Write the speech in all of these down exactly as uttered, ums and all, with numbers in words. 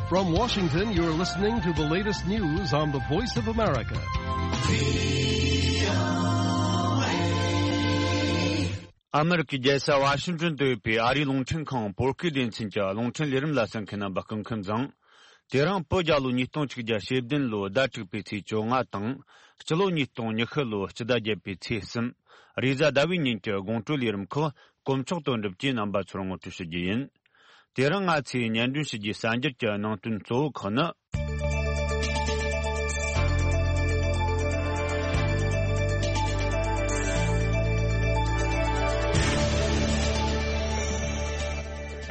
From Washington, you're listening to the latest news on the Voice of America. ཨ་མི་རི་ཀའི་རྒྱལ་ས་ཝ་ཤིང་ཏོན་དུ་ཡོད་པའི་ཨ་རིའི་རླུང་འཕྲིན་ཁང་བོད་སྐད་སྡེ་ཚན་གྱི་རླུང་འཕྲིན་ལས་རིམ་ལ་གསན་མཁན་རྣམ་པ་སྐུ་ཁམས་བཟང་། དེ་རིང་བོད་རྒྱལ་ལོ་ཉིས་སྟོང་ཆིག་བརྒྱ་ཞེ་བདུན་ལོའི་ཟླ་དྲུག་པའི་ཚེས་བཅོ་ལྔ་དང་། སྤྱི་ལོ་ཉིས་སྟོང་ཉི་ཤུ་ལོའི་སྤྱི་ཟླ་བརྒྱད་པའི་ཚེས་གསུམ། རེས་གཟའ་ཟླ་བའི་ཉིན་གྱི་དགོང་དྲོའི་ལས་རིམ་ཁག་དཀོན་མཆོག་དོན་གྲུབ་ཀྱིས་རྣམ་པ་ཚོར་ངོ་སྤྲོད་ཞུ་རྒྱུ་ཡིན། དེ་རིང་ང་ཚོས་སྙན་སྒྲོན་ཞུ་རྒྱུའི་གསར་འགྱུར་གྱི་ནང་དོན་གཙོ་བོ་ཁག་ནི།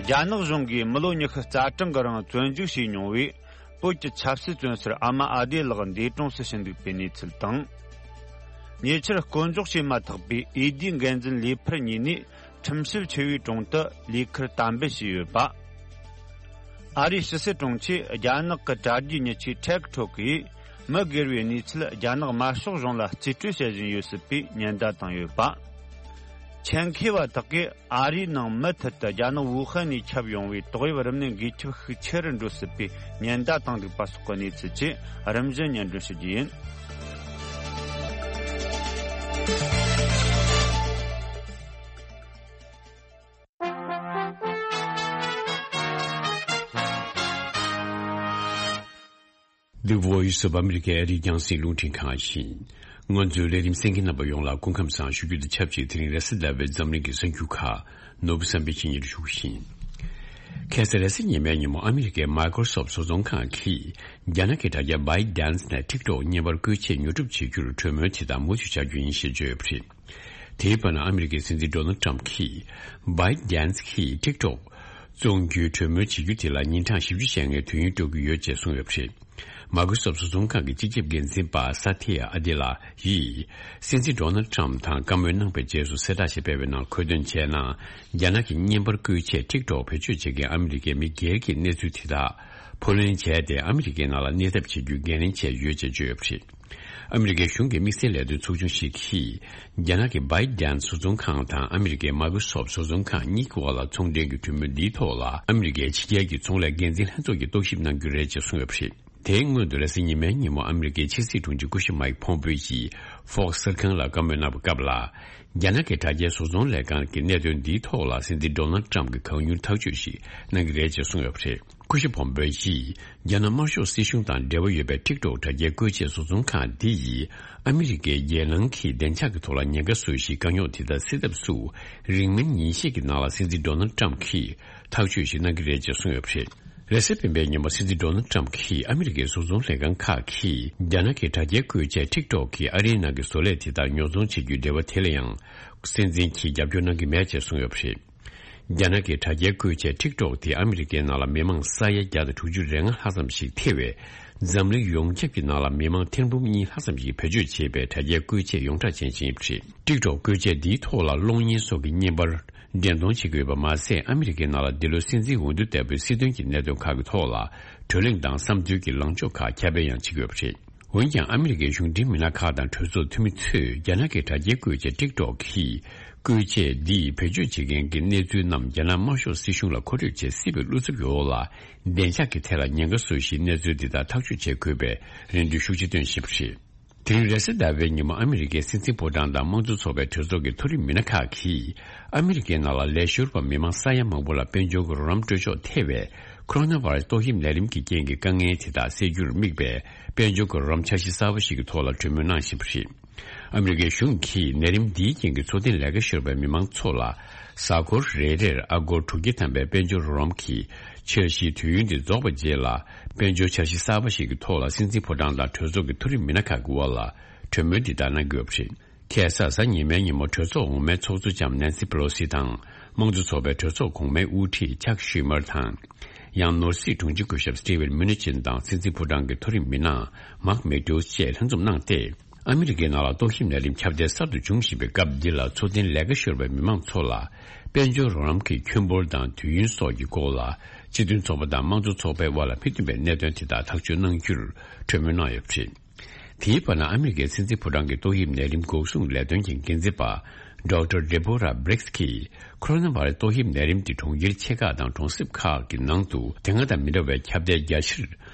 རྒྱ་ནག་གཞུང་གིས་མི་ལོ་ཉི་ཤུ་རྩ་གྲངས་ཀྱི་རིང་བཙོན་འཇུག་བྱས་མྱོང་བའི་བོད་ཀྱི་ཆབ་སྲིད་བཙོན་ཟུར་ཨ་མ་ཨ་བདེ་ལགས་འདས་གྲོངས་སུ་ཕྱིན་འདུག་པའི་གནས་ཚུལ་དང་། ཉེ་ཆར་བསྐོ་འཇོག་བྱས་མ་ཐག་པའི་འོས་བསྡུའི་འགན་འཛིན་ལས་འཕུར་གཉིས་ནས་ཁྲིམས་ཞིབ་ཆེ་བའི་དྲུང་དུ་ལས་ཁུར་དམ་འབུལ་བྱས་ཡོད་པ། ཨ་རིའི་ཕྱི་སྲིད་དྲུང་ཆེས་རྒྱ་ནག་གི་དྲ་རྒྱའི་མྱི་ཆེན་ཊེག་ཊོག་གིས་མི་སྒེར་བའི་གནས་ཚུལ་རྒྱ་ནག་དམར་ཤོག་གཞུང་ལ་རྩིས་སྤྲོད་བྱེད་བཞིན་ཡོད་སྲིད་པའི་ཉེན་བརྡ་བཏང་ཡོད་པ། ཆེད་མཁས་པ་དག་གིས་ཨ་རིའི་ནང་མུ་མཐུད་དུ་རྒྱ་ནག་ཝུ་ཧན་ནས་ཁྱབ་ཡོང་བའི་ཏོག་དབྱིབས་རིམས་ནད་འགོས་ཁྱབ་ཤུགས་ཆེ་རུ་འགྲོ་སྲིད་པའི་ཉེན་བརྡ་བཏང་འདུག་པ་སོགས་ཀྱི་གནས་ཚུལ་བཅས་རིམ་བཞིན་སྙན་སྒྲོན་ཞུ་རྒྱུ་ཡིན། The Voice of America ཨ་རིའི་རྒྱང་སྲིང་རླུང་འཕྲིན་ཁང་ཡིན། ང་ཚོའི་ལས་རིམ་གསན་མཁན་རྣམ་པ་ཡོངས་ལ་སྐུ་ཁམས་བཟང་ཞུ་རྒྱུ་དང་ཆབས་ཅིག་དེ་རིང་རེས་གཟའ་ཟླ་བའི་འཛམ་གླིང་གི་གསར་འགྱུར་ཁག་ནོར་བུ་བསམ་འཕེལ་གྱིས་སྙན་སྒྲོན་ཞུ་གི་ཡིན། ཁ་སང་རེས་གཟའ་ཉི་མའི་ཉིན་མོ་ཨ་མི་རི་ཀའི་Microsoft བཟོ་ཚོང་ཁང་གིས་རྒྱ་ནག་གི་དྲ་རྒྱ་ByteDance ནས་TikTok བརྙན་པར་བཀོལ་ཆས་ཉོ་སྒྲུབ་བྱེད་རྒྱུར་གྲོས་མོལ་བྱེད་སྟངས་མུ་མཐུད་བྱ་རྒྱུ་ཡིན་ཞེས་བརྗོད་ཡོད་པ་རེད། དེའི་བར་ན་ཨ་མི་རི་ཀའི་སྲིད་འཛིན་Donald Trump གིས་ByteDance གིས་TikTok བཙོང་རྒྱུའི་གྲོས་མོལ་བྱེད་རྒྱུ་དེ་ལ་ཉིན་གྲངས་བཞི་བཅུ་ཞེ་ལྔའི་དུས་ཡུན་སྤྲོད་ཀྱི་ཡོད་ཅེས་གསུངས་ཡོད་པ་རེད། Microsoft བཟོ་ཚོང་ཁང་གི་སྤྱི་ཁྱབ་འགན་འཛིན་པ་Satya Nadella ཡིས་སྲིད་འཛིན་Donald Trump དང་བཀའ་མོལ་གནང་པའི་རྗེས་སུ་གསལ་བསྒྲགས་ཤིག་སྤེལ་བའི་ནང་འཁོད་དོན་བྱས་ན། རྒྱ་ནག་གི་བརྙན་པར་བཀོལ་ཆས་TikTok བེད་སྤྱོད་བྱེད་མཁན་ཨ་མི་རི་ཀའི་མི་སྒེར་གྱི་གནས་ཚུལ་དེ་དག་ཕབ་ལེན་བྱས་ཏེ་ཨ་མི་རི་ཀའི་ནང་ལ་གནས་ཐབས་བྱེད་རྒྱུའི་འགན་ལེན་བྱས་ཡོད་ཅེས་བརྗོད་ཡོད་པ་རེད། ཨ་མི་རི་ཀའི་གཞུང་གི་དམིགས་བསལ་ལས་དོན་ཚོགས་ཆུང་ཞིག་གིས། རྒྱ་ནག་གི་ByteDance བཟོ་ཚོང་ཁང་དང་ཨ་མི་རི་ཀའི་Microsoft བཟོ་ཚོང་ཁང་གཉིས་ཀྱི་དབར་ལ་ཚོང་འབྲེལ་གྱི་གྲོས་མོལ་འདིའི་ཐོག་ལ་ཨ་མི་རི་ཀའི་ཕྱི་རྒྱལ་གྱི་ཚོང་ལས་འགན་འཛིན་ལྷན་ཚོགས་ཀྱིས་རྟོག་ཞིབ་གནང་རྒྱུ་རེད་ཅེས་གསུངས་ཡོད་པ་རེད། དེའི་སྔོན་དུ་རེས་གཟའ་ཉི་མའི་ཉིན་མོ་ཨ་མི་རི་ཀའི་ཕྱི་སྲིད་དྲུང་ཆེ་སྐུ་ཞབས་Mike Pompeo ཡིས་Fox གསར་ཁང་ལ་བཀའ་མོལ་གནང་བའི་སྐབས་ལ། རྒྱ་ནག་གི་དྲ་རྒྱའི་བཟོ་ཚོང་ལས་ཁང་གི་གནད་དོན་འདིའི་ཐོག་ལ་སྲིད་འཛིན་Donald Trump གྱིས་གང་མྱུར་ཐག་གཅོད་ཞིག་གནང་གི་རེད་ཅེས་གསུངས་ཡོད་པ་རེད། སྐུ་ཞབས་Pompeo ཡིས། རྒྱ་ནག་དམར་ཤོག་སྲིད་གཞུང་དང་འབྲེལ་བ་ཡོད་པའི་TikTok དྲ་རྒྱའི་བཀོལ་ཆས་བཟོ་ཚོང་ཁང་འདི་ཡིས་ཨ་མི་རི་ཀའི་རྒྱལ་ནང་གི་བདེ་འཇགས་ཀྱི་ཐོག་ལ་ཉེན་ཁ་བཟོ་བཞིན་དཀའ་རྙོག་དེ་དག་སེལ་ཐབས་སུ་རིང་མིན་ཉིན་ཤས་ཀྱི་ནང་ལ་སྲིད་འཛིན་Donald Trump གྱིས་ཐག་གཅོད་ཞིག་གནང་གི་རེད་ཅེས་གསུངས་ཡོད་པ་རེད། རེས་གཟའ་སྤེན་པའི་ཉིན་མོ་སྲིད་འཛིན་Donald Trump གྱིས་ཨ་མི་རི་ཀའི་བཟོ་ཚོང་ལས་ཁང་ཁག་གིས་རྒྱ་ནག་གི་དྲ་རྒྱའི་བཀོལ་ཆས་TikTok གིས་ཨ་རིའི་ནང་གི་བཟོ་ལས་དེ་དག་ཉོ་ཚོང་བྱེད་རྒྱུའི་འབྲེལ་བ་དེ་ལ་ཡང་སྲིད་འཛིན་གྱིས་རྒྱབ་སྐྱོར་གནང་གི་མེད་ཅེས་གསུངས་ཡོད་པ་རེད། རྒྱ་ནག་གི་དྲ་རྒྱའི་བཀོལ་ཆས་TikTok དེ་ཨ་མི་རི་ཀའི་ནང་ལ་མི་མང་ས་ཡ་བརྒྱ་དང་དྲུག་ཅུ་རེ་ལྔ་ལྷག་ཙམ་ཞིག་ཐེ་བའི་འཛམ་གླིང་ཡོངས་ཁྱབ་ཀྱི་ནང་ལ་མི་མང་ཐེར་འབུམ་གཉིས་ལྷག་ཙམ་ཞིག་བེད་སྤྱོད་བྱེད་པའི་དྲ་རྒྱའི་བཀོལ་ཆས་ཡོངས་གྲགས་ཅན་ཞིག་ཡིན་པ་རེད། TikTok བཀོལ་ཆས་འདིའི་ཐོག་ལ་གློག་བརྙན་སོགས་ཀྱི་བརྙན་པར་འགྲེམས་སྟོན་བྱེད་ཀྱི་ཡོད་པ་མ་ཟད། ཨ་མི་རི་ཀའི་ནང་ལ་འདི་ལོའི་སྲིད་འཛིན་འོས་བསྡུ་ལྟ་བུའི་སྲིད་དོན་གྱི་གནད་དོན་ཁག་གི་ཐོག་ལ་གྲོས་གླེང་དང་བསམ་ཚུལ་གྱི་ལངས་ཕྱོགས་ཁག་ཁྱབ་སྤེལ་ཡང་བྱེད་ཀྱི་ཡོད་པ་རེད། འོན་ཀྱང་། ཨ་མི་རི་ཀའི་གཞུང་འབྲེལ་མི་སྣ་ཁག་དང་གྲོས་ཚོགས་འཐུས་མི་ཚོས་རྒྱ་ནག་གི་དྲ་རྒྱའི་བཀོལ་ཆས་TikTok གིས་བཀོལ་ཆས་འདིས་བེད་སྤྱོད་བྱེད་མཁན་གྱི་གནས་ཚུལ་རྣམས་རྒྱ་ནག་དམར་ཤོག་སྲིད་གཞུང་ལ་མཁོ་སྤྲོད་བྱེད་སྲིད་པའི་བློ་འཚབ་ཀྱི་འོག་ལ། བདེ་འཇགས་ཀྱི་ཐད་ལ་ཉེན་ཁ་བཟོ་བཞིན་གནས་ཚུལ་འདི་དག་ཐག་གཅོད་བྱེད་དགོས་པའི་རེ་འདུན་ཤུགས་ཆེ་བཏོན་བཞིན་པ་རེད། དེ་རིང་རེས་གཟའ་ཟླ་བའི་ཉིན་མོ་ཨ་མི་རི་ཀའི་སྲིད་འཛིན་ཕོ་བྲང་དང་དམངས་གཙོ་ཚོགས་པའི་གྲོས་ཚོགས་ཀྱི་མཐོ་རིམ་མི་སྣ་ཁག་གིས། ཨ་མི་རི་ཀའི་ནང་ལ་ལས་ཤོར་བ་མི་མང་ས་ཡ་མང་པོ་ལ་དཔལ་འབྱོར་གྱི་རོགས་རམ་སྤྲོད་ཕྱོགས་ཐེ་བའི་ཁོ་རོ་ན་བྷ་ར་སི་ཏོག་དབྱིབས་ནད་རིམས་ཀྱི་རྐྱེན་གྱི་དཀའ་ངལ་དེ་དག་སེལ་རྒྱུར་དམིགས་པའི་དཔལ་འབྱོར་གྱི་རོགས་རམ་འཆར་གཞི་གསར་པ་ཞིག་གི་ཐོག་ལ་གྲོས་མོལ་གནང་བཞིན་པ་རེད། ཨ་མི་རི་ཀའི་གཞུང་གིས་ནད་རིམས་འདིའི་རྐྱེན་གྱིས་འཚོ་རྟེན་ལས་ཀ་ཤོར་བའི་མི་མང་ཚོ་ལ་གཟའ་འཁོར་རེ་རེར་ཨ་སྒོར་དྲུག་བརྒྱ་ཐམ་པའི་དཔལ་འབྱོར་རོགས་རམ་གྱི་འཆར་གཞིའི་དུས་ཡུན་དེ་རྫོགས་པའི་རྗེས་ལ། དཔལ་འབྱོར་འཆར་གཞི་གསར་པ་ཞིག་གི་ཐོག་ལ་སྲིད་འཛིན་ཕོ་བྲང་དང་གྲོས་ཚོགས་ཀྱི་མཐོ་རིམ་མི་སྣ་ཁག་གི་དབར་ལ་གྲོས་མོལ་འདི་ལྟར་གནང་གི་ཡོད་པ་རེད། ཁ་སང་གཟའ་ཉི་མའི་ཉིན་མོ་གྲོས་ཚོགས་འོག་མའི་ཚོགས་གཙོ་ལྕམ་ནན་སི་པེ་ལོ་སི་དང་། དམངས་གཙོ་ཚོགས་པའི་གྲོས་ཚོགས་གོང་མའི་དབུ་ཁྲིད་ཅག་ཤུ་མར་དང་། ཡང་ནོར་སྲིད་དྲུང་ཆེ་སྐུ་ཞབས་སི་ཊི་ཝིན་མུ་ནི་ཅིན་དང་སྲིད་འཛིན་ཕོ་བྲང་གི་མཐོ་རིམ་མི་སྣ་མཱག་མེ་ཏོས་བཅས་ལྷན་འཛོམས་གནང་སྟེ། ཨ་མི་རི་ཀའི་ནང་ལ་ཏོག་དབྱིབས་ནད་རིམས་ཁྱབ་གདལ་གསར་དུ་འབྱུང་བཞིན་པའི་སྐབས་འདི་ལ་འཚོ་རྟེན་ལས་ཀ་ཤོར་བའི་མི་མང་ཚོ་ལ་དཔལ་འབྱོར་རོགས་རམ་གྱི་ཁྱོན་འབོར་དང་དུས་ཡུན་སོགས་ཀྱི་སྐོར་ལ་སྤྱི་མཐུན་ཚོགས་པ་དང་དམངས་གཙོ་ཚོགས་པའི་དབར་ལ་མི་མཐུན་པའི་གནད་དོན་དེ་དག་ཐག་གཅོད་གནང་རྒྱུར་གྲོས་མོལ་གནང་ཡོད་པ་རེད། དེའི་བར་ན་ཨ་མི་རི་ཀའི་སྲིད་འཛིན་ཕོ་བྲང་གི་ཏོག་དབྱིབས་ནད་རིམས་འགོག་སྲུང་ལས་དོན་གྱི་འགན་འཛིན་པ་ Doctor Deborah Birx གིས་ཁོ་རོ་ན་བྷ་རེ་སི་ཏོག་དབྱིབས་ནད་རིམས་དེ་གྲོང་ཁྱེར་ཆེ་ཁག་དང་གྲོང་གསེབ་ཁག་གི་ནང་དུ་དེ་སྔ་དང་མི་འདྲ་བའི་ཁྱབ་གདལ་རྒྱ་ཆེར་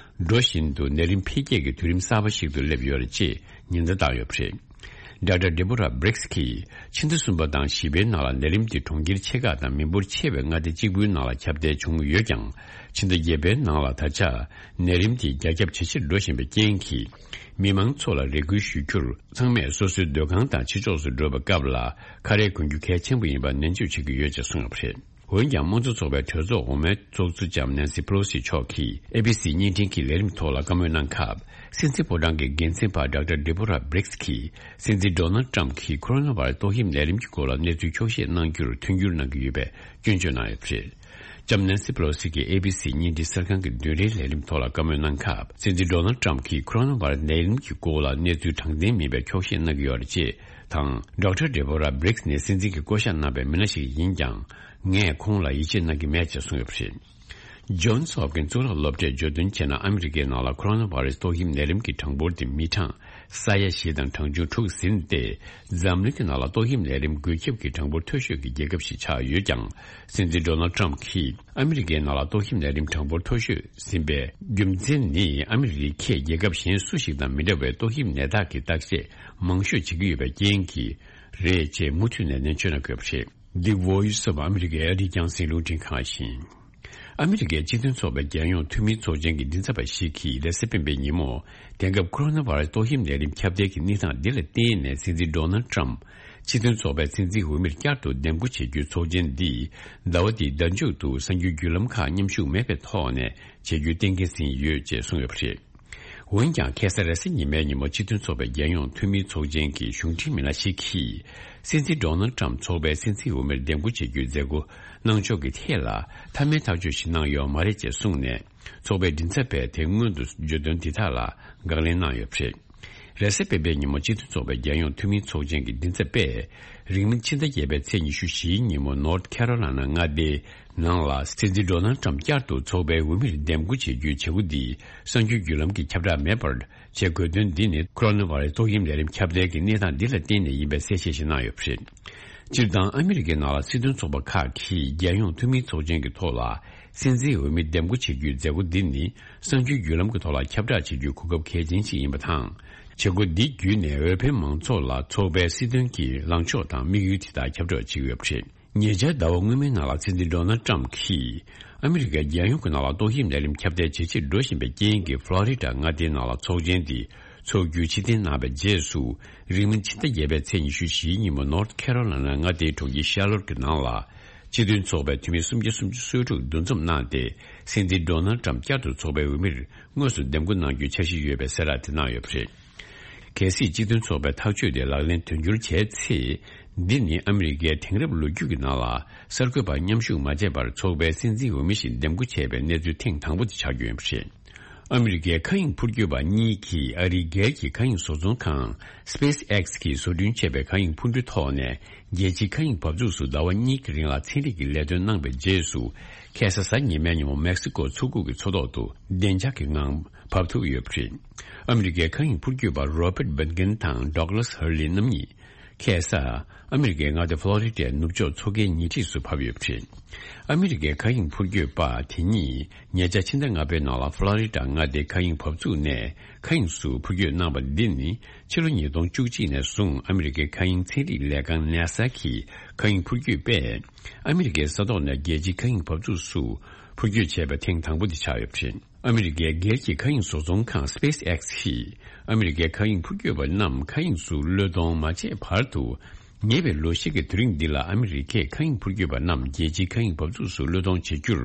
འགྲོ་བཞིན་དུ་ནད་རིམས་འཕེལ་རྒྱས་ཀྱི་དུས་རིམ་གསར་པ་ཞིག་ཏུ་སླེབས་ཡོད་རེད་ཅེས་ཉེན་བརྡ་བཏང་ཡོད་པ་རེད། Doctor Deborah Birx གིས་ཕྱི་ཟླ་གསུམ་པ་དང་བཞི་པའི་ནང་ལ་ནད་རིམས་དེ་གྲོང་ཁྱེར་ཆེ་ཁག་དང་མི་འབོར་ཆེ་བའི་མངའ་སྡེ་གཅིག་པུའི་ནང་ལ་ཁྱབ་གདལ་བྱུང་ཡོད་ཀྱང་། ཕྱི་ཟླ་བརྒྱད་པའི་ནང་ལ་ད་ཆ་ནད་རིམས་དེ་རྒྱ་ཁྱབ་ཇེ་ཆེར་འགྲོ་བཞིན་པའི་རྐྱེན་གྱིས། མི་མང་ཚོ་ལ་རེ་སྐུལ་ཞུ་རྒྱུར། ཚང་མས་སོ་སོའི་སྡོད་ཁང་དང་ཕྱི་ཕྱོགས་སུ་འགྲོ་བའི་སྐབས་ལ་ཁ་རས་གོན་རྒྱུ་གལ་ཆེན་པོ་ཡིན་པ་ནན་བརྗོད་བྱེད་ཀྱི་ཡོད་ཅེས་གསུངས་ཡོད་པ་རེད། འོན་ཀྱང་། དམངས་གཙོ་ཚོགས་པའི་གྲོས་ཚོགས་འོག་མའི་ཚོགས་གཙོ་ལྕམ་ནན་སི་པེ་ལོ་སི་མཆོག་གིས་ཨེ་བི་སི་བརྙན་འཕྲིན་གྱི་ལས་རིམ་ཐོག་ལ་བཀའ་མོལ་གནང་སྐབས། སྲིད་འཛིན་ཕོ་བྲང་གི་འགན་འཛིན་པ་Doctor Deborah Birx གིས་སྲིད་འཛིན་Donald Trump གིས་ཁོ་རོ་ན་བྷ་རེ་སི་ཏོག་དབྱིབས་ནད་རིམས་ཀྱི་སྐོར་ལ་གནས་ཚུལ་འཁྱོག་བཤད་གནང་རྒྱུར་མཐུན་འགྱུར་གནང་གི་ཡོད་པའི་སྐྱོན་བརྗོད་གནང་ཡོད་པ་རེད། ལྕམ་ནན་སི་པེ་ལོ་སི་གིས་ཨེ་བི་སི་བརྙན་འཕྲིན་གསར་ཁང་གི་བདུན་རེའི་ལས་རིམ་ཐོག་ལ་བཀའ་མོལ་གནང་སྐབས། སྲིད་འཛིན་Donald Trump གིས་ཁོ་རོ་ན་བྷ་རེ་སི་ནད་རིམས་ཀྱི་སྐོར་ལ་གནས་ཚུལ་དྲང་བདེན་མིན་པའི་འཁྱོག་བཤད་གནང་གི་ཡོད་རེད་ཅེས་དང་། Doctor Deborah Birx ནི་སྲིད་འཛིན་གྱིས་བསྐོ་གཞག་གནང་པའི་མི་སྣ་ཞིག་ཡིན་ཀྱང་། ངས་ཁོང་ལ་ཡིད་ཆེས་གནང་གི་མེད་ཅེས་གསུངས་ཡོད་པ་རེད། Johns Hopkins གཙུག་ལག་སློབ་གྲྭས་བརྗོད་དོན་བྱས་ན། ཨ་མི་རི་ཀའི་ནང་ལ་ཁོ་རོ་ན་བྷ་རེ་སི་ཏོག་དབྱིབས་ནད་རིམས་ཀྱི་གྲངས་འབོར་དེ་མི་གྲངས་ས་ཡ་བཞི་དང་གྲངས་ཆུང་དྲུག་ཟིན་ཏེ། འཛམ་གླིང་གི་ནང་ལ་ཏོག་དབྱིབས་ནད་རིམས་འགོས་ཁྱབ་ཀྱི་གྲངས་འབོར་མཐོ་ཤོས་ཀྱི་རྒྱལ་ཁབ་ཞིག་ཆགས་ཡོད་ཀྱང་། སྲིད་འཛིན་Donald Trump གིས་ཨ་མི་རི་ཀའི་ནང་ལ་ཏོག་དབྱིབས་ནད་རིམས་གྲངས་འབོར་མཐོ་ཤོས་ཟིན་པའི་རྒྱུ་མཚན་ནི། ཨ་མི་རི་ཁས་རྒྱལ་ཁབ་གཞན་སུ་ཞིག་དང་མི་འདྲ་བའི་ཏོག་དབྱིབས་ནད་རྟགས་ཀྱི་བརྟག་དཔྱད་མང་ཤོས་བྱེད་ཀྱི་ཡོད་པའི་རྐྱེན་གྱིས་རེད་ཅེས་མུ་མཐུད་ནས་ནན་བརྗོད་གནང་དགོས་པ་རེད། The Voice of America ཨ་རིའི་རྒྱང་སྲིང་རླུང་འཕྲིན་ཁང་ཡིན། ཨ་མི་རི་ཀའི་སྤྱི་མཐུན་ཚོགས་པའི་རྒྱལ་ཡོངས་འཐུས་མིའི་ཚོགས་ཆེན་གྱི་མགྲིན་ཚབ་པ་ཞིག་གིས་རེས་གཟའ་སྤེན་པའི་ཉིན་མོ། དེང་སྐབས་ཁོ་རོ་ན་བྷ་རེ་སི་ཏོག་དབྱིབས་ནད་རིམས་ཁྱབ་གདལ་གྱི་གནས་སྟངས་འདི་ལ་བརྟེན་ནས། སྲིད་འཛིན་Donald Trump སྤྱི་མཐུན་ཚོགས་པའི་མཚན་འཛིན་འོས་མིར་བསྐྱར་དུ་འདེམས་བསྐོ་བྱེད་རྒྱུའི་ཚོགས་ཆེན་འདི་ཟླ་བ་འདིའི་ཟླ་མཇུག་ཏུ་གསར་འགྱུར་བརྒྱུད་ལམ་ཁག་མཉམ་ཞུགས་མེད་པའི་ཐོག་ནས་བྱེད་རྒྱུའི་གཏན་འཁེལ་ཟིན་ཡོད་ཅེས་གསུངས་ཡོད་པ་རེད། འོན་ཀྱང་། ཁ་སང་རེས་གཟའ་ཉི་མའི་ཉིན་མོ་སྤྱི་མཐུན་ཚོགས་པའི་རྒྱལ་ཡོངས་འཐུས་མིའི་ཚོགས་ཆེན་གྱི་གཞུང་འབྲེལ་མི་སྣ་ཞིག་གིས། སྲིད་འཛིན་Donald Trump ཚོགས་པའི་སྲིད་འཛིན་འོས་མིར་འདེམས་བསྐོ་བྱེད་རྒྱུའི་མཛད་སྒོ་གནང་ཕྱོགས་ཀྱི་ཐད་ལ། མཐའ་མའི་ཐག་གཅོད་ཞིག་གནང་ཡོད་མ་རེད་ཅེས་གསུངས་ནས། ཚོགས་པའི་མགྲིན་ཚབ་པས་དེ་སྔོན་དུ་བརྗོད་དོན་འདི་དག་ལ་དགག་ལན་གནང་ཡོད་པ་རེད། རེས་གཟའ་སྤེན་པའི་ཉིན་མོ་སྤྱི་མཐུན་ཚོགས་པའི་རྒྱལ་ཡོངས་འཐུས་མིའི་ཚོགས་ཆེན་གྱི་མགྲིན་ཚབ་པས། རིང་མིན་ཕྱི་ཟླ་བརྒྱད་པའི་ཚེས་ཉི་ཤུ་བཞིའི་ཉིན་མོ་North Carolina མངའ་སྡེའི་ནང་ལ། སྲིད་འཛིན་Donald Trump བསྐྱར་དུ་ཚོགས་པའི་འོས་མིར་འདེམས་བསྐོ་བྱེད་རྒྱུའི་བྱེད་སྒོ་འདི་གསར་འགྱུར་བརྒྱུད་ལམ་གྱི་ཁྱབ་བསྒྲགས་མེད་པར་བྱེད་དགོས་དོན་འདི་ནི། ཁོ་རོ་ན་བྷ་རེ་སི་ཏོག་དབྱིབས་ནད་རིམས་ཁྱབ་གདལ་གྱི་གནས་སྟངས་འདི་ལ་བརྟེན་ནས་ཡིན་པའི་གསལ་བཤད་ཞིག་གནང་ཡོད་པ་རེད། སྤྱིར་བཏང་ཨ་མི་རི་ཀའི་ནང་ལ་སྲིད་དོན་ཚོགས་པ་ཁག་གིས་རྒྱལ་ཡོངས་འཐུས་མིའི་ཚོགས་ཆེན་གྱི་ཐོག་ལ། སྲིད་འཛིན་འོས་མི་འདེམས་བསྐོ་བྱེད་རྒྱུའི་མཛད་སྒོ་འདི་ནི། གསར་འགྱུར་བརྒྱུད་ལམ་གྱི་ཐོག་ལ་ཁྱབ་བསྒྲགས་བྱེད་རྒྱུའི་གོ་སྐབས་གལ་ཆེན་ཞིག་ཡིན་པ་དང་། བྱེད་སྒོ་འདི་བརྒྱུད་ནས་འོས་འཕེན་མང་ཚོགས་ལ་ཚོགས་པའི་སྲིད་དོན་གྱི་ལངས་ཕྱོགས་དང་དམིགས་ཡུལ་དེ་དག་ཁྱབ་བསྒྲགས་བྱེད་ཀྱི་ཡོད་པ་རེད། ཉེ་ཆར་ཟླ་བ་སྔོན་མའི་ནང་ལ་སྲིད་འཛིན་Donald Trump གིས། ཨ་མི་རི་ཀའི་རྒྱལ་ཡོངས་ཀྱི་ནང་ལ་ཏོག་དབྱིབས་ནད་རིམས་ཁྱབ་གདལ་ཇེ་ཆེར་འགྲོ་བཞིན་པའི་རྐྱེན་གྱིས། Florida མངའ་སྡེའི་ནང་ལ་ཚོགས་ཆེན་འདི་ཚོགས་རྒྱུའི་ཕྱིར་འཐེན་གནང་བའི་རྗེས་སུ། རིང་མིན་ཕྱི་ཟླ་བརྒྱད་པའི་ཚེས་ཉི་ཤུ་བཞིའི་ཉིན་མོ་North Carolina མངའ་སྡེའི་གྲོང་ཁྱེར་Charlotte གྱི་ནང་ལ། སྤྱི་མཐུན་ཚོགས་པའི་འཐུས་མི་སུམ་བརྒྱ་སུམ་ཅུ་སོ་དྲུག་འདུ་འཛོམས་གནང་སྟེ། སྲིད་འཛིན་Donald Trump བསྐྱར་དུ་ཚོགས་པའི་འོས་མིར་དངོས་སུ་འདེམས་བསྐོ་གནང་རྒྱུའི་འཆར་གཞི་ཡོད་པའི་གསལ་བསྒྲགས་དེ་གནང་ཡོད་པ་རེད། གལ་སྲིད་སྤྱི་མཐུན་ཚོགས་པའི་ཐག་གཅོད་དེ་ལག་ལེན་དོན་འཁྱོལ་བྱས་ཚེ། འདི་ནི་ཨ་མི་རི་ཀའི་དེང་རབས་ལོ་རྒྱུས་ཀྱི་ནང་ལ་གསར་འགོད་པ་མཉམ་ཞུགས་མ་བྱས་པར་ཚོགས་པའི་སྲིད་འཛིན་འོས་མི་ཞིག་འདེམས་བསྐོ་བྱས་པའི་གནས་ཚུལ་ཐེངས་དང་པོ་དེ་ཆགས་རྒྱུ་ཡིན་པ་རེད། ཨ་མི་རི་ཀའི་མཁའ་དབྱིངས་འཕུར་སྐྱོད་པ་གཉིས་ཀྱིས་ཨ་རིའི་སྒེར་གྱི་མཁའ་དབྱིངས་བཟོ་ཚོང་ཁང་SpaceX གིས་བཟོ་སྐྲུན་བྱས་པའི་མཁའ་དབྱིངས་འཕུར་གྲུ་ཐོག་ནས། རྒྱལ་སྤྱིའི་མཁའ་དབྱིངས་འབབ་ཚུགས་སུ་ཟླ་བ་གཉིས་ཀྱི་རིང་ལ་ཚན་རིག་གི་ལས་དོན་གནང་བའི་རྗེས་སུ། ཁ་སང་གཟའ་ཉི་མའི་ཉིན་མོ་མེག་སི་ཀོ་མཚོ་ཁུག་གི་མཚོ་ཐོག་ཏུ་བདེ་འཇགས་ཀྱི་ངང་བབས་ཐུབ་ཡོད་པ་རེད། ཨ་མི་རི་ཀའི་མཁའ་དབྱིངས་འཕུར་སྐྱོད་པ་Robert Behnken དང་Douglas Hurley རྣམ་གཉིས། ཁ་སང་ཨ་མི་རི་ཀའི་མངའ་སྡེ་ཕློ་རི་ཌའི་ནུབ་ཕྱོགས་མཚོ་ཁའི་ཉེ་འཁྲིས་སུ་བབས་ཡོད་པ་རེད། ཨ་མི་རི་ཀའི་མཁའ་དབྱིངས་འཕུར་སྐྱོད་པ་དེ་གཉིས་ཉེ་ཆར་ཕྱི་ཟླ་ལྔ་པའི་ནང་ལ་ཕློ་རི་ཌ་མངའ་སྡེའི་མཁའ་དབྱིངས་འབབ་ཚུགས་ནས་མཁའ་དབྱིངས་སུ་འཕུར་སྐྱོད་གནང་བ་འདི་ནི། ཕྱི་ལོ་ཉིས་སྟོང་བཅུ་གཅིག་ནས་བཟུང་ཨ་མི་རི་ཀའི་མཁའ་དབྱིངས་ཚན་རིག་ལས་ཁང་NASA གིས་མཁའ་དབྱིངས་འཕུར་སྐྱོད་པས། ཨ་མི་རི་ཀའི་ས་ཐོག་ནས་རྒྱལ་སྤྱིའི་མཁའ་དབྱིངས་འབབ་ཚུགས་སུ་འཕུར་སྐྱོད་བྱས་པ་ཐེངས་དང་པོ་དེ་ཆགས་ཡོད་པ་རེད། ཨ་མི་རི་ཀའི་སྒེར་གྱི་མཁའ་དབྱིངས་བཟོ་ཚོང་ཁང་SpaceX གིས་ཨ་མི་རི་ཀའི་མཁའ་དབྱིངས་འཕུར་སྐྱོད་པ་རྣམས་མཁའ་དབྱིངས་སུ་གློད་གཏོང་མ་བྱས་བར་དུ། ཉེ་བའི་ལོ་ཤས་ཀྱི་དུས་རིང་འདི་ལ་ཨ་མི་རི་ཀས་མཁའ་དབྱིངས་འཕུར་སྐྱོད་པ་རྣམས་རྒྱལ་སྤྱིའི་མཁའ་དབྱིངས་འབབ་ཚུགས་སུ་གློད་གཏོང་བྱེད་རྒྱུར་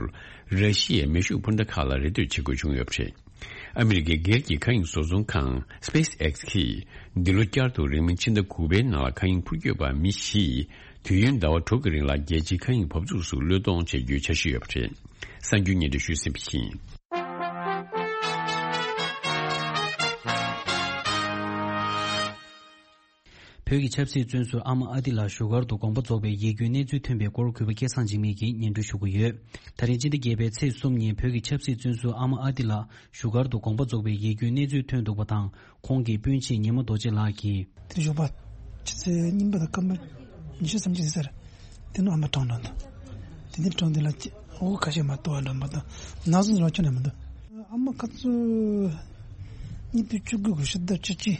ར་ཤི་ཡའི་མེ་ཤུགས་འཕུར་མདའ་ཁག་ལ་རེ་ལྟོས་བྱེད་དགོས་བྱུང་ཡོད་པ་རེད། ཨ་མི་རི་ཀའི་སྒེར་གྱི་མཁའ་དབྱིངས་བཟོ་ཚོང་ཁང་SpaceX གིས་འདི་ལོ་བསྐྱར་དུ་རིང་མིན་ཕྱི་ཟླ་དགུ་པའི་ནང་ལ་མཁའ་དབྱིངས་འཕུར་སྐྱོད་པ་མི་བཞི་དུས་ཡུན་ཟླ་བ་དྲུག་གི་རིང་ལ་རྒྱལ་སྤྱིའི་མཁའ་དབྱིངས་འབབ་ཚུགས་སུ་གློད་གཏོང་བྱེད་རྒྱུའི་འཆར་གཞི་ཡོད་པ་རེད། གསར་འགྱུར་སྙན་སྒྲོན་ཞུས་ཟིན་པ་ཡིན། བོད་ཀྱི་ཆབ་སྲིད་བཙོན་ཟུར་ཨ་མ་ཨ་ཏི་ལ་བཞུགས་སྒར་དུ་དགོངས་པ་རྫོགས་པའི་ཡིད་སྐྱོའི་གནས་ཚུལ་ཐོན་པའི་སྐོར་གུས་པ་སྐལ་བཟང་འཇིགས་མེད་ཀྱིས་སྙན་སྒྲོན་ཞུ་གི་ཡོད། ད་རིང་སྤྱི་ཟླ་བརྒྱད་པའི་ཚེས་གསུམ་ཉིན་བོད་ཀྱི་ཆབ་སྲིད་བཙོན་ཟུར་ཨ་མ་ཨ་ཏི་ལ་བཞུགས་སྒར་དུ་དགོངས་པ་རྫོགས་པའི་ཡིད་སྐྱོའི་གནས་ཚུལ་ཐོན་འདུག་པ་དང་། ཁོང་གི་སྤུན་མཆེད་ཉི་མ་རྡོ་རྗེ་ལགས་ཀྱིས། དེ་ཞོགས་པ་ཆུ་ཚོད་གཉིས་པ་དང་སྐར་མ་ ཉི་ཤུ་སུམ་ཅུ་ཟེར། དེ་ནི་ཨ་མ་གྲོངས་འགྲོ་འདུག་དེ་ནི་གྲོངས་དེ་ལ་ཅི་འོ་ཁ་ཤས་མ་གཏོགས་འགྲོ་མ་གཏོགས་ན་ཟུག་ལ་ཁྱོན་ནས་མི་འདུག་ཨ་མ་ཁ་ཚུ་ཉིས་སྟོང་བཅུ་དགུ་གི་ཕྱི་ཟླ་བཅུ་གཅིག་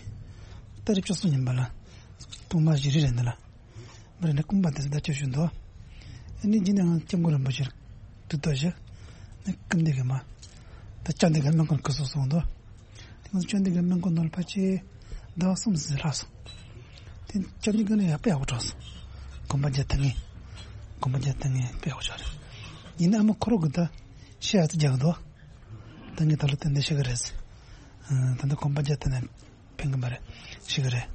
ཏ་རིག་བཅུ་གསུམ་ཉིན་པ་ལ་ཐོག་མ་བཞི་རེ་རེད་འདི་ལ། མི་རེ་ནས་ཀུན་པ་དེ་ཟླ་བཅུ་བཞི་འདུག་ཨ་ནི་རྗེས་ནས་ང་སྐྱབས་མགོན་རིན་པོ་ཆེར་དུས་ད་བཞི་ནི་ཀུན་འདི་གི་མ་ད་ཅང་འདི་གི་སྨན་ཁང་སྐུ་གཟུགས་སོང་འདུག་དེ་ང་ཚོ་ཅང་འདི་གི་སྨན་ཁང་ནང་ལ་ཕལ་ཆེར་ཟླ་བ་གསུམ་ཙམ་ལྷག་སོང་། དེ་ཅང་འདི་གི་ནི་ཡག་པོ་ཡག་པོ་གྲོངས་སོང་། གོམ་པ་རྒྱག་ཐུབ་ངེས། གོམ་པ་རྒྱག་ཐུབ་ངེས་དཔེ་ཡག་པོ་ཆགས་རེད། ཡིན་ན་ཨ་མ་ཁོ་རང་གི་ད་ཤི་ཡག་ཏུ་རྒྱག་འདུག་ད་ངས་ད་ལོ་དེ་འདྲ་ཤི་གི་རེད། ད་ལྟ་གོམ་པ་རྒྱག་ཐུབ་ན་ཕན་གི་མ་རེད། ཤི་གི་རེད།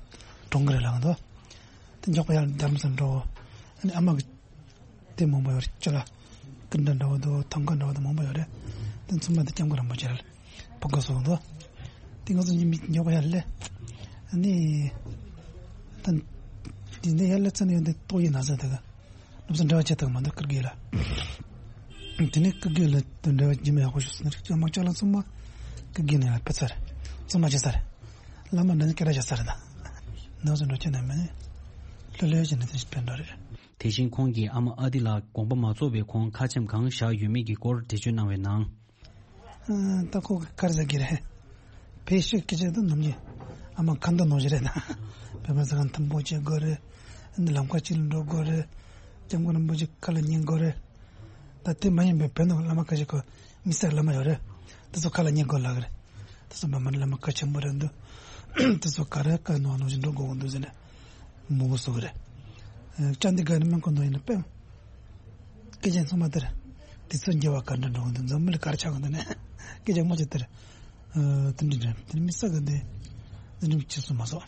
གྲོངས་གི་རེད་ལབ་འདུག་དེ་མགྱོགས་པ་ཡར་རྡ་རམ་ས་འགྲོ། ཨ་ནི་ཨ་མ་གི་དེ་མང་པོ་ཡོད་རེད། ཅི་ལ་ཀུན་དགའ་འདྲ་བོ་འདུག་ཐང་ག་འདྲ་བོ་འདུག་མང་པོ་ཡོད་རེད། དེ་ཚང་མ་དེ་སྐྱབས་མགོན་རིན་པོ་ཆེ་ལ་ཕུལ་དགོས་སོང་འདུག་དེ་ང་ཚོ་མི་མགྱོགས་པ་ཡར་སླེབས། ཨ་ནི་ད་དེ་འདྲ་ཡར་སླེབས་ཚར་ནས་ཡོང་དེ་ཏོག་དབྱིབས་ན་ཚ་དེ་ག་ལོབས་སུ་འབྲེལ་བ་བྱེད་ཐུབ་མ་འདུག་ཀིར་གི་ལ། དེ་ནས་ཀིར་གི་ལ་དེ་འབྲེལ་བ་རྒྱུན་མི་ཡག་པོ་ཞིག་སོང་ནས་ཅང་མ་ཅག་ལ་ཚང་མ་ཀིར་གི་ནས་ཕེབས་ཚར། ཚང་མ་བྱེད་ཚར། བླ་མ་འདྲ་ནི་སྐད་གྲགས་བྱེད་ཚར་རེད་ད། ནང་སོ་འགྲོ་ཁྱོད་ནས་མ་ནི་ལྷོད་ལྷོད་བྱས་ནས་དེ་ཕན་འགྲོ་རེད། དེ་བཞིན་ཁོང་གིས་ཨ་མ་ཨ་ཏི་ལ་དགོངས་པ་མ་རྫོགས་པའི་གོང་ཁ་ཆེམས་གང་བཞག་ཡོད་མེད་ཀྱི་སྐོར་འགྲེལ་བརྗོད་གནང་བའི་ནང་། ད་ཁོ་གི་དཀར་ཟ་གི་རེད། བེད་ཤུགས་ཀྱི་ཆེད་དུ་ནམ་རྒྱུན་ཨ་མ་ཁ་འདོན་གནང་བཞིན་རེད་ད། བོད་པ་ཟ་ཁང་མཐུན་པོ་བྱེད་དགོས་རེད། འདི་ལམ་ཁ་གཅིག་ལ་འགྲོ་དགོས་རེད། སྐྱབས་མགོན་རིན་པོ་ཆེ་ཁ་ལ་ཉན་དགོས་རེད། ད་དེ་མ་ཡིན་པའི་བོད་ནང་བླ་མ་ཁ་ཤས་ཁོ་མི་སེར་བླ་མ་ཡོད་རེད། དེ་ཚོ་ཁ་ལ་ཉན་དགོས་ལབ་གི་རེད། དེ་ཚོ་བླ་མ་བླ་མ་ཁ་ཆེན་པོ་རེད་འདུག་དེ་ཚོ་ག་རེ་བཀའ་གནང་གནང་བཞིན་འགྲོ་དགོས་འདུག་ཟེར་ནས་མང་པོ་གསུང་གི་རེད། ཨ་ནི་ཅང་འདི་ག་ནས་སྨན་ཁང་ནང་ཡིན་ན་དཔེ། སྐད་ཆ་ཚང་མ་དེར། དུས་ཚོད་འགྱུར་བ་ག་འདྲ་འགྲོ་གི་འདུག་འཛམ་བུ་གླིང་ག་རེ་ཆགས་ཀྱི་འདུག་ནས། སྐད་ཆ་མང་ཆེ་དེར། ཨ་དེ་འདྲ་འདྲ་དེ་ནི་མི་ས་གི་འདི། འདི་འདྲ་ཁྱི་སུ་མ་སོགས།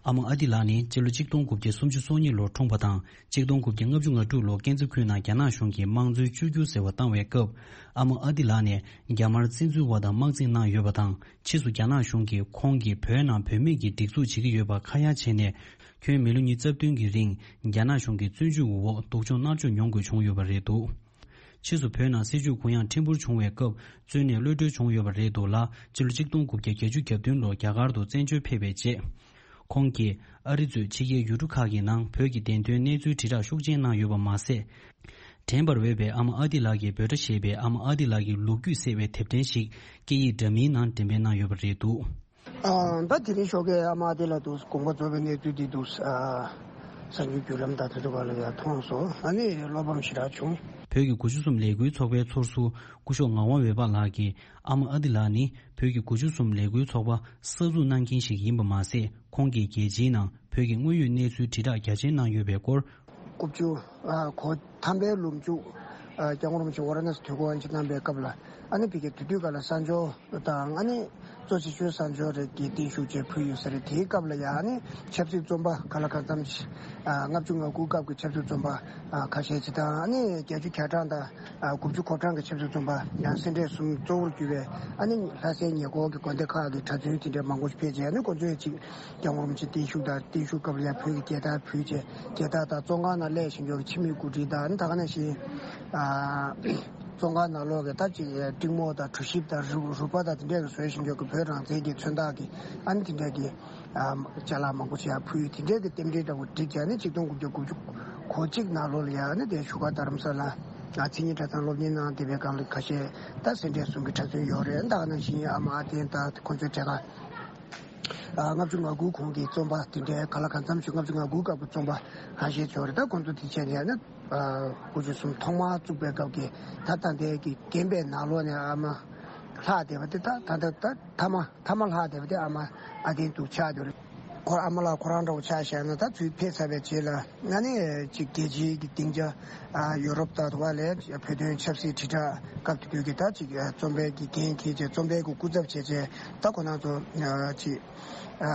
ཨ་མ་ཨ་ཏི་ལགས་ནི་སྤྱི་ལོ་གཅིག་སྟོང་དགུ་བརྒྱ་སུམ་ཅུ་སོ་གཉིས་ལོར་འཁྲུངས་པ་དང་གཅིག་སྟོང་དགུ་བརྒྱ་ལྔ་བཅུ་ང་དྲུག་ལོར་ཀན་ཛི་ཁུལ་ནང་རྒྱ་ནག་གཞུང་གིས་དམངས་གཙོའི་བཅོས་བསྒྱུར་ཟེར་བ་བཏང་བའི་སྐབས་ཨ་མ་ཨ་ཏི་ལགས་ནས་རྒྱ་དམར་བཙན་འཛུལ་བ་དང་དམག་འཛིང་གནང་ཡོད་པ་དང་། ཕྱིས་སུ་རྒྱ་ནག་གཞུང་གིས་ཁོང་གིས་བོད་ནང་བུད་མེད་ཀྱི་སྒྲིག་འཛུགས་བྱེད་ཀྱི་ཡོད་པ་ཁ་ཡ་བྱས་ནས། ཁྱོན་མི་ལོ་ཉི་ཤུ་རྩ་བདུན་གྱི་རིང་རྒྱ་ནག་གཞུང་གི་བཙོན་འཇུག་འོག་སྡུག་སྦྱོང་མནར་གཅོད་མྱོང་དགོས་བྱུང་ཡོད་པ་རེད་འདུག་ཕྱིས་སུ་བོད་ནང་སྲིད་བྱུས་གུ་ཡངས་ཕྲན་བུར་བྱུང་བའི་སྐབས་བཙོན་ནས་གློད་གྲོལ་བྱུང་ཡོད་པ་རེད་འདུག་ལ། སྤྱི་ལོ་གཅིག་སྟོང་དགུ་བརྒྱ་བརྒྱད་ཅུ་གྱ་བདུན་ལོར་རྒྱ་གར་དུ་བཙན་བྱོལ་ཕེབས་པའི་རྗེས། ཁོང་གིས་ཨ་རི་གཙོས་ཕྱི་རྒྱལ་ཡུལ་གྲུ་ཁག་གི་ནང་བོད་ཀྱི་བདེན་དོན་གནས་ཚུལ་དྲིལ་བསྒྲགས་ཤུགས་ཆེན་གནང་ཡོད་པ་མ་ཟད། དྲན་པར་འོས་པའི་ཨ་མ་ཨ་ཏི་ལགས་ཀྱི་འབོད་སྒྲ་ཞེས་པའི་ཨ་མ་ཨ་ཏི་ལགས་ཀྱི་ལོ་རྒྱུས་གསལ་བའི་དེབ་ཕྲེང་ཞིག་སྐད་ཡིག་འདྲ་མིན་ནང་འགྲེམས་སྤེལ་གནང་ཡོད་པ་རེད་འདུག་ཨ། ད་དེ་རིང་ཞོགས་ཀས་ཨ་མ་ཨ་ཏི་ལགས་འདུག་དགོངས་པ་རྫོགས་པའི་གནས་ཚུལ་འདི་འདུག་ཨ། གསར་འགྱུར་བརྒྱུད་ལམ་དང་དེ་ཚོ་ག་ལ་ཡང་མཐོང་སོང་། ཨ་ནི་བློ་ཕམ་ཞེ་དྲག་བྱུང་། བོད་ཀྱི་དགུ་བཅུ་གསུམ་ལས་འགུལ་ཚོགས་པའི་ཚོགས་ཟུར་སྐུ་ཞབས་ངག་དབང་འོད་འབར་ལགས་ཀྱིས་ཨ་མ་ཨ་ཏི་ལགས་ནི་བོད་ཀྱི་དགུ་བཅུ་གསུམ་ལས་འགུལ་ཚོགས་པ་གསར་འཛུགས་གནང་མཁན་ཞིག་ཡིན་པ་མ་ཟད། ཁོང་གིས་རྒྱལ་སྤྱིའི་ནང་བོད་ཀྱི་དངོས་ཡོད་གནས་ཚུལ་དྲིལ་བསྒྲགས་རྒྱ་ཆེན་གནང་ཡོད་པའི་སྐོར། དགུ་བཅུ་གོ་ཐམ་པའི་ལོ་མཇུག་སྐྱབས་མགོན་རིན་པོ་ཆེ་ཝཱ་ར་ཎ་སི་ཐུགས་དགོངས་དབྱེ་འབྱེད་གནང་པའི་སྐབས་ལ། ཨ་ནི་ཕ་གིའི་དེ་དུས་སྐབས་ལ་གསར་འབྱོར་དང་། ཨ་ནི་གཙོ་ཆེ་ཤོས་གསར་འབྱོར་རེ་གི་བརྟན་བཞུགས་བཅས་ཕུལ་ཡོད་ས་རེད། དེའི་སྐབས་ལ་ཡང་ཨ་ནི་ཆབ་སྲིད་བཙོན་པ་ག་ལ་གང་འཚམ་ཞིག་ལྔ་བཅུ་ང་དགུ་སྐབས་ཀྱི་ཆབ་སྲིད་བཙོན་པ་ཁ་ཤས་ཅིག་དང་། ཨ་ནི་བརྒྱད་ཅུ་གྱ་གྲངས་དང་དགུ་བཅུ་གོ་གྲངས་ཀྱི་ཆབ་སྲིད་བཙོན་པ་ཡང་སེ་འབྲས་གསུམ་གཙོ་བོར་གྱུར་བའི། ཨ་ནི་ལྷ་སའི་ཉེ་འཁོར་གྱི་དགོན་སྡེ་ཁག་གི་གྲྭ་བཙུན་དེ་འདྲའི་མང་པོ་ཞིག་ཕེབས་རྗེས། ཨ་ནི་ཁོང་ཚོས་ཅིག་སྐྱབས་མགོན་རིན་པོ་ཆེ་བརྟན་བཞུགས་དང་བརྟན་བཞུགས་སྐབས་ལ་ཡང་བོད་ཀྱི་རྒྱལ་དར་ཕུལ་བྱས། རྒྱལ་དར་དང་བཙོན་ཁང་ནང་སླེབས་བཞིན་ཡོད་ཀྱི་ཕྱི་མིག་གོ་སྒྲིག་དང་། ཨ་ནི་ད་ག་ནང་བཞིན་ཨ་བཙོན་ཁང་ནང་ལོགས་ཀྱི་ད་ཅིག་ཏྲེ་མོ་དང་གྲུ་ཞིབ་དང་རུ་རུ་པ་དང་དེ་འདྲས་ཀྱི་བཟོས་བཞིན་ཡོད་ཀྱི་བོད་རང་བཙན་གྱི་མཚོན་རྟགས་ཀྱི། ཨ་ནི་དེ་འདྲས་ཀྱི་ཨ་ཅ་ལག་མང་པོ་ཞིག་ཡང་ཕུལ། དེ་འདྲས་ཀྱི་རྟེན་འབྲེལ་འདྲ་བོ་བསྒྲིགས་བྱས། ཨ་ནི་ཆིག་སྟོང་དགུ་བརྒྱ་དགུ་བཅུ་གོ་གཅིག་ནང་ལོགས་ལ་ཡང་། ཨ་ནི་དེ་བཞུགས་སྒར་རྡ་རམ་ས་ལ་ཨ་མཚན་ཉིད་གྲྭ་ཚང་སློབ་གཉེར་གནང་བསྡད་པའི་སྒང་ལ་ཁ་ཤས་ད་སེ་འབྲས་གསུམ་གྱི་གྲྭ་བཙུན་ཡོད་རེད། ད་ག་ནང་བཞིན་ཨ་མ་ཨ་བསྟན་དང་ཁོང་ཚོའི་གྲས་ཁ། ཨ་ལྔ་བཅུ་ང་དགུ་གོང་གི་བཙོན་པ་དེ་འདྲའི་ག་ལ་གང་འཚམ་ཞིག་ལྔ་བཅུ་ང་དགུ་སྐབས་ཀྱི་བཙོན་པ་ཁ་ཤས་ཡོད་རེད། ད་ཁོང་ཚོ་དེ་བྱས་ནས་ནི་ཨ་དགུ་བཅུ་གསུམ་ཐོག་མར་བཙུགས་པའི་སྐབས་ཀྱི་ད་ད་ལྟའི་གི་རྒན་པའི་ནང་ལོགས་ནས་ཨ་མ་ལྷག་བསྡད་པ་དེ། ད་ད་ད་ད་ཐ་མ་ཐ་མ་ལྷག་བསྡད་པ་དེ་ཨ་མ་ཨ་བསྟན་འདུག་ཆགས་བསྡད་རེད། ཁོ་ཨ་མ་ལགས་ཁོ་རང་འདྲ་བོ་ཆ་བཞག་ན། ད་ཚུར་ཕེབས་ཚར་བའི་རྗེས་ལ་ཨ་ནི་ཅིག་རྒྱལ་སྤྱིའི་གི་སྡིངས་ཆ། ཨ་ཡོ་རོབ་དང་དེ་བ་ལས་བོད་དོན་ཆབ་སྲིད་དྲིལ་བསྒྲགས་སྐབས་དེ་དུས་ཀྱི་ད་ཅིག་ཨ་བཙོན་པའི་གི་འགན་འཁྱེར་བྱས། བཙོན་པའི་གི་སྐུ་ཚབ་བྱས་བྱས། ད་ཁོ་རང་ཚོ་ཨ་ཅིག་ཨ་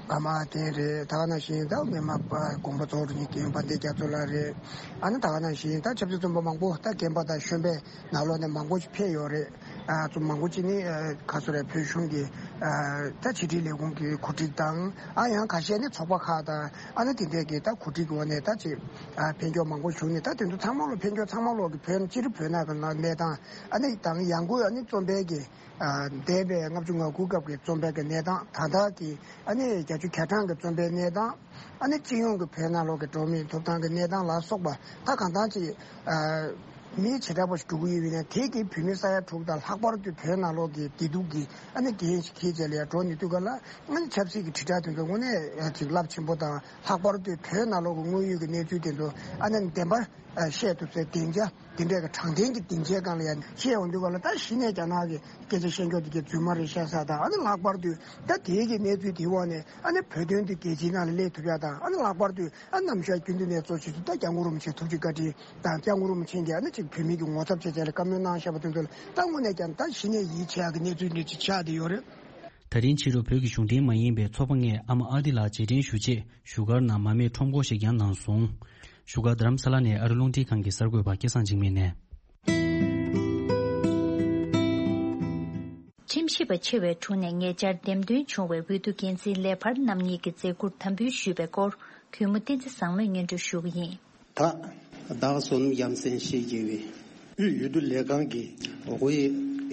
ཨ་མ་བསྟན་རེད། ད་ག་ནང་བཞིན་ད་སྔོན་མ་དགོངས་པ་རྫོགས་འགྲོ་མཁན་དཔལ་ལྡན་རྒྱ་མཚོ་ལགས་རེད། ཨ་ནི་ད་ག་ནང་བཞིན་ད་ཆབ་སྲིད་བཙོན་པ་མང་པོ། ད་རྒན་པ་དང་གཞོན་པའི་ནང་ལོགས་ནས་མང་པོ་ཞིག་ཕེབས་ཡོད་རེད། ཨ་ཚོ་མང་པོ་ཅིག་ནི་ཨ་ག་སོ་རེ་བོད་གཞུང་གི་ཨ་ད་ཕྱི་དྲིལ་ལས་ཁུངས་ཀྱི་གོ་སྒྲིག་དང་ཨ་ཡང་ཁ་ཤས་ནི་ཚོགས་པ་ཁག་དང་ཨ་ནི་དེ་འདྲས་ཀྱི་ད་གོ་སྒྲིག་གི་འོག་ནས་ད་ཅིག་ཨ་ཕན་ཁྱོགས་མང་པོ་བྱུང་ནས། ད་དེ་ཚོ་ཚང་མ་ལོ་ཕན་ཁྱོགས་ཚང་མ་ལོ་གི་བོད་སྤྱིར་བོད་ནང་གི་གནས་སྟངས་ཨ་ནི་དང་ཡང་སྒོས་ཨ་ནི་རྩོམ་པའི་གི་ཨ་འདས་པའི་ལྔ་བཅུ་ང་དགུ་སྐབས་ཀྱི་རྩོམ་པའི་གི་གནས་སྟངས། ད་ལྟ་གི་ཨ་ནི་བརྒྱད་ཅུ་གྱ་གྲངས་ཀྱི་རྩོམ་པའི་གནས་སྟངས། ཨ་ནི་སྤྱི་ཡོངས་ཀྱི་བོད་ནང་ལོགས་ཀྱི་འགྲོ་བ་མིའི་ཐོབ་ཐང་གི་གནས་སྟངས་ལ་སོགས་པ་ད་གང་ལྟར་ཅིག་ཨ་མི་བྱེ་བྲག་པ་ཞིག་འགྲོ་གི་ཡོད་པ་ཡིན་ན། དེ་གི་བོད་མི་ས་ཡ་དྲུག་དང་ལྷག་པར་དུ་བོད་ནང་ལོགས་ཀྱི་བདེ་སྡུག་གི་ཨ་ནི་འགན་ཞིག་འཁྱེར་བྱས་ལ་ཡར་འགྲོ་ནས་དུས་སྐབས་ལ། ཨ་ནི་ཆབ་སྲིད་ཀྱི་དྲིལ་བསྒྲགས་དེ་ཚོ་དངོས་གནས་ཅིག་རླབས་ཆེན་པོ་དང་། ལྷག་པར་དུ་བོད་ནང་ལོགས་ཀྱི་དངོས་ཡོད་ཀྱི་གནས་ཚུལ་དེ་ཚོ་ཨ་ནི་བདེན་པ་ཨ་བཤད་ཐུབ་སའི་སྡིངས་ཆ་དེ་འདྲའི་གི་དྲང་བདེན་གྱི་སྡིངས་ཆའི་སྒང་ལ་ཡར་བཤད་ཡོང་དུས་སྐབས་ལ། ད་གཞི་ནས་རྒྱ་ནག་གི་སྐད་ཆ་བཤད་མཁན་དེ་གའི་རྫུན་མ་རེད་བཤད་ས་དང་། ཨ་ནི་ལྷག་པར་དུ་ད་དེའི་གི་གནས་ཚུལ་དེའི་འོག་ནས་ཨ་ནི་བོད་དོན་དེ་རྒྱལ་སྤྱིའི་ནང་ལ་སླེབས་ཐུབ་ཡ་དང་། ཨ་ནི་ལྷག་པར་དུ་ཨ་ནམ་ཞག་རྒྱུན་དུ་ནས་གཙོ་ཆེ་ཤོས་ད་སྐྱབས་མགོན་རིན་པོ་ཆེ་ཐུགས་རྗེ་བཀའ་དྲིན་དང་། སྐྱབས་མགོན་རིན་པོ་ཆེ་གིས་ཨ་ནི་ཅིག་བོད་མི་གི་ངོ་ཚབ་བྱས་བྱས་ལ་བཀའ་མོལ་གནང་བཞག་པ་དེ་ཚོ་ལ་ད་དངོས་གནས་ཀྱང་ད་གཞི་ནས་ཡིད་ཆེས་ཡག་གི་གནས་ཚུལ་འདི་ཅིག་ཆགས་བསྡད་ཡོད་རེད། ད་རིང་ཕྱི་དྲོ་བོད་ཀྱི་གཞུང་འབྲེལ་མ་ཡིན་པའི་ཚོགས་པ་ལྔས་ཨ་མ་ཨ་ཏི་ལགས་རྗེས་དྲན་ཞུ་ཆེད་བཞུགས་སྒར་ནང་མར་མེ་ཁྲོམ་སྐོར་ཞིག་ཀྱང་གནང་སོང་། བཞུགས་སྒར་རྡ་རམ་ས་ལ་ནས་ཨ་རི་རླུང་འཕྲིན་ཁང་གི་གསར་འགོད་པ་སྐལ་བཟང་འཇིགས་མེད་ནས། ཁྲིམས་ཞིབ་པ་ཆེ་བའི་དྲུང་ནས་ཉེ་ཆར་འདེམས་ཐོན་བྱུང་བའི་འོས་བསྡུ་འགན་འཛིན་ལས་འཕར་རྣམ་གཉིས་ཀྱི་མཛད་ཁུར་དམ་འབུལ་ཞུས་པའི་སྐོར། གུས་མོ་བསྟན་འཛིན་བཟང་མོས་སྙན་སྒྲོན་ཞུ་གི་ཡིན། ད་བདག་བསོད་ནམས་ཡ་མཚན་ཞེས་བགྱི་བའི་དབུས་འོས་བསྡུ་ལས་ཁང་གི་ཝེ་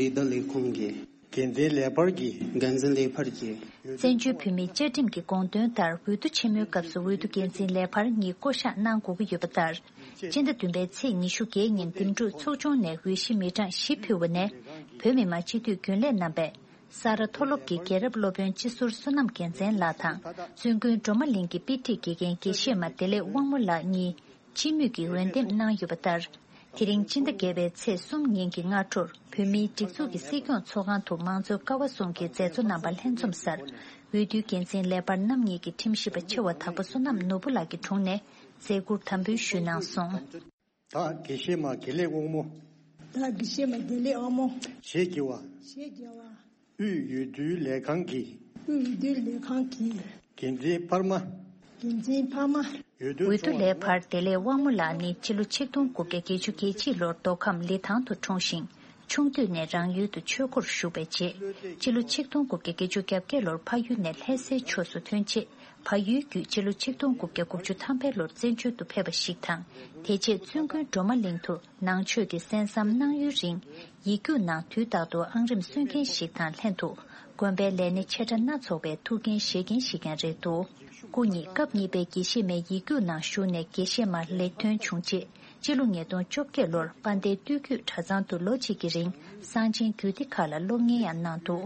ཨེ་ད་ལས་ཁུངས་ཀྱི་འགན་འཛིན་ལས་འཕར་གྱི་འགན་འཛིན་ལས་འཕར་གྱི། བཙན་བྱོལ་བོད་མིའི་བཅའ་ཁྲིམས་ཀྱི་དགོངས་དོན་ལྟར། འོས་བསྡུ་ཆེན་མོའི་སྐབས་སུ་འོས་བསྡུ་འགན་འཛིན་ལས་འཕར་གཉིས་བསྐོ་གཞག་གནང་དགོས་ཀྱི་ཡོད་པ་ལྟར། སྤྱི་ཟླ་བདུན་པའི་ཚེས་ཉི་ཤུ་བརྒྱད་ཉིན་འདེམས་སྒྲུག་ཚོགས་ཆུང་ནས་འོས་གཞི་མི་གྲངས་བཞི་ཕུལ་བ་ནས། བོད་མི་མང་སྤྱི་འཐུས་རྒྱུན་ལས་རྣམ་པས་ས་རཱ་མཐོ་སློབ་ཀྱི་རྒྱལ་རབས་སློབ་དཔོན་སྤྱི་ཟུར་བསོད་ནམས་རྒྱལ་མཚན་ལགས་དང་། བཙུན་དགོན་སྒྲོལ་མ་གླིང་གི་དཔེ་ཁྲིད་དགེ་རྒན་དགེ་བཤེས་མ་བདེ་ལེགས་དབང་མོ་ལགས་གཉིས། སྤྱི་མོས་ཀྱིས་འོས་འདེམས་གནང་ཡོད་པ་ལྟར། དེ་རིང་སྤྱི་ཟླ་བརྒྱད་པའི་ཚེས་གསུམ་ཉིན་གྱི་སྔ་དྲོར་བོད་མིའི་སྒྲིག་འཛུགས་ཀྱི་སྲིད་སྐྱོང་ཚོགས་ཁང་དུ་མང་གཙོའི་ཀ་བ་གསུམ་གྱི་མཛད་གཙོ་རྣམ་པ་ལྷན་འཛོམས་སར། འོས་བསྡུའི་འགན་འཛིན་ལས་འཕར་རྣམ་གཉིས་ཀྱིས་ཁྲིམས་ཞིབ་པ་ཆེ་བ་དྭགས་པོ་བསོད་ནམས་ནོར་བུ་ལགས་ཀྱི་དྲུང་ནས་མཛད་ཁུར་དམ་འབུལ་ཞུས་གནང་སོང་། བདག་དགེ་བཤེས་མ་དགེ་ལེགས་དབང་མོ། བདག་དགེ་བཤེས་མ་དགེ་ལེགས་དབང་མོ། ཞེས་བགྱི་བ། ཞེས་བགྱི་བ། དབུས་འོས་བསྡུའི་ལས་ཁང་གི། དབུས་འོས་བསྡུའི་ལས་ཁང་གི། འགན་འཛིན་འཕར་མ། འགན་འཛིན་འཕར་མ། འོས་བསྡུ་འོས་བསྡུ་ལས་འཕར་བདེ་ལེགས་དབང་མོ་ལགས་ནི་སྤྱི་ལོ་ཆིག་སྟོང་དགུ་བརྒྱ་བརྒྱད་ཅུ་གྱ་གཅིག་ལོར་མདོ་ཁམས་ལི་ཐང་དུ་འཁྲུངས་ཤིང་། ཆུང་དུས་ནས་རང་ཡུལ་དུ་ཆོས་སྒོར་ཞུགས་པའི་རྗེས། སྤྱི་ལོ་ཆིག་སྟོང་དགུ་བརྒྱ་བརྒྱད་ཅུ་གྱ་བརྒྱད་ལོར་ཕ་ཡུལ་ནས་ལྷ་སའི་ཕྱོགས་སུ་ཐོན་རྗེས། ཕ་ཡུལ་བརྒྱུད་སྤྱི་ལོ་ཆིག་སྟོང་དགུ་བརྒྱ་དགུ་བཅུ་ཐམ་པའི་ལོར་བཙན་བྱོལ་དུ་ཕེབས་པ་ཞིག་དང་། དེ་རྗེས་བཙུན་དགོན་སྒྲོལ་མ་གླིང་དུ་ནང་ཆོས་ཀྱི་གསན་བསམ་གནང་ཡུན་རིང་། ཡིག་རྒྱུགས་ནང་དུས་རྟག་ཏུ་ཨང་རིམ་སྲོལ་མཁན་ཞིག་དང་ལྷན་དུ། དགོན་པའི་ལས་སྣེ་ཆེ་ཕྲ་སྣ་ཚོགས་པའི་ཐུགས་འགན་བཞེས་མཁན་ཞིག་ཀྱང་རེད་འདུག་སྐུ་ཉིད་སྐབས་གཉིས་པའི་དགེ་བཤེས་མའི་ཡིག་རྒྱུགས་ནང་ཞུགས་ནས་དགེ་བཤེས་མར་ལེགས་ཐོན་བྱུང་རྗེས། སྤྱི་ལོ་ཉིས་སྟོང་བཅོ་བརྒྱད་ལོར་དཔལ་ལྡན་སྟོད་བརྒྱུད་གྲྭ་ཚང་དུ་ལོ་གཅིག་གི་རིང་གསང་ཆེན་རྒྱུད་སྡེ་ཁག་ལ་སློབ་གཉེར་ཡང་གནང་འདུག་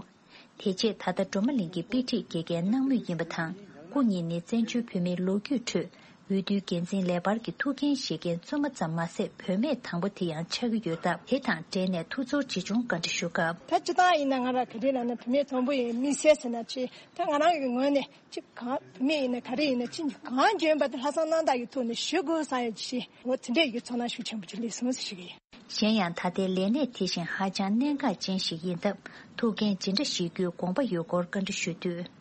དེ་རྗེས་ད་ལྟ་སྒྲོལ་མ་གླིང་གི་དཔེ་ཁྲིད་དགེ་རྒན་གནང་མུས་ཡིན་པ་དང་། སྐུ་ཉིད་ནི་བཙན་བྱོལ་བོད་མིའི་ལོ་རྒྱུས་ཁྲོད་འོས་བསྡུའི་འགན་འཛིན་ལས་འཕར་གྱི་ཐུགས་འགན་བཞེས་མཁན་བཙུན་མ་ཙམ་མ་ཟད་བུད་མེད་དང་པོ་དེ་ཡང་ཆགས་ཀྱི་ཡོད་སྟབས། དེ་དང་འབྲེལ་ནས་ཐུགས་ཚོར་ཇི་བྱུང་བཀའ་འདྲི་ཞུ་སྐབས། ད་སྤྱིར་བཏང་ཡིན་ན་ང་རང་ག་རེ་ལབ་ན་བུད་མེད་དང་པོ་ཡིན་མི་སེར་ཟེར་ན་ཆེ། ད་ང་རང་གི་ངོས་ནས་ཅི་གང་བུད་མེད་ཡིན་ན་ག་རེ་ཡིན་ན་ཅི་གང་འཇོན་པ་དེ་ལྷག་བསམ་རྣམ་དག་གི་ཐོག་ནས་ཞུ་དགོས་བསམ་ཡོད་ཅི། འོ་དེ་འདྲས་ཡོད་ཚོར་སྣང་ཤུགས་ཆེན་པོ་ཅིག་སླེབས་སོང་ཟེར་ཞུ་གི་ཡིན། གཞན་ཡང་ད་ལྟའི་ལས་གནས་དེ་བཞིན་ཧ་ཅང་གནད་འགག་ཅན་ཞིག་ཡིན་སྟབས། ཐུགས་འགན་ཇི་འདྲ་བཞེས་རྒྱུའི་དགོངས་པ་ཡོད་སྐོར་བཀའ་འདྲི་ཞུས་དུས།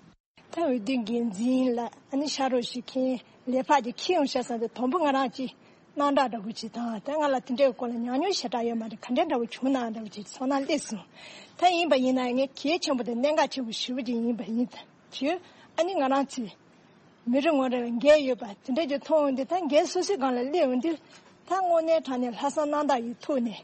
ད་འོས་བསྡུའི་འགན་འཛིན་ལ་ཨ་ནི་ཕྱག་རོགས་ཞིག་མཁན་ལས་འཕར་གྱི་ཁྱི་ཡོང་ཤ་ཟ་འདི་དང་པོ་ང་རང་གཅིག་སྣང་གྲགས་འདྲ་བོ་ཅིག་དང་། ད་ང་ལ་དེ་འདྲའི་སྐོར་ལ་ཉམས་མྱོང་ཞེ་དྲག་ཡོད་མ་རེད། ག་འདྲ་འདྲ་བོ་བྱུང་ན་འདྲ་བོ་ཅིག་ཚོར་སྣང་སླེབས་སོང་། ད་ཡིན་པ་ཡིན་ན་ངས་གལ་ཆེན་པོ་དང་གནད་འགག་ཆེན་པོ་ཞེ་པོ་ཅིག་ཡིན་པ་ཡིན་ད་ཅི། ཨ་ནི་ང་རང་ཚོས་མི་རེ་ངོ་རེ་ལ་འགན་ཡོད་པ་དེ་འདྲ་ཅིག་མཐོང་འོང་དུས། ད་འགན་སོ་སོའི་སྒང་ལ་སླེབས་འོང་དུས། ད་དངོས་གནས་དྲང་གནས་ལྷག་བསམ་རྣམ་དག་གི་ཐོག་ནས།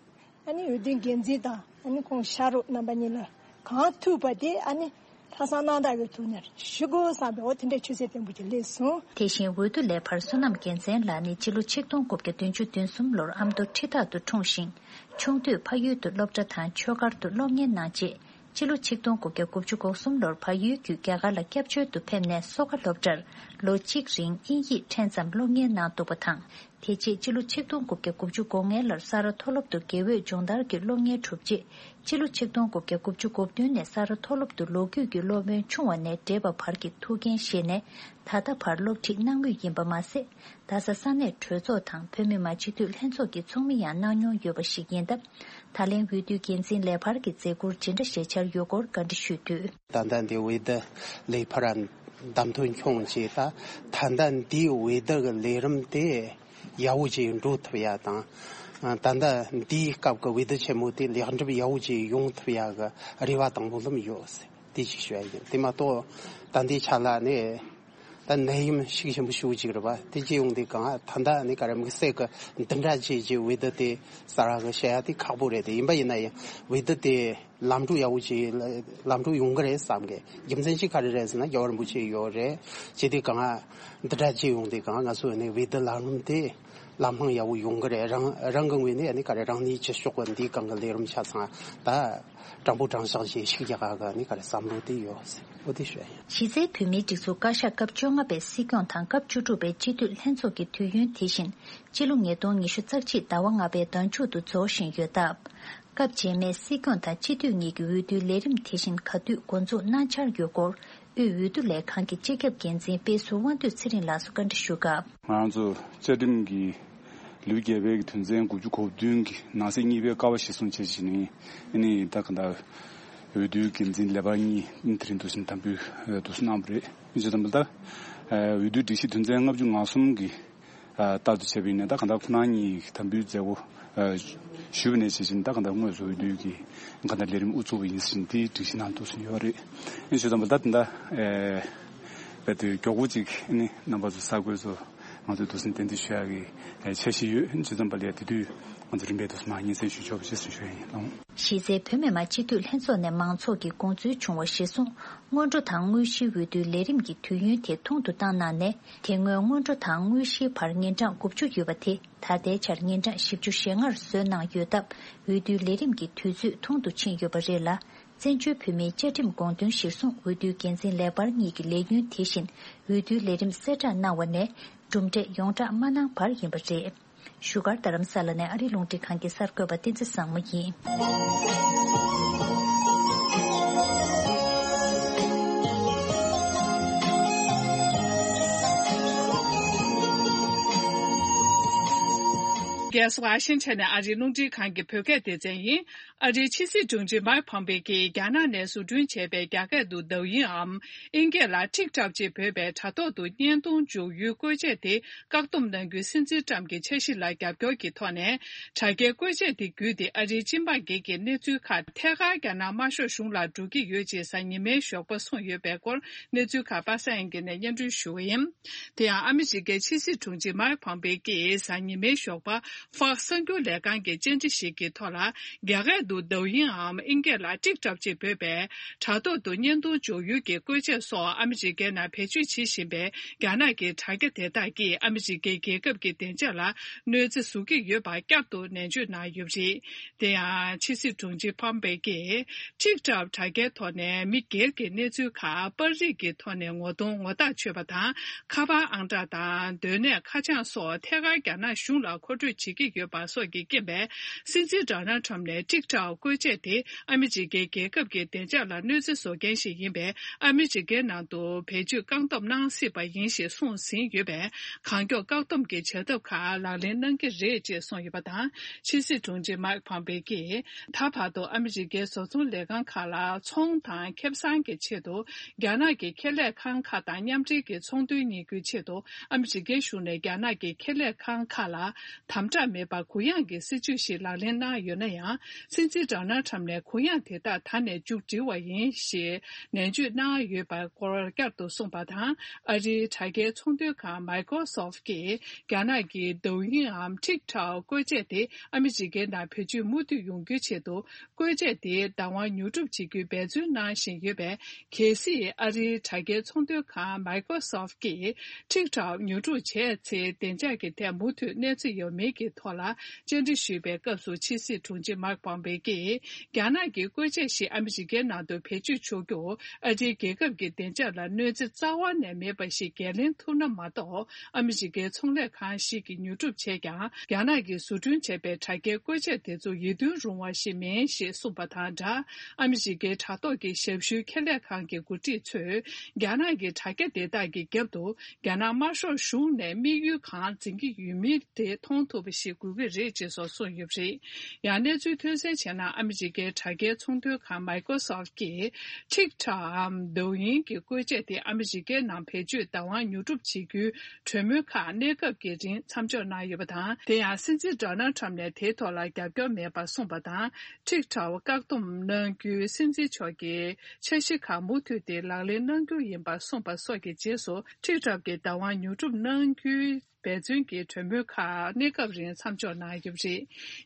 ཨ་ནི་འོས་བསྡུའི་འགན་འཛིན་དང་ཨ་ནི་ཁོང་ཕྱག་རོགས་རྣམ་པ་གཉིས་ལ་གང་ཐུབ་པ་དེ་ཨ་ནི་ལྷག་བསམ་རྣམ་དག་གི་ཐོག་ནས་ཞུ་དགོས་བསམ་པའི་འོ་དེ་འདྲའི་ཆོད་སེམས་བརྟན་པོ་ཅིག་སླེབས་སོང་། དེ་བཞིན་འོས་བསྡུ་ལས་འཕར་བསོད་ནམས་རྒྱལ་མཚན་ལགས་ནི་སྤྱི་ལོ་ཆིག་སྟོང་དགུ་བརྒྱ་བདུན་ཅུ་དོན་གསུམ་ལོར་ཨ་མདོ་ཁྲི་ཐག་ཏུ་འཁྲུངས་ཤིང་། ཆུང་དུས་ཕ་ཡུལ་དུ་སློབ་གྲྭ་དང་ཆོས་སྒར་དུ་སློབ་གཉེར་གནང་རྗེས། སྤྱི་ལོ་ཆིག་སྟོང་དགུ་བརྒྱ་དགུ་བཅུ་གོ་གསུམ་ལོར་ཕ་ཡུལ་བརྒྱུད་རྒྱ་གར་ལ་སྐྱབས་བཅོལ་དུ་ཕེབས་ནས་གསོ་དགའ་སློབ་གྲྭར་ལོ་གཅིག་རིང་དབྱིན་ཡིག་ཕྲན་ཙམ་སློབ་གཉེར་གནང་འདུག་པ་དང་། དེ་རྗེས་སྤྱི་ལོ་ཆིག་སྟོང་དགུ་བརྒྱ་དགུ་བཅུ་གོ་ལྔ་ལོར་ས་རཱ་མཐོ་སློབ་ཏུ་དགེ་འོས་སྦྱོང་བརྡར་གྱི་སློབ་གཉེར་གྲུབ་རྗེས། སྤྱི་ལོ་ཆིག་སྟོང་དགུ་བརྒྱ་དགུ་བཅུ་གོ་བདུན་ནས་ས་རཱ་མཐོ་སློབ་ཏུ་ལོ་རྒྱུས་ཀྱི་སློབ་དཔོན་ཆུང་བ་ནས་བགྲེས་པ་བར་གྱི་ཐུགས་འགན་བཞེས་ནས། ད་ལྟ་བར་སློབ་ཁྲིད་གནང་མུས་ཡིན་པ་མ་ཟད། རྡ་ས་ས་གནས་གྲོས་ཚོགས་དང་བོད་མི་མང་སྤྱི་འཐུས་ལྷན་ཚོགས་ཀྱི་ཚོགས་མི་ཡང་གནང་མྱོང་ཡོད་པ་ཞིག་ཡིན་སྟབས། ད་ལན་འོས་བསྡུའི་འགན་འཛིན་ལས་འཕར་གྱི་མཛད་ཁུར་ཇི་འདྲ་བཞེས་འཆར་ཡོད་སྐོར་བཀའ་འདྲི་ཞུས་དུས། ད་ལྟ་འདི་འོས་བསྡུ་ལས་འཕར་བདམས་ཐོན་བྱུང་རྗེས། ད་ད་ལྟ་འདིའི་འོས་བསྡུ་གི་ལས་རིམ་དེ་ཡག་པོ་ཅིག་འགྲོ་ཐུབ་ཡ་དང་ ད་ལྟ་འདིའི་སྐབས་ཀྱི་འོས་བསྡུ་ཆེན་མོ་དེ་ལེགས་འགྲུབ་ཡག་པོ་ཅིག་ཡོང་ཐུབ་ཡག་གི་རེ་བ་དང་སྨོན་ལམ་ཡོད། དེ་ཅིག་ཞུ་ཡ་ཡིན། དེ་མ་གཏོགས་ད་ལྟའི་ཆ་ལ་ནི་ད་ནད་ཡམས་ཤུགས་ཆེན་པོ་ཞེ་པོ་ཅིག་རེད་པ། དེ་ཅི་ཡོང་དུས་གང་ད་ལྟ་ནི་ག་རེ་དམིགས་བསལ་གྱི་འདི་འདྲ་ཅིག་གི་འོས་བསྡུ་དེ་གསར་བ་གི་བཤད་ཡ་དེ་ཁག་པོ་རེད། དེ་ཡིན་པ་ཡིན་ན་ཡང་འོས་བསྡུ་དེ་ལམ་འགྲོ་ཡག་པོ་ཅིག་ལམ་འགྲོ་ཡོང་གི་རེད་བསམ་གི། རྒྱུ་མཚན་ཅིག་ག་རེ་རེད་ཟེར་ན་རྒྱལ་བ་རིན་པོ་ཆེ་ཡོད་རེད། ཅི་དེ་གང་འདི་འདྲ་ཅིག་ཡོང་དུས་གང་ང་ཚོ་ནི་འོས་བསྡུ་ལམ་རིམ་དེ་ལམ་ལྷོང་ཡག་པོ་ཡོང་གི་རེད། རང་རང་གི་ངོས་ནས་ནི་ག་རེ་རང་ནུས་ཅི་ལྕོགས་གི་འདིའི་སྒང་གི་ལས་རིམ་ཆ་ཚང་ད་དྲང་པོ་དྲང་བཞག་ཅིག་ཞུ་རྒྱུ་གི་ནི་ག་རེ་བསམ་བློ་དེ་ཡོད། འོ་དེ་ཞུ་ཡ་ཡིན། གཞི་རྩའི་བོད་མིའི་སྒྲིག་འཛུགས་བཀའ་ཤག་སྐབས་བཅོ་ལྔ་པའི་སྲིད་སྐྱོང་དང་སྐབས་བཅུ་དྲུག་པའི་སྤྱི་འཐུས་ལྷན་ཚོགས་ཀྱི་དུས་ཡུན་དེ་བཞིན་སྤྱི་ལོ་ཉིས་སྟོང་ཉི་ཤུ་རྩ་གཅིག་ཟླ་བ་ལྔ་པའི་ཟླ་མཇུག་ཏུ་རྫོགས་བཞིན་ཡོད་སྟབས། སྐབས་རྗེས་མའི་སྲིད་སྐྱོང་དང་སྤྱི་འཐུས་གཉིས་ཀྱི་འོས་བསྡུའི་ལས་རིམ་དེ་བཞིན་ག་དུས་འགོ་འཛུགས་གནང་འཆར་ཡོད་སྐོར། དབུས་འོས་བསྡུ་ལས་ཁང་གི་སྤྱི་ཁྱབ་འགན་འཛིན་དཔེ་ཟུར་དབང་འདུས་ཚེ་རིང་ལགས་སུ་བཀའ་འདྲི་ཞུས་སྐབས། ང་རང་ཚོ་བཅའ་ཁྲིམས་ཀྱི་ལེའུ་བརྒྱད་པའི་གི་དོན་ཚན་དགུ་བཅུ་གོ་བདུན་གྱི་ནང་གསེས་གཉིས་པའི་ཀ་བ་གཞིར་བཟུང་བྱས་བྱས་ནས་ཨ་ནི་ད་ག་ད་འོས་བསྡུའི་འགན་འཛིན་ལས་འཕར་གཉིས་ཨ་ནི་དེ་རིང་འདུག་སེ་དམ་འབུལ་འདུག་སེ་གནང་བ་རེད། ཨ་ནི་བྱས་ཙང་ད་ལྟ་འོས་བསྡུའི་སྒྲིག་གཞི་དོན་ཚན་ལྔ་བཅུ་ང་གསུམ་གྱི་ལྟར་དུ་བྱས་པ་ཡིན་ན་ད་ག་ད་ཁོ་རང་གཉིས་ཀྱི་དམ་འབུལ་མཛད་སྒོ་ཞུས་པ་ནས་བྱས་བྱས་ད་ག་ད་དངོས་སུ་འོས་བསྡུའི་གི་ག་ད་ལས་རིམ་དབུ་ཚུགས་པ་ཡིན་ཟེར་དེའི་སྒྲིག་གཞི་ནང་འདུག་སེ་ཡོད་རེད། ཨ་ནི་བྱས་ཙང་ད་ལྟ་ད་ལྟ་རྦད་དེ་མགྱོགས་པོ་ཅིག་ཨ་ནི་རྣམ་པ་ཚོ་གསར་འགོད་ཚོ་ང་ཚོས་འདུག་སེ་གཏན་འདྲི་ཞུ་ཡག་གི་འཆར་གཞི་ཡོད། ཨ་ནི་བྱས་ཙང་ད་ལྟ་དེ་དུས་ང་ཚོ་རིམ་པས་འདུག་སེ་མར་སྙན་སེང་ཞུ་ཆོག་པ་ཞེས་གསུངས་ཞུ་ཡ་ཡིན། གཞི་རྩའི་བོད་མི་མང་སྤྱི་འཐུས་ལྷན་ཚོགས་ནས་མང་ཚོགས་ཀྱི་དགོངས་ཚུལ་བྱུང་བ་གཞིར་བཟུང་། སྔོན་འགྲོ་དང་དངོས་གཞིའི་འོས་བསྡུའི་ལས་རིམ་གྱི་དུས་ཡུན་དེ་ཐུང་དུ་བཏང་གནང་ནས། དེ་སྔོན་སྔོན་འགྲོ་དང་དངོས་གཞིའི་བར་ཉིན་གྲངས་དགུ་བཅུ་ཡོད་པ་དེ་ད་ལྟའི་ཆར་ཉིན་གྲངས་བཞི་བཅུ་ཞེ་ལྔར་བཟོས་གནང་ཡོད་སྟབས། འོས་བསྡུའི་ལས་རིམ་གྱི་དུས་ཚོད་ཐུང་དུ་ཕྱིན་ཡོད་པ་རེད་ལ། བཙན་བྱོལ་བོད་མིའི་བཅའ་ཁྲིམས་དགོངས་དོན་གཞིར་བཟུང་འོས་བསྡུའི་འགན་འཛིན་ལས་འཕར་གཉིས་ཀྱི་ལས་ཡུན་དེ་བཞིན་འོས་བསྡུའི་ལས་རིམ་གསལ་བསྒྲགས་གནང་བ་ནས་གྲུབ་འབྲས་ཡོངས་བསྒྲགས་མ་གནང་བར་ཡིན་པ་རེད། བཞུགས་སྒར་རྡ་རམ་ས་ལ་ནས་ཨ་རིའི་རླུང་འཕྲིན་ཁང་གི་གསར་འགོད་པ་བསྟན་འཛིན་བཟང་མོ་ཡིན། རྒྱལ་ས་ཝ་ཤིང་ཊོན་ནས་ཨ་རིའི་རླུང་འཕྲིན་ཁང་གི་བོད་སྐད་སྡེ་ཚན་ཡིན། ཨ་རིའི་ཕྱི་སྲིད་དྲུང་ཆེ་མའིག་ཕོམ་པེ་ཀྱིས་རྒྱ་ནག་ནས་བཟོ་སྐྲུན་བྱས་པའི་རྒྱ་སྐད་དུ་抖音་འམ་ཨིན་སྐད་ལ་TikTok་ཅེས་འབོད་པའི་དྲ་ཐོག་ཏུ་བརྙན་ཐུང་འཇོག་ཡུལ་བཀོལ་ཆས་དེ་བཀག་སྡོམ་གནང་རྒྱུའི་སྲིད་འཛིན་ཊམ་གྱི་འཆར་གཞི་ལ་རྒྱབ་སྐྱོར་གྱི་ཐོག་ནས། དྲ་རྒྱའི་བཀོལ་ཆས་དེ་བརྒྱུད་དེ་ཨ་རིའི་སྤྱི་འབངས་སྒེར་གྱི་གནས་ཚུལ་ཁག་ཐད་ཀར་རྒྱ་ནག་དམར་ཤོག་གཞུང་ལ་འགྲོ་གི་ཡོད་ཅེས་གཟའ་ཉི་མའི་ཞོགས་པ་གསུངས་ཡོད་པའི་སྐོར་གནས་ཚུལ་ཁག་པ་སངས་དབྱངས་སྐྱིད་ནས་སྙན་སྒྲོན་ཞུ་བ་ཡིན། དེ་ཡང་ཨ་མི་རི་ཀའི་ཕྱི་སྲིད་དྲུང་ཆེ་མའིག་ཕོམ་པེ་ཀྱིས་གཟའ་ཉི་མའི་ཞོགས་པ། Fox་གསར་འགྱུར་ལས་ཁང་གི་བཅར་འདྲི་ཞིག་གི་ཐོག་ལ། རྒྱ་སྐད་དུ་抖音་འམ་ཨིན་སྐད་ལ་TikTok་ཅེས་འབོད་པའི་དྲ་ཐོག་ཏུ་བརྙན་ཐུང་འཇོག་ཡུལ་གྱི་བཀོལ་ཆས་སོགས་ཨ་མི་རི་ཀའི་ནང་བེད་སྤྱོད་བྱེད་བཞིན་པའི་རྒྱ་ནག་གི་དྲ་རྒྱ་དེ་དག་གིས་ཨ་མི་རི་ཀའི་རྒྱལ་ཁབ་ཀྱི་བདེ་འཇགས་ལ་གནོད་འཚེ་བཟོ་གི་ཡོད་པ་བསྐྱར་དུ་ནན་བརྗོད་གནང་ཡོད་པ་རེད། དེ་ཡང་ཕྱི་སྲིད་དྲུང་ཆེ་ཕོམ་པེ་ཀྱིས་TikTok་དྲ་རྒྱའི་ཐོག་ནས་མི་སྒེར་གྱི་གནས་ཚུལ་ཁག་པར་རིས་ཀྱི་ཐོག་ནས་ངོ་གདོང་ངོ་རྟགས་ཆོད་པ་དང་། ཁ་པར་ཨང་གྲངས་དང་སྡོད་གནས་ཁ་བྱང་སོགས་ཐད་ཀར་རྒྱ་ནག་གཞུང་ལ་མཁོ་སྤྲོད་བྱེད་ཀྱི་ཡོད་པ་སོགས་ཀྱི་རྐྱེན་པས། སྲིད་འཛིན་ཌོ་ནལ་ཁྲམ་ནས་TikTok་བཀོལ་ཆས་དེ་ཨ་མི་རི་ཀའི་རྒྱལ་ཁབ་ཀྱི་བདེ་འཇགས་ལ་གནོད་འཚེ་བཟོ་མཁན་ཞིག་ཡིན་པས། ཨ་མི་རི་ཀའི་ནང་དུ་བེད་སྤྱོད་བཀག་སྡོམ་གནང་སྲིད་པ་ཡིན་ཞེས་གསུངས་ཟིན་ཡོད་པས། གང་མགྱོགས་བཀག་སྡོམ་གྱི་བྱ་ཐབས་ཁག་ལག་ལེན་གནང་གི་རེད་ཅེས་གསུངས་ཡོད་པ་དང་། ཕྱི་སྲིད་དྲུང་ཆེ་མའིག་ཕོམ་པེ་ཀྱིས་ད་བར་དུ་ཨ་མི་རི་ཀའི་བཟོ་ཚོང་ལས་ཁང་ཁག་ལ་ཚོང་དང་ཁེ་བཟང་གི་ཆེད་དུ་རྒྱ་ནག་གི་ཁེ་ལས་ཁང་ཁག་དང་མཉམ་འབྲེལ་གྱི་ཚོང་དོན་གཉེར་རྒྱུའི་ཆེད་དུ་ཨ་མི་རི་ཀའི་གཞུང་ནས་རྒྱ་ནག་གི་ཁེ་ལས་ཁང་ཁག་ལ་དམ་དྲག་མེད་པར་གུ་ཡངས་ཀྱི་སྲིད་བྱུས་ཤིག་ལག་ལེན་གནང་ཡོད་ན་ཡང་། སྲིད་འཛིན་ཌོ་ནལ་ཁྲམ་ནས་གུ་ཡངས་དེ་དག་ད་ནས་མཇུག་སྒྲིལ་བ་ཡིན་ཞེས་ནན་བརྗོད་གནང་ཡོད་པའི་སྐོར་བསྐྱར་དུ་གསུངས་པ་དང་། ཨ་རིའི་དྲ་རྒྱའི་ཚོང་དོན་ཁང་Microsoft་གིས་རྒྱ་ནག་གི་抖音་འམ་TikTok་བཀོལ་ཆས་དེ་ཨ་མི་རི་ཀའི་ནང་བེད་སྤྱོད་མུ་མཐུད་ཡོང་རྒྱུའི་ཆེད་དུ། བཀོལ་ཆས་དེའི་བདག་དབང་ཉོ་སྒྲུབ་བྱེད་རྒྱུའི་འབད་བརྩོན་གནང་བཞིན་ཡོད་པས། གལ་སྲིད་ཨ་རིའི་དྲ་རྒྱའི་ཚོང་དོན་ཁང་Microsoft་གིས་TikTok་ཉོ་སྒྲུབ་བྱས་ཚེ། བདེ་འཇགས་ཀྱི་ཐད་མུ་མཐུད་གནོད་འཚེ་ཡོད་མེད་ཀྱི་ཐོག་ལ་བཅར་འདྲི་ཞུས་པའི་སྐབས་སུ། ཕྱི་སྲིད་དྲུང་ཆེ་མའིག་ཕོམ་པེ་ཀྱིས། རྒྱ་ནག་གི་བཀོལ་ཆས་ཤིག་ཨ་མི་རི་ཀའི་ནང་དུ་བེད་སྤྱོད་ཆོག་རྒྱུ། ཨ་རིའི་རྒྱལ་ཁབ་ཀྱི་བདེ་འཇགས་ལ་གནོད་འཚེ་རྩ་བ་ནས་མེད་པ་ཞིག་འགན་ལེན་ཐུབ་ན་མ་གཏོགས། ཨ་མི་རི་ཀའི་ཚོང་ལས་ཁང་ཞིག་གིས་ཉོ་སྒྲུབ་བྱས་ཀྱང་། རྒྱ་ནག་གིས་བཟོ་སྐྲུན་བྱས་པའི་དྲ་རྒྱའི་བཀོལ་ཆས་དེ་ཚོ་ཡིད་རྟོན་རུང་བ་ཞིག་མིན་ཞེས་གསུངས་པ་དང་སྦྲགས། ཨ་མི་རི་ཀའི་དྲ་ཐོག་གི་ཞབས་ཞུའི་ཁེ་ལས་ཁང་གི་འགོ་ཁྲིད་ཚོས། རྒྱ་ནག་གི་དྲ་རྒྱ་དེ་དག་གི་རྒྱབ་ཏུ། རྒྱ་ནག་དམར་ཤོག་གཞུང་ནས་དམིགས་ཡུལ་གང་འཛིན་གྱི་ཡོད་མིན་དེ་མཐོང་ཐུབ་པ། བྱེད་དགོས་ཀྱི་རེད་ཅེས་སོགས་གསུངས་ཡོད་པ་རེད། ཡང་གནས་ཚུལ་ཐོན་གསལ་བྱས་ན། ཨ་མི་རི་ཀའི་དྲ་རྒྱའི་ཚོང་དོན་ཁང་Microsoft་གིས་TikTok་འམ་Douyin་གྱི་བཀོལ་ཆས་དེ་ཨ་མི་རི་ཀའི་ནང་བེད་སྤྱོད་བདག་དབང་ཉོ་སྒྲུབ་བྱེད་རྒྱུའི་གྲོས་མོལ་ཁག་གནས་སྐབས་ཀྱི་རིང་མཚམས་འཇོག་གནང་ཡོད་པ་དང་། དེ་ཡང་སྲིད་འཛིན་Donald Trump་ནས་དེའི་ཐོག་ལ་རྒྱབ་སྐྱོར་མེད་པར་གསུངས་པ་དང་། TikTok་བཀག་སྡོམ་གནང་རྒྱུའི་སྲིད་འཛིན་མཆོག་གི་འཆར་གཞི་ཁག་མུ་མཐུད་དེ་ལག་ལེན་གནང་རྒྱུ་ཡིན་པར་གསུངས་པ་སོགས་ཀྱི་རྗེས་སུ། TikTok་གི་བདག་དབང་ཉོ་སྒྲུབ་གནང་རྒྱུའི་འབད་བརྩོན་གྱི་གྲོས་མོལ་ཁག་གནས་སྐབས་རིང་མཚམས་འཇོག་གནང་ཡོད་པ་རེད།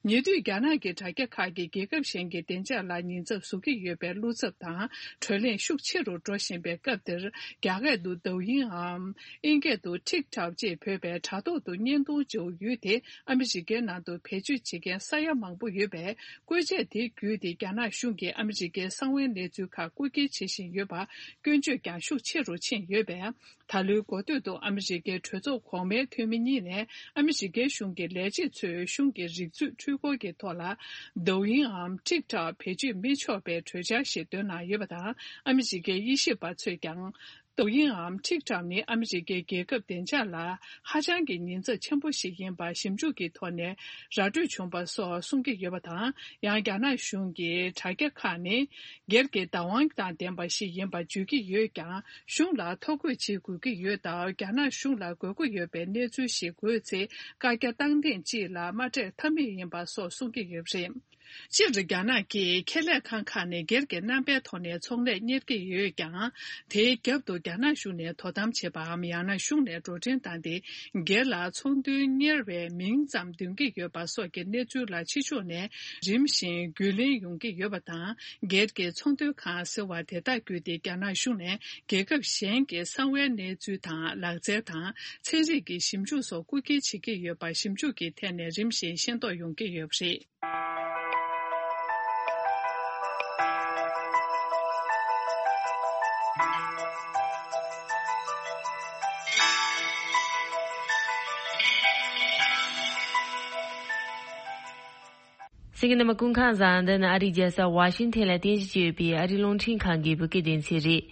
ཉེ་དུས་རྒྱ་ནག་གི་དྲ་རྒྱ་ཁག་གིས་རྒྱལ་ཁབ་གཞན་གྱི་བདེ་འཇགས་ལ་ཉེན་ཚབས་བཟོ་གི་ཡོད་པའི་བློ་འཚབ་དང་། བགྲོ་གླེང་ཤུགས་ཆེ་རུ་འགྲོ་བཞིན་པའི་སྐབས་འདིར། རྒྱ་སྐད་དུ་Douyin་འམ། ཨིན་སྐད་དུ་TikTok་ཅེས་འབོད་པའི་དྲ་ཐོག་ཏུ་བརྙན་ཐུང་བརྗེ་པོ་ཡུལ་དེ་ཨ་མི་རི་ཀའི་ནང་དུ་བེད་སྤྱོད་བྱེད་མཁན་ས་ཡ་མང་པོ་ཡོད་པས། བཀོལ་ཆས་དེ་བརྒྱུད་དེ་རྒྱ་ནག་གཞུང་གིས་ཨ་མི་རི་ཀའི་གསང་བའི་གནས་ཚུལ་ཁག་རྐུ་འཁྱེར་བྱེད་བཞིན་ཡོད་པར་སྐྱོན་བརྗོད་ཀྱང་ཤུགས་ཆེ་རུ་ཕྱིན་ཡོད་པས། ད་ལོའི་འགོ་སྟོད་དུ་ཨ་མི་རི་ཀའི་གྲོས་ཚོགས་གོང་མའི་འཐུས་མི་གཉིས་ནས་ཨ་མི་རི་ཀའི་གཞུང་གི་ལས་བྱེད་ཚོས་གཞུང་གི་རིག་མཛོད་འཕྲུལ་འཁོར་གྱི་ཐོག་ལ་Douyin་འམ་TikTok་བེད་སྤྱོད་མི་ཆོག་པའི་གྲོས་འཆར་ཞིག་བཏོན་གནང་ཡོད་པ་དང་། ཨ་མི་རི་ཀའི་དབྱེ་ཞིབ་པ་ཚོས་ཀྱང་། Douyin་འམ་TikTok་ནི་ཨ་མི་རི་ཀའི་རྒྱལ་ཁབ་བདེ་འཇགས་ལ་ཧ་ཅང་གི་ཉེན་ཚབས་ཆེན་པོ་ཞིག་ཡིན་པ་ཞིབ་འཇུག་གི་ཐོག་ནས་ར་སྤྲོད་བྱུང་པ་སོགས་གསུང་གི་ཡོད་པ་དང་། ཡང་རྒྱ་ནག་གཞུང་གིས་དྲ་རྒྱ་ཁག་ནི་སྒེར་གྱི་བདག་དབང་དང་ལྡན་པ་ཞིག་ཡིན་པ་བརྗོད་ཀྱི་ཡོད་ཀྱང་། གཞུང་ལ་ཐོ་འགོད་བྱེད་དགོས་ཀྱི་ཡོད་སྟབས། རྒྱ་ནག་གཞུང་ལ་དགོས་མཁོ་ཡོད་པའི་གནས་ཚུལ་ཞིག་དགོས་ཚེ། བཀའ་རྒྱ་བཏང་ཐེངས་གཅིག་ལ་མ་སྤྲད་ཐབས་མེད་ཡིན་པ་སོགས་གསུང་གི་ཡོད་པ་རེད། སྤྱིར་རྒྱ་ནག་གིས་ཁེ་ལས་ཁང་ཁག་ནས་སྒེར་གྱི་རྣམ་པའི་ཐོག་ནས་ཚོང་ལས་གཉེར་གྱི་ཡོད་ཀྱང་། དེའི་རྒྱབ་ཏུ་རྒྱ་ནག་གཞུང་ནས་དོ་དམ་བྱེད་པའམ། ཡང་ན་གཞུང་ནས་འགྲོ་གྲོན་བཏང་སྟེ། སྒེར་ལ་ཚོང་དོན་གཉེར་བའི་མིང་ཙམ་འདོན་གྱི་ཡོད་པ་སོགས་ཀྱི་གནས་ཚུལ་ལ་ཕྱི་ཕྱོགས་ནས་རིམ་བཞིན་རྒྱུས་ལོན་ཡོང་གི་ཡོད་པ་དང་། སྒེར་གྱི་ཚོང་དོན་ཁང་ཟེར་བ་དེ་དག་བརྒྱུད་དེ་རྒྱ་ནག་གཞུང་ནས་རྒྱལ་ཁབ་གཞན་གྱི་གསང་བའི་གནས་ཚུལ་དང་། ལག་རྩལ་དང་། ཚན་རིག་གི་ཞིབ་འཇུག་སོགས་རྐུ་འཁྱེར་བྱེད་ཀྱི་ཡོད་པ་ཞིབ་འཇུག་གི་ཐད་ནས་རིམ་བཞིན་ཤེས་རྟོགས་ཡོང་གི་ཡོད་པ་རེད། གསན་མཁན་རྣམ་པ་སྐུ་ཁམས་བཟང་། འདི་ནི་ཨ་རིའི་རྒྱལ་ས་ཝ་ཤིང་ཐན་ལ་རྟེན་གཞི་བྱས་ཡོད་པའི་ཨ་རིའི་རླུང་འཕྲིན་ཁང་གི་བོད་སྐད་སྡེ་ཚན་རེད།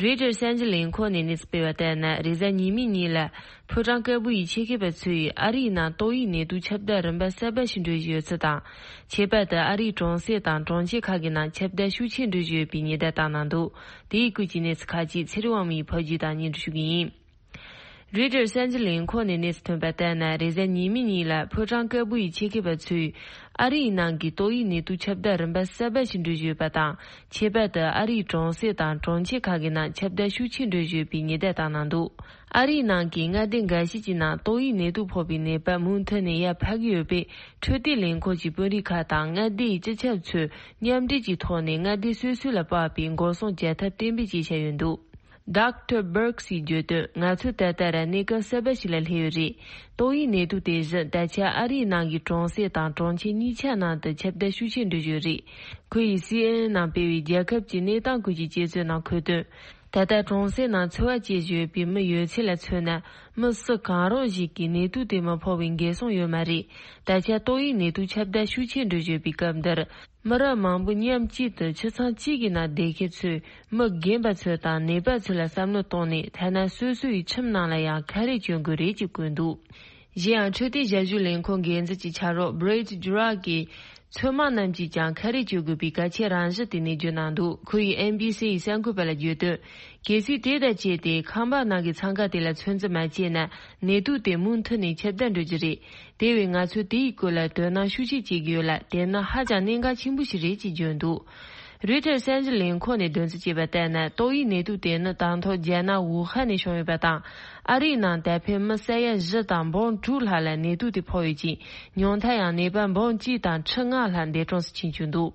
རོའི་ཊར་གསར་འགྱུར་ལས་ཁུངས་ནས་གནས་ཚུལ་སྤེལ་བ་ལྟར་ན། རེས་གཟའ་ཉི་མའི་ཉིན་ལ་ཕོ་བྲང་དཀར་པོ་ཡི་ཆེད་མཁས་པ་ཚོས་ཨ་རིའི་ནང་ཏོག་དབྱིབས་ནད་དུག་ཁྱབ་གདལ་རིམ་པ་གསར་པ་ཞིག་འགྲོ་བཞིན་ཡོད་ཚུལ་དང་། ཁྱད་པར་དུ་ཨ་རིའི་གྲོང་གསེབ་དང་གྲོང་ཁྱེར་ཁག་གི་ནང་ཁྱབ་གདལ་ཤུགས་ཆེན་འགྲོ་བཞིན་ཡོད་པའི་ཉེན་བརྡ་བཏང་གནང་འདུག་དེའི་སྐོར་གྱི་གནས་ཚུལ་ཁག་ཅིག་ཚེ་རིང་དབང་མོས་ཕབ་སྒྱུར་དང་སྙན་སྒྲོན་ཞུ་གི་ཡིན། རོའི་ཊར་གསར་འགྱུར་ལས་ཁུངས་ནས་གནས་ཚུལ་ཐོན་པ་ལྟར་ན། རེས་གཟའ་ཉི་མའི་ཉིན་ལ་ཕོ་བྲང་དཀར་པོ་ཡི་ཆེད་མཁས་པ་ཚོས་ཨ་རིའི་ནང་གི་ཏོག་དབྱིབས་ནད་དུག་ཁྱབ་གདལ་རིམ་པ་གསར་པ་ཞིག་འགྲོ་བཞིན་ཡོད་པ་དང་། ཁྱད་པར་དུ་ཨ་རིའི་གྲོང་གསེབ་དང་གྲོང་ཁྱེར་ཁག་གི་ནང་ཁྱབ་གདལ་ཤུགས་ཆེན་འགྲོ་བཞིན་ཡོད་པའི་ཉེན་བརྡ་བཏང་གནང་འདུག་ཨ་རིའི་ནང་གི་མངའ་སྡེ་འགའ་ཤས་ཀྱི་ནང་ཏོག་དབྱིབས་ནད་དུག་ཕོག་པའི་ནད་པ་མུ་མཐུད་ནས་ཡར་འཕར་གྱི་ཡོད་པས། འཕྲོད་བསྟེན་ལས་ཁུངས་ཀྱི་དཔོན་རིགས་ཁག་དང་མངའ་སྡེ་ཡི་སྤྱི་ཁྱབ་ཚོས་མཉམ་འབྲེལ་གྱི་ཐོག་ནས་མངའ་སྡེ་སོ་སོ་ལ་དཔག་པའི་འགོག་སྲུང་བྱ་ཐབས་གཏན་འབེབས་བྱས་བཞག་ཡོད་འདུག Doctor Birx་ཡིས་བརྗོད་དོན། ང་ཚོ་ད་ལྟ་ར་གནས་སྐབས་གསར་པ་ཞིག་ལ་སླེབས་ཡོད་རེད། ཏོག་དབྱིབས་ནད་དུག་དེ་བཞིན་ད་ཆ་ཨ་རིའི་ནང་གི་གྲོང་གསེབ་དང་གྲོང་ཁྱེར་གཉིས་ཆ་ནང་དུ་ཁྱབ་གདལ་ཤུགས་ཆེན་འགྲོ་བཞིན་ཡོད་རེད། ཁོ་ཡིས་སི་ཨེན་ཨེན་ནང་སྤེལ་བའི་རྒྱལ་ཁབ་ཀྱི་གནས་སྟངས་སྐོར་གྱི་དཔྱད་རྩོད་ནང་འཁོད་དོན། ད་ལྟ་གྲོང་གསེབ་ནང་འཚོ་བ་སྐྱེལ་བཞིན་ཡོད་པའི་མི་ཡོད་ཚད་ལ་མཚོན་ན། མི་སུ་གང་རུང་ཞིག་གིས་ནད་དུག་དེ་མི་ཕོག་པའི་འགན་སྲུང་ཡོད་མ་རེད། ད་ཆ་ཏོག་དབྱིབས་ནད་དུག་ཁྱབ་གདལ་ཤུགས་ཆེན་འགྲོ་བཞིན་ཡོད་པའི་སྐབས་འདིར། མི་རབས་མང་པོ་མཉམ་གཅིག་ཏུ་ཆུ་ཚང་གཅིག་གི་ནང་བསྡད་མཁན་ཚོས་མི་རྒན་པ་ཚོ་དང་ནད་པ་ཚོ་ལ་བསམ་བློ་གཏོང་ནས། ཐ་ན་སོ་སོ་ཡི་ཁྱིམ་ནང་ལ་ཡང་ཁ་རས་གྱོན་དགོས་རེད་ཅེས་བཀོད་འདུག་གཞན་ཡང་། འཕྲོད་བསྟེན་ཞབས་ཞུ་ལས་ཁུངས་འགན་འཛིན་གྱི་ཕྱག་རོགས་Brett Jurak་གིས། ཚོད་མ་རྣམས་ཀྱིས་ཀྱང་ཁ་རས་གྱོན་དགོས་པའི་གལ་ཆེ་རང་བཞིན་དེ་ནས་བརྗོད་གནང་འདུག་ཁོ་ཡིས་ཨེན་བྷི་སི་ཡི་གསར་འགོད་པ་ལ་བརྗོད་དོན། གལ་སྲིད་དེ་དང་བཅས་ཏེ་ཁང་པ་ནང་གི་འཚང་ཁ་དེ་ལ་ཚོད་འཛིན་མ་བྱས་ན། ནད་དུག་དེ་མུ་མཐུད་ནས་ཁྱབ་གདལ་འགྲོ་རྒྱུ་རེད། དེ་བས་ང་ཚོས་དེའི་སྐོར་ལ་དོ་སྣང་ཤུགས་ཆེ་བྱེད་ཀྱི་ཡོད་ལ། དེ་ནི་ཧ་ཅང་གནད་འགག་ཆེན་པོ་ཞིག་རེད་ཅེས་བརྗོད་འདུག་རོའི་ཊར་གསར་འགྱུར་ལས་ཁུངས་ནས་འདོན་རྩིས་བྱས་པ་ལྟར་ན། ཏོག་དབྱིབས་ནད་དུག་དེ་ནི་དང་ཐོག་རྒྱ་ནག་ཝུ་ཧན་ནས་བྱུང་ཡོད་པ་དང་། ཨ་རིའི་ནང་ད་ཕན་མི་ས་ཡ་བཞི་དང་འབུམ་དྲུག་ལྷག་ལ་ནད་དུག་དེ་ཕོག་ཡོད་ཅིང་། ཉུང་མཐར་ཡང་ནད་པ་འབུམ་གཅིག་དང་ཁྲི་ལྔ་ལྷག་འདས་གྲོངས་སུ་ཕྱིན་བཅུག་འདུག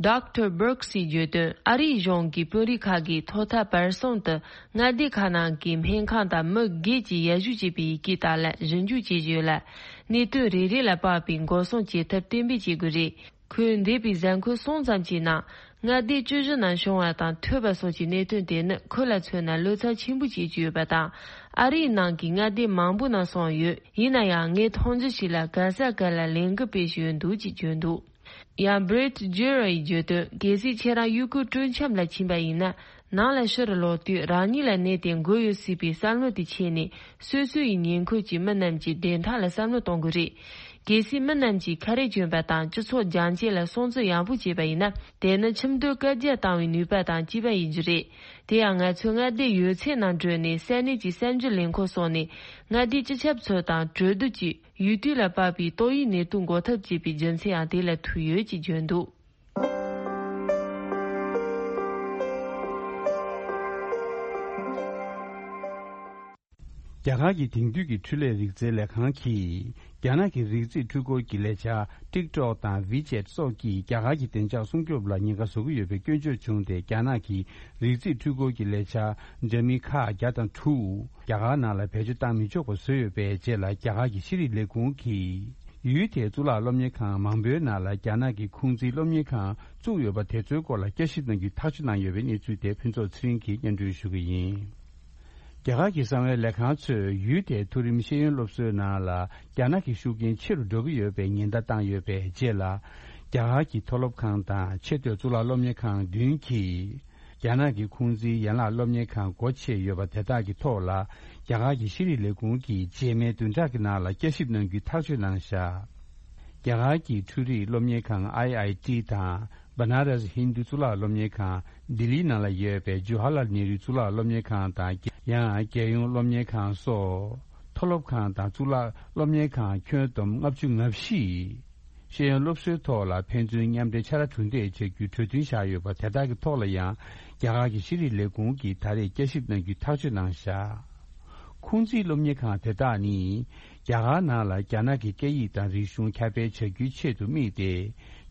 Doctor Birx་ཡིས་བརྗོད་དོན། ཨ་རིའི་གཞུང་གི་དཔོན་རིགས་ཁག་གིས་ཐོག་མཐའ་བར་གསུམ་དུ་མངའ་སྡེ་ཁག་ནང་གི་སྨན་ཁང་དང་མི་སྒེར་གྱིས་ཡར་ཞུ་བྱས་པའི་ཡི་གེ་དག་ལ་ཞིབ་འཇུག་བྱེད་བཞིན་ཡོད་ལ། གནད་དོན་རེ་རེ་ལ་དཔག་པའི་འགོག་སྲུང་བྱེད་ཐབས་གཏན་འབེབས་བྱེད་དགོས་རེད། ཁོས་འདས་པའི་གཟའ་འཁོར་གསུམ་ཙམ་གྱི་ནང་མངའ་སྡེ་བཅུ་བཞི་ནང་བྱུང་བ་དང་ཐོས་པ་སོགས་ཀྱི་གནད་དོན་དེ་ནི་ཁོ་ལ་མཚོན་ན་བློ་འཚབ་ཆེན་པོ་བྱེད་ཀྱི་ཡོད་པ་དང་། ཨ་རིའི་ནང་གི་མངའ་སྡེ་མང་པོ་ནང་སོང་ཡོད། ཡིན་ན་ཡང་ངས་མཐོང་རྒྱུ་ཞིག་ལ་ག་ས་ག་ལ་ལས་འགུལ་སྤེལ་བཞིན་ཡོད་འདུག་ཅེས་བརྗོད་འདུག་ཡང་Brett Jurak་ཡིས་བརྗོད་དོན། གལ་སྲིད་ཁྱེད་རང་ཡུལ་སྐོར་སྤྲོ་འཆམ་ལ་ཕྱིན་པ་ཡིན་ན། ནང་ལ་ཕྱིར་ལོག་དུས་རང་ཉིད་ལ་གནས་དེ་འགོས་ཡོད་སྲིད་པའི་བསམ་བློ་དེ་ཆད་ནས། སོ་སོ་ཡི་ཉེ་འཁོར་གྱི་མི་རྣམས་ཀྱི་བདེན་མཐའ་ལ་བསམ་བློ་གཏོང་དགོས་རེད། གལ་སྲིད་མི་རྣམས་ཀྱིས་ཁ་རས་གྱོན་པ་དང་སྤྱི་ཚོགས་རྒྱ་ཆེ་ལ་སྲུང་བརྩི་ཡག་པོ་བྱས་པ་ཡིན་ན། དེ་ནི་ཁྲིམས་དོན་བཀའ་རྒྱ་བཏང་བའི་ནུས་པ་དང་གཅིག་པ་ཡིན་རྒྱུ་རེད། དེ་ཡང་ང་ཚོས་མངའ་སྡེ་ཡོད་ཚད་ནང་བགྲོད་ནས་ས་གནས་ཀྱི་གསར་འགྱུར་ལས་ཁུངས་སོགས་ནས་མངའ་སྡེའི་སྤྱི་ཁྱབ་ཚོ་དང་གྲོས་བསྡུར་གྱིས་ཡུལ་དུས་ལ་དཔག་པའི་ཏོག་དབྱིབས་ནད་དུག་འགོག་ཐབས་བྱས་པའི་རྒྱུ་མཚན་ཡང་དེ་ལ་ཐུག་ཡོད་ཅེས་བརྗོད་འདུག། རྒྱ་གར་གྱི་དེང་དུས་ཀྱི་འཕྲུལ་ལས་རིག་རྩལ་ལས་ཁང་གིས། རྒྱ་ནག་གི་རིག་རྩེད་འཕྲུལ་འཁོར་གྱི་ལས་འཆར་TikTok་དང་WeChat་སོགས་ཀྱིས་རྒྱ་གར་གྱི་བདེ་འཇགས་སྲུང་སྐྱོབ་ལ་ཉེན་ཁ་བཟོ་གི་ཡོད་པའི་སྐྱོན་བརྗོད་བྱུང་སྟེ། རྒྱ་ནག་གི་རིག་རྩེད་འཕྲུལ་འཁོར་གྱི་ལས་འཆར་འདྲ་མིན་ཁག་བརྒྱ་དང་དྲུག་རྒྱ་གར་ནང་ལ་བེད་སྤྱོད་བཏང་མི་ཆོག་པ་བཟོས་ཡོད་པའི་རྗེས་ལ། རྒྱ་གར་གྱི་ཤེས་རིག་ལས་ཁུངས་ཀྱིས་ཡུལ་དེའི་གཙུག་ལག་སློབ་གཉེར་ཁང་མང་པོའི་ནང་ལ་རྒྱ་ནག་གི་ཁུང་ཙི་སློབ་གཉེར་ཁང་བཙུགས་ཡོད་པ་དེ་ཚོའི་སྐོར་ལ་བསྐྱར་ཞིབ་གནང་རྒྱུའི་ཐག་གཅོད་གནང་ཡོད་པའི་གནས་ཚུལ་དེ་ཕུན་ཚོགས་ཚེ་རིང་གིས་སྙན་སྒྲོན་ཞུ་གི་ཡིན། རྒྱ་གར་གྱི་གསང་བའི་ལས་ཁང་ཚོས་ཡུལ་དེའི་མཐོ་རིམ་ཤེས་ཡོན་སློབ་གསོའི་ནང་ལ་རྒྱ་ནག་གི་ཤུགས་རྐྱེན་ཆེ་རུ་འགྲོ་གི་ཡོད་པའི་ཉེན་བརྡ་བཏང་ཡོད་པའི་རྗེས་ལ། རྒྱ་གར་གྱི་མཐོ་སློབ་ཁང་དང་ཆེས་མཐོའི་གཙུག་ལག་སློབ་གཉེར་ཁང་བདུན་གྱིས། རྒྱ་ནག་གི་ཁུང་ཙིའི་ཡན་ལག་སློབ་གཉེར་ཁང་སྒོ་ཕྱེ་ཡོད་པ་དེ་དག་གི་ཐོག་ལ། རྒྱ་གར་གྱི་ཤེས་རིག་ལས་ཁུངས་ཀྱིས་རྗེས་མའི་བདུན་ཕྲག་གི་ནང་ལ་བསྐྱར་ཞིབ་གནང་རྒྱུའི་ཐག་གཅོད་གནང་བཞག། རྒྱ་གར་གྱི་འཕྲུལ་རིག་སློབ་གཉེར་ཁང་ཨའི་ཨའི་ཊི་དང་། བ་ན་ར་སི་ཧིན་དུ་གཙུག་ལག་སློབ་གཉེར་ཁང་ལྡི་ལི་ནང་ལ་ཡོད་པའི་ཇོ་ཧ་ལལ་ནེ་རུ་གཙུག་ལག་སློབ་གཉེར་ཁང་དང་། ཡང་རྒྱལ་ཡོངས་སློབ་གཉེར་ཁང་སོགས། མཐོ་སློབ་ཁང་དང་གཙུག་ལག་སློབ་གཉེར་ཁང་ཁྱོན་བསྡོམས་ལྔ་བཅུ་ང་བཞི། ཤེས་ཡོན་སློབ་གསོའི་ཐོག་ལ་ཕན་ཚུན་མཉམ་འབྲེལ་ཕྱག་ར་གྲུ་འདེགས་བྱ་རྒྱུའི་གྲོས་མཐུན་བཞག་ཡོད་པ་དེ་དག་གི་ཐོག་ལ་ཡང་། རྒྱ་གར་གྱི་ཤེས་རིག་ལས་ཁུངས་ཀྱིས་ད་རེས་བསྐྱར་ཞིབ་གནང་རྒྱུའི་ཐག་གཅོད་གནང་བཞག། ཁུང་ཙིའི་སློབ་གཉེར་ཁང་དེ་དག་ནི། རྒྱ་གར་ནང་ལ་རྒྱ་ནག་གི་སྐད་ཡིག་དང་རིག་གཞུང་ཁྱབ་སྤེལ་བྱ་རྒྱུའི་ཆེད་དུ་དམིགས་ཏེ།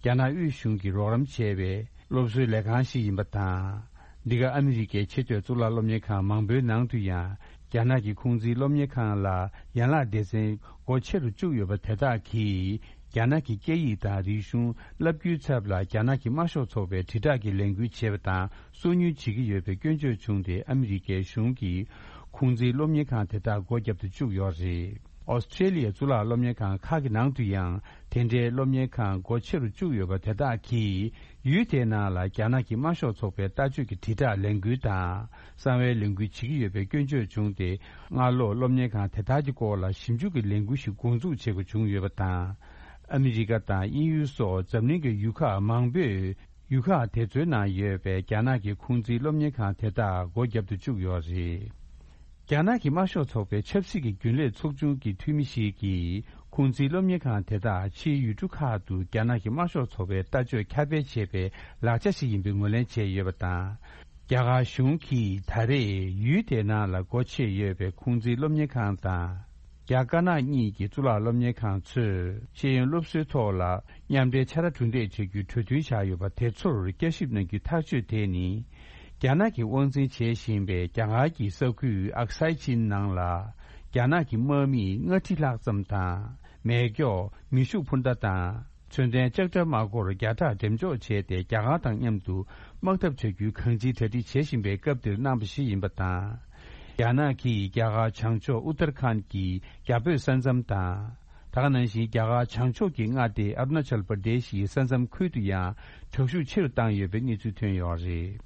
རྒྱ་ནག་དབུས་གཞུང་གིས་རོགས་རམ་བྱས་པའི་སློབ་གསོའི་ལས་ཁང་ཞིག་ཡིན་པ་དང་། འདི་ག་ཨ་མི་རི་ཀའི་ཆེས་མཐོའི་གཙུག་ལག་སློབ་གཉེར་ཁང་མང་པོའི་ནང་དུ་ཡང་། རྒྱ་ནག་གི་ཁུང་ཙིའི་སློབ་གཉེར་ཁང་ལ་ཡན་ལག་སྡེ་ཚན་སྒོ་ཕྱེ་རུ་བཅུག་ཡོད་པ་དེ་དག་གིས། རྒྱ་ནག་གི་སྐད་ཡིག་དང་རིག་གཞུང་བསླབ་རྒྱུའི་ཚབ་ལ་རྒྱ་ནག་གི་དམར་ཤོག་ཚོགས་པའི་དྲིལ་བསྒྲགས་ཀྱི་ལས་འགུལ་བྱེད་པ་དང་སོ་ཉུལ་བྱེད་ཀྱི་ཡོད་པའི་སྐྱོན་བརྗོད་བྱུང་སྟེ། ཨ་མི་རི་ཀའི་གཞུང་གིས་ཁུང་ཙིའི་སློབ་གཉེར་ཁང་དེ་དག་སྒོ་བརྒྱབ་ཏུ་བཅུག་ཡོད་རེད། ཨོ་སི་ཀྲེ་ལི་ཡའི་གཙུག་ལག་སློབ་གཉེར་ཁང་ཁག་གི་ནང་དུ་ཡང་དེ་འདྲའི་སློབ་གཉེར་ཁང་སྒོ་ཕྱེ་རུ་བཅུག་ཡོད་པ་དེ་དག་གིས། ཡུལ་དེའི་ནང་ལ་རྒྱ་ནག་གི་དམར་ཤོག་ཚོགས་པའི་ལྟ་སྤྱོད་ཀྱི་དྲིལ་བསྒྲགས་ལས་འགུལ་དང་གསང་བའི་ལས་འགུལ་བྱེད་ཀྱི་ཡོད་པའི་སྐྱོན་བརྗོད་བྱུང་སྟེ། སྔ་ལོགས་སློབ་གཉེར་ཁང་དེ་དག་གི་སྐོར་ལ་ཞིབ་འཇུག་གི་ལས་འགུལ་ཞིག་འགོ་འཛུགས་བྱེད་དགོས་བྱུང་ཡོད་པ་དང་། ཨ་མི་རི་ཀ་དང་དབྱིན་ཡུལ་སོགས་འཛམ་གླིང་གི་ཡུལ་ཁག་མང་པོས་ཡུལ་ཁག་དེ་ཚོའི་ནང་ཡོད་པའི་རྒྱ་ནག་གི་ཁུང་ཙིའི་སློབ་གཉེར་ཁང་དེ་དག་སྒོ་བརྒྱབ་ཏུ་བཅུག་ཡོད་རེད། རྒྱ་ནག་གི་དམར་ཤོག་ཚོགས་པའི་ཆབ་སྲིད་ཀྱི་རྒྱུན་ལས་ཚོགས་ཆུང་གི་འཐུས་མི་ཞིག་གིས། ཁུང་ཙིའི་སློབ་གཉེར་ཁང་དེ་དག་ཕྱིའི་ཡུལ་གྲུ་ཁག་ཏུ་རྒྱ་ནག་གི་དམར་ཤོག་ཚོགས་པའི་ལྟ་སྤྱོད་ཁྱབ་སྤེལ་བྱེད་པའི་ལག་ཆ་ཞིག་ཡིན་པའི་ངོས་ལེན་བྱས་ཡོད་པ་དང་། རྒྱ་གར་གཞུང་གིས་ད་རེས་ཡུལ་དེའི་ནང་ལ་སྒོ་ཕྱེ་ཡོད་པའི་ཁུང་ཙིའི་སློབ་གཉེར་ཁང་དང་། རྒྱ་དཀར་ནག་གཉིས་ཀྱི་གཙུག་ལག་སློབ་གཉེར་ཁང་ཚོས་ཤེས་ཡོན་སློབ་གསོའི་ཐོག་ལ་མཉམ་འབྲེལ་ཕྱག་ར་གྲུ་འདེགས་བྱ་རྒྱུའི་གྲོས་མཐུན་བཞག་ཡོད་པ་དེ་ཚོར་བསྐྱར་ཞིབ་གནང་རྒྱུའི་ཐག་གཅོད་དེ་ནི། རྒྱ་ནག་གིས་དབང་འཛིན་བྱེད་བཞིན་པའི་རྒྱ་གར་གྱི་ས་ཁུལ་ཨག་སའི་ཅིན་ནང་ལ། རྒྱ་ནག་གི་དམག་མིས་ལྔ་ཁྲི་ལྷག་ཙམ་དང་། མེ་སྒྱོགས། མེ་ཤུགས་འཕུར་མདའ་དང་། ཚོན་ལྡན་ལྕགས་དྲ་དམག་འཁོར་བརྒྱ་ཕྲག་འགྲེམས་འཇོག་བྱས་ཏེ། རྒྱ་གར་དང་མཉམ་དུ་དམག་འཐབ་བྱ་རྒྱུའི་གང་ཅིའི་གྲ་སྒྲིག་བྱེད་བཞིན་པའི་སྐབས་འདིར་གནང་བ་ཞིག་ཡིན་པ་དང་། རྒྱ་ནག་གིས་རྒྱ་གར་བྱང་ཕྱོགས་ཨུ་ཏར་ཁཱན་གྱི་རྒྱ་བོད་ས་མཚམས་དང་། ད་ག་ནང་བཞིན་རྒྱ་གར་བྱང་ཕྱོགས་ཀྱི་མངའ་སྡེ་ཨ་རུ་ན་ཅལ་པར་དེ་ཤི་ཡི་ས་མཚམས་ཁུལ་དུ་ཡང་དྲག་ཤུགས་ཆེ་རུ་བཏང་ཡོད་པའི་གནས་ཚུལ་ཐོན་ཡོད་རེད།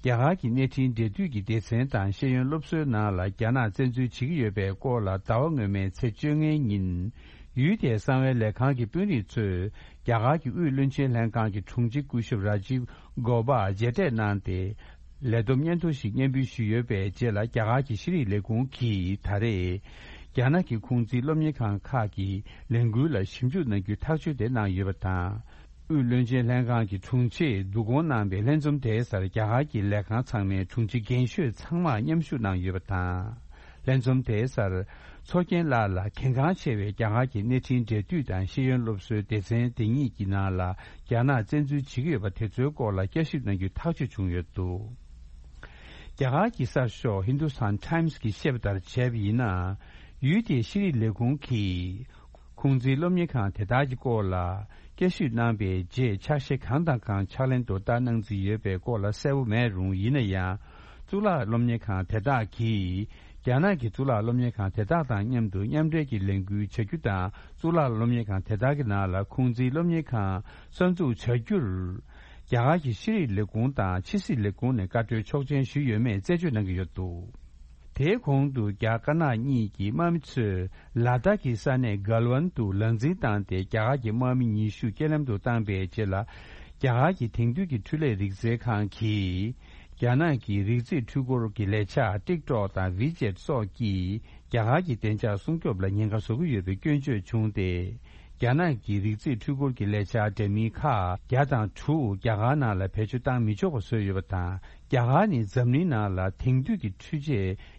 རྒྱ་གར་གྱི་གནས་འཕྲིན་འབྲེལ་མཐུད་ཀྱི་སྡེ་ཚན་དང་ཤེས་ཡོན་སློབ་གསོའི་ནང་ལ་རྒྱ་ནག་བཙན་འཛུལ་བྱེད་ཀྱི་ཡོད་པའི་སྐོར་ལ་ཟླ་བ་སྔོན་མའི་ཚེས་བཅོ་ལྔའི་ཉིན། ཡུལ་དེའི་གསང་བའི་ལས་ཁང་གི་དཔོན་རིགས་ཚོས་རྒྱ་གར་གྱི་དབུས་བློན་ཆེན་ལྷན་ཁང་གི་དྲུང་ཆེ་སྐུ་ཞབས་རཱ་ཇིབ་གོ་པ་མཇལ་འཕྲད་གནང་སྟེ། ལས་བསྡོམས་སྙན་ཐོ་ཞིག་སྙན་འབུལ་ཞུས་ཡོད་པའི་རྗེས་ལ། རྒྱ་གར་གྱི་ཤེས་རིག་ལས་ཁུངས་ཀྱིས་ད་རེས་རྒྱ་ནག་གི་ཁུང་ཙི་སློབ་གཉེར་ཁང་ཁག་གི་ལས་འགུལ་ལ་ཞིབ་འཇུག་གནང་རྒྱུའི་ཐག་གཅོད་དེ་གནང་ཡོད་པ་དང་། དབུས་བློན་ཆེན་ལྷན་ཁང་གི་དྲུང་ཆེས་བསྡུ་སྐོང་གནང་བའི་ལྷན་འཛོམས་དེའི་སར་རྒྱ་གར་གྱི་ལས་ཁང་ཚང་མའི་དྲུང་ཆེ་རྒན་ཤོས་ཚང་མ་མཉམ་ཞུགས་གནང་ཡོད་པ་དང་། ལྷན་འཛོམས་དེའི་སར་ཚོགས་རྒྱན་ལགས་ལ་གལ་འགངས་ཆེ་བའི་རྒྱ་གར་གྱི་གནས་འཕྲིན་འབྲེལ་མཐུད་དང་ཤེས་ཡོན་སློབ་གསོའི་སྡེ་ཚན་དེ་གཉིས་ཀྱི་ནང་ལ་རྒྱ་ནག་བཙན་འཛུལ་བྱེད་ཀྱི་ཡོད་པ་དེ་ཚོའི་སྐོར་ལ་བསྐྱར་ཞིབ་གནང་རྒྱུའི་ཐག་གཅོད་བྱུང་ཡོད་འདུག། རྒྱ་གར་གྱི་གསར་ཤོག་ཧིན་དུ་སི་ཐན་ཊའིམ་སི་གིས་བཤད་པ་ལྟར་བྱས་པ་ཡིན་ན། ཡུལ་དེའི་ཤེས་རིག་ལས་ཁུངས་ཀྱིས། ཁུང་ཙིའི་སློབ་གཉེར་ཁང་དེ་དག་གི་སྐོར་ལ་བསྐྱར་ཞིབ་གནང་པའི་རྗེས་ཕྱག་བཞེས་གང་དང་གང་ཕྱག་ལེན་དུ་བསྟར་གནང་རྩིས་ཡོད་པའི་སྐོར་ལ་གསལ་པོ་མེད་རུང་། ཡིན་ན་ཡང་། གཙུག་ལག་སློབ་གཉེར་ཁང་དེ་དག་གིས་རྒྱ་ནག་གི་གཙུག་ལག་སློབ་གཉེར་ཁང་དེ་དག་དང་མཉམ་དུ་མཉམ་འབྲེལ་གྱི་ལས་འགུལ་བྱ་རྒྱུ་དང་། གཙུག་ལག་སློབ་གཉེར་ཁང་དེ་དག་གི་ནང་ལ་ཁུང་ཙིའི་སློབ་གཉེར་ཁང་གསར་འཛུགས་བྱ་རྒྱུར། རྒྱ་གར་གྱི་ཤེས་རིག་ལས་ཁུངས་དང་ཕྱི་སྲིད་ལས་ཁུངས་ནས་བཀའ་འཁྲོལ་ཆོག་མཆན་ཞུས་ཡོད་མེད་རྩད་གཅོད་གནང་གི་ཡོད་འདུག་དེའི་གོང་དུ་རྒྱ་དཀར་ནག་གཉིས་ཀྱི་དམག་མི་ཚོས་ལ་དྭགས་ཀྱི་ས་གནས་གལ་ཝན་དུ་ལག་འཛིང་བཏང་སྟེ། རྒྱ་གར་གྱི་དམག་མི་ཉི་ཤུ་རྐྱེན་ལམ་དུ་བཏང་པའི་རྗེས་ལ། རྒྱ་གར་གྱི་དེང་དུས་ཀྱི་འཕྲུལ་ལས་རིག་རྩལ་ཁང་གིས་རྒྱ་ནག་གི་རིག་རྩེད་འཕྲུལ་འཁོར་གྱི་ལས་འཆར་ཊིག་ཊོག་དང་ཝི་ཅེད་སོགས་ཀྱིས་རྒྱ་གར་གྱི་བདེ་འཇགས་སྲུང་སྐྱོབ་ལ་ཉེན་ཁ་བཟོ་གི་ཡོད་པའི་སྐྱོན་བརྗོད་བྱུང་སྟེ། རྒྱ་ནག་གི་རིག་རྩེད་འཕྲུལ་འཁོར་གྱི་ལས་འཆར་འདྲ་མིན་ཁག་བརྒྱ་དང་དྲུག་རྒྱ་གར་ནང་ལ་བེད་སྤྱོད་བཏང་མི་ཆོག་པ་བཟོས་ཡོད་པ་དང་། རྒྱ་གར་ནི་འཛམ་གླིང་ནང་ལ་དེང་དུས་ཀྱི་འཕྲུལ་ཆས་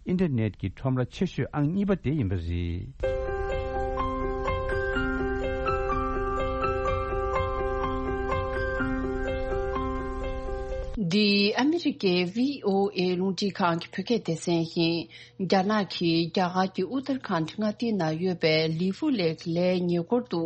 ཨིན་ཊར་ནེཊ་ཀྱི་ཁྲོམ་ར་ཆེ་ཤོས་ཨང་གཉིས་པ་དེ་ཡིན་པ་རེད། འདི་ཨ་མི་རི་ཀའི་བྷི་ཨོ་ཨེ་རླུང་འཕྲིན་ཁང་གི་བོད་སྐད་སྡེ་ཚན་ཡིན། རྒྱ་ནག་གིས་རྒྱ་གར་གྱི་ཨུ་ཏར་ཁཱན་མངའ་སྡེའི་ནང་ཡོད་པའི་ལི་ཕུ་ལེག་ལའི་ཉེ་འཁོར་དུ་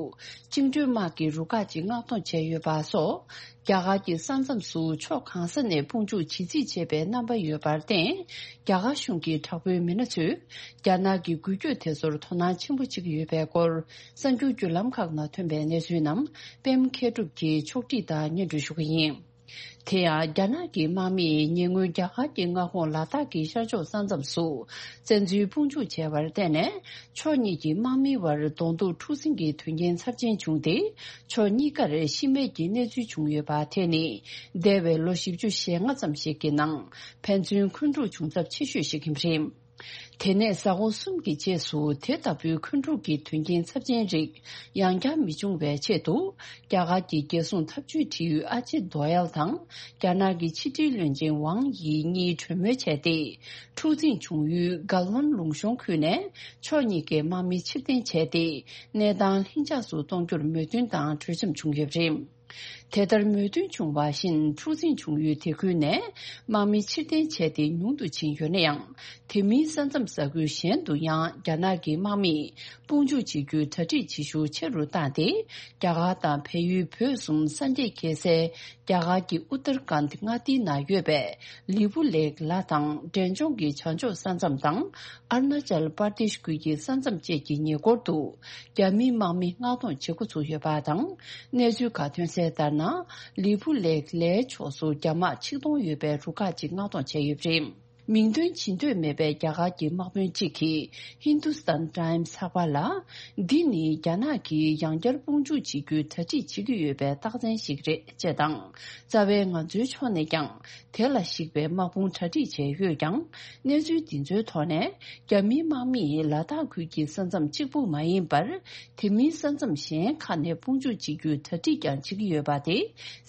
བཅིངས་འགྲོལ་དམག་གི་རུ་ཁག་ཅིག་མངགས་གཏོང་བྱས་ཡོད་པ་སོགས། རྒྱ་གར་གྱི་ས་མཚམས་སུ་ཕྱོགས་གང་ས་ནས་དཔུང་འཇུག་བྱེད་རྩིས་བྱེད་པའི་རྣམ་པ་ཡོད་པར་བརྟེན། རྒྱ་གར་གཞུང་གི་དྲག་པོའི་མི་སྣ་ཚོས་རྒྱ་ནག་གི་འགུལ་སྐྱོད་དེ་ཚོར་དོ་སྣང་ཆེན་པོ་བྱེད་ཀྱི་ཡོད་པའི་སྐོར། གསར་འགྱུར་བརྒྱུད་ལམ་ཁག་ནང་ཐོན་པའི་གནས་ཚུལ་རྣམས་པད་མ་མཁས་གྲུབ་ཀྱིས་ཕྱོགས་སྒྲིག་དང་སྙན་སྒྲོན་ཞུ་གི་ཡིན། དེ་ཡང་རྒྱ་ནག་གི་དམག་མིས་ཉེ་སྔོན་རྒྱ་གར་གྱི་མངའ་ཁོངས་ལ་དྭགས་ཀྱི་ཤར་ཕྱོགས་ས་མཚམས་སུ་བཙན་འཛུལ་དཔུང་འཇུག་བྱས་པར་བརྟེན་ནས། ཕྱོགས་གཉིས་ཀྱི་དམག་མིའི་བར་གདོང་ཐུག་འཁྲུག་འཛིང་གི་དོན་རྐྱེན་ཚབས་ཆེན་བྱུང་སྟེ། ཕྱོགས་གཉིས་ཀར་ཤི་རྨས་ཀྱི་གནས་ཚུལ་བྱུང་ཡོད་པ། དེ་ནི་འདས་པའི་ལོ་བཞི་བཅུ་ཞེ་ལྔ་ཙམ་ཞིག་གི་ནང་ཕན་ཚུན་འཁོན་འཁྲུག་བྱུང་ཚབས་ཆེ་ཤོས་ཤིག་ཡིན་པ་རེད། དེ་ནས་གཟའ་འཁོར་གསུམ་གྱི་རྗེས་སུ་དེ་ལྟ་བུའི་འཁོན་འཁྲུག་གི་དོན་རྐྱེན་ཚབས་ཆེན་རིགས་ཡང་བསྐྱར་མི་འབྱུང་བའི་ཆེད་དུ། རྒྱ་གར་གྱི་རྒྱལ་སྲུང་འཐབ་ཇུས་དྲི་ཡུལ་ཨ་ཇིད་རྡོ་ཡལ་དང་རྒྱ་ནག་གི་ཕྱི་དྲིལ་བློན་ཆེན་ཝང་དབྱི་གཉིས་གྲོས་མོལ་བྱས་ཏེ། འཁྲུག་འཛིང་བྱུང་ཡུལ་གལ་ཝན་ལུང་གཤོང་ཁུལ་ནས་ཕྱོགས་གཉིས་ཀའི་དམག་མི་ཕྱིར་འཐེན་བྱས་ཏེ། གནས་སྟངས་ལྷིང་འཇགས་སུ་གཏོང་རྒྱུར་མོས་མཐུན་དང་གྲོས་འཆམ་བྱུང་ཡོད་པ་རེད། དེ་ལྟར་མོས་མཐུན་བྱུང་བ་བཞིན། འཁྲུག་འཛིང་བྱུང་ཡུལ་དེ་ཁུལ་ནས་དམག་མི་ཕྱིར་འཐེན་བྱས་ཏེ་ཉུང་དུ་ཕྱིན་ཡོད་ན་ཡང་། དེ་མིན་ས་མཚམས་ས་ཁུལ་གཞན་དུ་ཡང་རྒྱ་ནག་གི་དམག་མིས་དཔུང་འཇུག་བྱེད་རྒྱུའི་གྲ་སྒྲིག་བྱེད་ཤུགས་ཆེ་རུ་བཏང་སྟེ། རྒྱ་གར་དང་བལ་ཡུལ་བོད་གསུམ་ས་འདྲེས་འཁེལ་སའི་རྒྱ་གར་གྱི་ཨུ་ཏར་ཀཱན་མངའ་སྡེའི་ནང་ཡོད་པའི་ལི་པུ་ལེག་ལ་དང་འབྲས་ལྗོངས་ཀྱི་བྱང་ཕྱོགས་ས་མཚམས་དང་། ཨ་རུ་ན་ཅལ་པར་དེཤ་ཁུལ་གྱི་ས་མཚམས་བཅས་ཀྱི་ཉེ་འཁོར་དུ། རྒྱ་མིའི་དམག་མི་མངགས་གཏོང་བྱེད་འགོ་ཚུགས་ཡོད་པ་དང་། གནས་ཚུལ་ཁག་ཐོན་གསལ་ལྟར་ན། ལི་པུ་ལེག་ལའི་ཕྱོགས་སུ་རྒྱ་དམག་ཆིག་སྟོང་ཡོད་པའི་རུ་ཁག་ཅིག་མངགས་གཏོང་བྱས་ཡོད་པ་རེད། མིང་འདོན་བྱེད་འདོད་མེད་པའི་རྒྱ་གར་གྱི་དམག་དཔོན་གཅིག་གིས་ཧིན་དུ་སི་ཐན་ཊའིམ་སི་ཚགས་པར་ལ། འདི་ནི་རྒྱ་ནག་གིས་ཡང་བསྐྱར་དཔུང་འཇུག་བྱེད་རྒྱུའི་གྲ་སྒྲིག་བྱེད་ཀྱི་ཡོད་པའི་རྟགས་མཚན་ཞིག་རེད་ཅེས་དང་། རྩ་བའི་ང་ཚོའི་ཕྱོགས་ནས་ཀྱང་། དེ་ལ་གཞིགས་པའི་དམག་དཔུང་གྲ་སྒྲིག་བྱས་ཡོད་ཀྱང་། གནས་ཚུལ་འདི་ཚོའི་ཐོག་ནས། རྒྱ་མིའི་དམག་མིས་ལ་དྭགས་ཁུལ་གྱི་ས་མཚམས་གཅིག་པུ་མ་ཡིན་པར། དེ་མིན་ས་མཚམས་གཞན་ཁག་ནས་དཔུང་འཇུག་བྱེད་རྒྱུའི་གྲ་སྒྲིག་ཀྱང་བྱེད་ཀྱི་ཡོད་པ་དེ།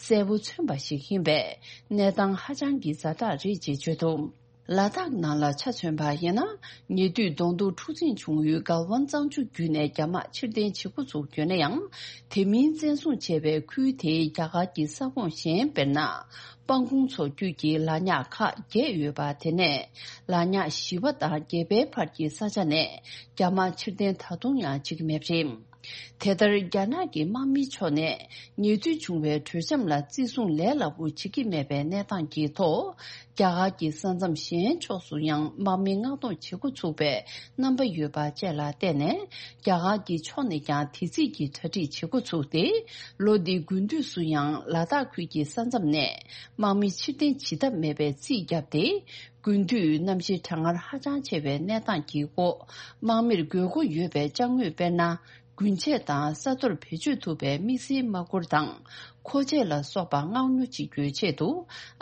གསལ་པོ་མཚོན་པ་ཞིག་ཡིན་པས། གནས་སྟངས་ཧ་ཅང་གི་ཛ་དྲག་རེད་ཅེས་བརྗོད་འདུག་ལ་དྭགས་ནང་ལ་ཆ་མཚོན་པ་ཡིན་ན། ཉེ་དུས་གདོང་ཐུག་འཁྲུག་འཛིང་བྱུང་ཡུལ་གལ་ཝན་གཙང་ཆུ་བརྒྱུད་ནས་རྒྱ་དམག་ཕྱིར་འཐེན་བྱེད་འགོ་ཚུགས་ཡོད་ན་ཡང་། དེ་མིན་བཙན་བཟུང་བྱས་པའི་ཁུལ་དེའི་རྒྱ་གར་གྱི་ས་ཁོངས་གཞན། དཔེར་ན། སྤང་གོང་མཚོ་རྒྱུད་ཀྱི་ལ་ཉག་ཁག་བརྒྱད་ཡོད་པ། དེ་ནས་ལ་ཉག་བཞི་པ་དང་བརྒྱད་པའི་བར་གྱི་ས་ཆ་ནས་རྒྱ་དམག་ཕྱིར་འཐེན་ད་དུང་ཡང་བྱེད་ཀྱི་མེད་པ་རེད། དེ་ལྟར་རྒྱ་ནག་གི་དམག་མིའི་ཕྱོགས་ནས་ཉེ་དུས་བྱུང་བའི་གྲོས་འཆམ་ལ་བརྩི་སྲུང་ལས་སླ་པོ་བྱེད་ཀྱི་མེད་པའི་གནས་སྟངས་ཀྱི་ཐོག་རྒྱ་གར་གྱི་ས་མཚམས་གཞན་ཕྱོགས་སུ་ཡང་དམག་མི་མངགས་གཏོང་བྱེད་འགོ་ཚུགས་པའི་རྣམ་པ་ཡོད་པ་བཅས་ལ་བརྟེན་ནས། རྒྱ་གར་གྱི་ཕྱོགས་ནས་ཀྱང་དེ་རྩིས་ཀྱི་གྲ་སྒྲིག་བྱེད་འགོ་ཚུགས་ཏེ། ལོ་འདིའི་དགུན་དུས་སུ་ཡང་ལ་དྭགས་ཁུལ་གྱི་ས་མཚམས་ནས་དམག་མི་ཕྱིར་འཐེན་བྱེད་ཐབས་མེད་པའི་རྩིས་བརྒྱབ་སྟེ། དགུན་དུས་གནམ་གཤིས་གྲང་ངར་ཧ་ཅང་ཆེ་བའི་གནས་སྟངས་ཀྱི་འོག་དམག་མིར་དགོས་མཁོ་ཡོད་པའི་ཅ་དངོས། དཔེར་ན། རྒུན་ཆས་དང་ས་རྡོར་བེད་སྤྱོད་ཐུབ་པའི་དམིགས་བསལ་དམག་གུར་དང་། མཁོ་ཆས་ལ་སོགས་པ་མངགས་ཉོ་བྱེད་རྒྱུའི་ཆེད་དུ།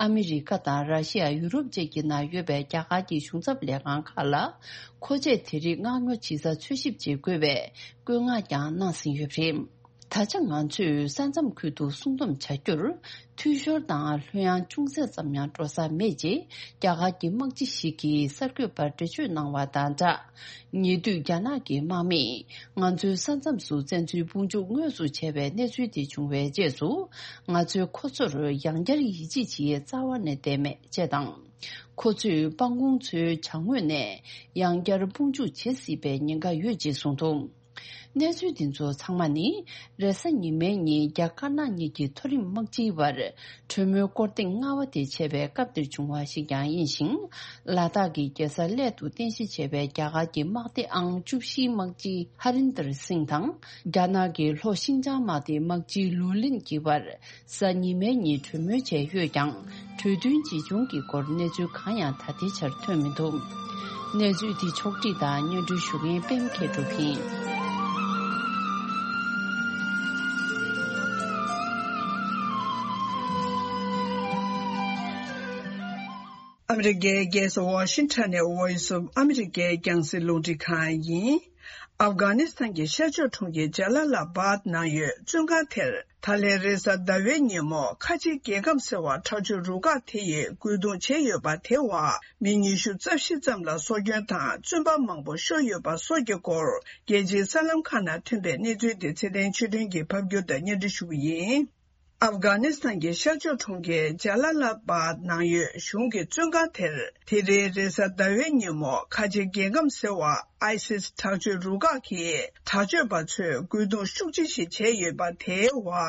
ཨ་མི་རི་ཀ་དང་ར་ཤི་ཡ། ཡུ་རོབ་བཅས་ཀྱི་ནང་ཡོད་པའི་རྒྱ་གར་གྱི་གཞུང་ཚབ་ལས་ཁང་ཁག་ལ། མཁོ་ཆས་དེ་རིགས་མངགས་ཉོ་བྱེད་ས་འཚོལ་ཞིབ་བྱེད་དགོས་པའི་བཀོད་མངགས་ཀྱང་གནང་ཟིན་ཡོད་པ་རེད། ད་ཆ་ང་ཚོས་ས་མཚམས་ཁུལ་དུ་སྲུང་སྡོམ་བྱ་རྒྱུར། འཐུས་ཤོར་དང་ལྷོད་ཡངས་ཅུང་ཟད་ཙམ་ཡང་འགྲོ་ས་མེད་ཅེས། རྒྱ་གར་གྱི་དམག་སྤྱི་ཞིག་གིས་གསར་འགོད་པར་འགྲེལ་བརྗོད་གནང་བ་དང་སྦྲགས། ཉེ་དུས་རྒྱ་ནག་གི་དམག་མིས་ང་ཚོའི་ས་མཚམས་སུ་བཙན་འཛུལ་དཔུང་འཇུག་དངོས་སུ་བྱས་པའི་གནས་ཚུལ་དེ་བྱུང་བའི་རྗེས་སུ། ང་ཚོས་ཁོ་ཚོར་ཡང་བསྐྱར་ཡིད་ཆེས་བྱེད་ཡས་རྩ་བ་ནས་བསྡད་མེད་ཅེས་དང་། ཁོ་ཚོས་སྤང་གོང་མཚོའི་བྱང་ངོས་ནས་ཡང་བསྐྱར་དཔུང་འཇུག་བྱེད་སྲིད་པའི་ཉེན་ཁ་ཡོད་ཅེས་གསུངས་འདུག་གནས་ཚུལ་འདི་ཚོ་ཚང་མ་ནི་རེས་གཟའ་ཉི་མའི་ཉིན་རྒྱ་དཀར་ནག་གཉིས་ཀྱི་མཐོ་རིམ་དམག་སྤྱིའི་བར་གྲོས་མོལ་སྐོར་ཐེངས་ལྔ་པ་དེ་བྱས་པའི་སྐབས་དེར་བྱུང་བ་ཞིག་ཀྱང་ཡིན་ཞིང་། ལ་དྭགས་ཀྱི་རྒྱལ་ས་གླེ་དུ་རྟེན་གཞི་བྱས་པའི་རྒྱ་གར་གྱི་དམག་སྡེ་ཨང་བཅུ་བཞིའི་དམག་སྤྱི་ཧ་རིན་དར་སིང་དང་། རྒྱ་ནག་གི་ལྷོ་ཤིན་ཅང་དམག་སྡེའི་དམག་སྤྱི་ལུའུ་ལིན་གྱི་བར་གཟའ་ཉི་མའི་ཉིན་གྲོས་མོལ་བྱས་ཡོད་ཀྱང་། གྲོས་མཐུན་ཇི་བྱུང་གི་སྐོར་གནས་ཚུལ་གང་ཡང་ད་ལྟའི་ཆར་ཐོན་མི་འདུག་གནས་ཚུལ་འདི་ཕྱོགས་བསྒྲིགས་དང་སྙན་སྒྲོན་ཞུ་མཁན་པད་མ་མཁས་གྲུབ་ཡིན། ཨ་མི་རི་ཀའི་རྒྱལ་ས་ཝ་ཤིང་ཊོན་ནས་Voice of America རྒྱང་སྲིང་རླུང་འཕྲིན་ཁང་ཡིན། ཨབ་གྷ་ནི་སི་ཐན་གྱི་ཤར་ཕྱོགས་གྲོང་ཁྱེར་ཇ་ལ་ལ་བཱད་ནང་ཡོད་བཙོན་ཁང་དེར། ད་ལན་རེས་གཟའ་ཟླ་བའི་ཉིན་མོ་ཁ་ཆེ་རྒྱལ་ཁམས་ཟེར་བ་དྲག་སྤྱོད་རུ་ཁག་དེ་ཡིས་རྒོལ་རྡུང་བྱས་ཡོད་པ་དེ་བ་མི་ཉི་ཤུ་རྩ་བཞི་ཙམ་ལ་སྲོག་སྐྱོན་དང་བཙོན་པ་མང་པོ་ཤོར་ཡོད་པ་སོགས་ཀྱི་སྐོར་རྒྱལ་སྤྱིའི་གསར་ལམ་ཁག་ནང་ཐོན་པའི་གནས་ཚུལ་དེ་ཚེ་བརྟན་ཆོས་སྒྲོན་གྱིས་ཕབ་སྒྱུར་དང་སྙན་སྒྲོན་ཞུ་གི་ཡིན། ཨབ་གྷ་ནི་སི་ཐན་གྱི་ཤར་ཕྱོགས་གྲོང་ཁྱེར་ཇ་ལ་ལ་བཱད་ནང་ཡོད་གཞུང་གི་བཙོན་ཁང་དེར། དེ་རིང་རེས་གཟའ་ཟླ་བའི་ཉིན་མོ་ཁ་ཆེ་རྒྱལ་ཁམས་ཟེར་བ་ཨའི་སིས་དྲག་སྤྱོད་རུ་ཁག་གིས་དྲག་སྤྱོད་པ་ཚོས་རྒོལ་རྡུང་ཤུགས་ཆེ་ཞིག་བྱས་ཡོད་པ་དེའི་བར་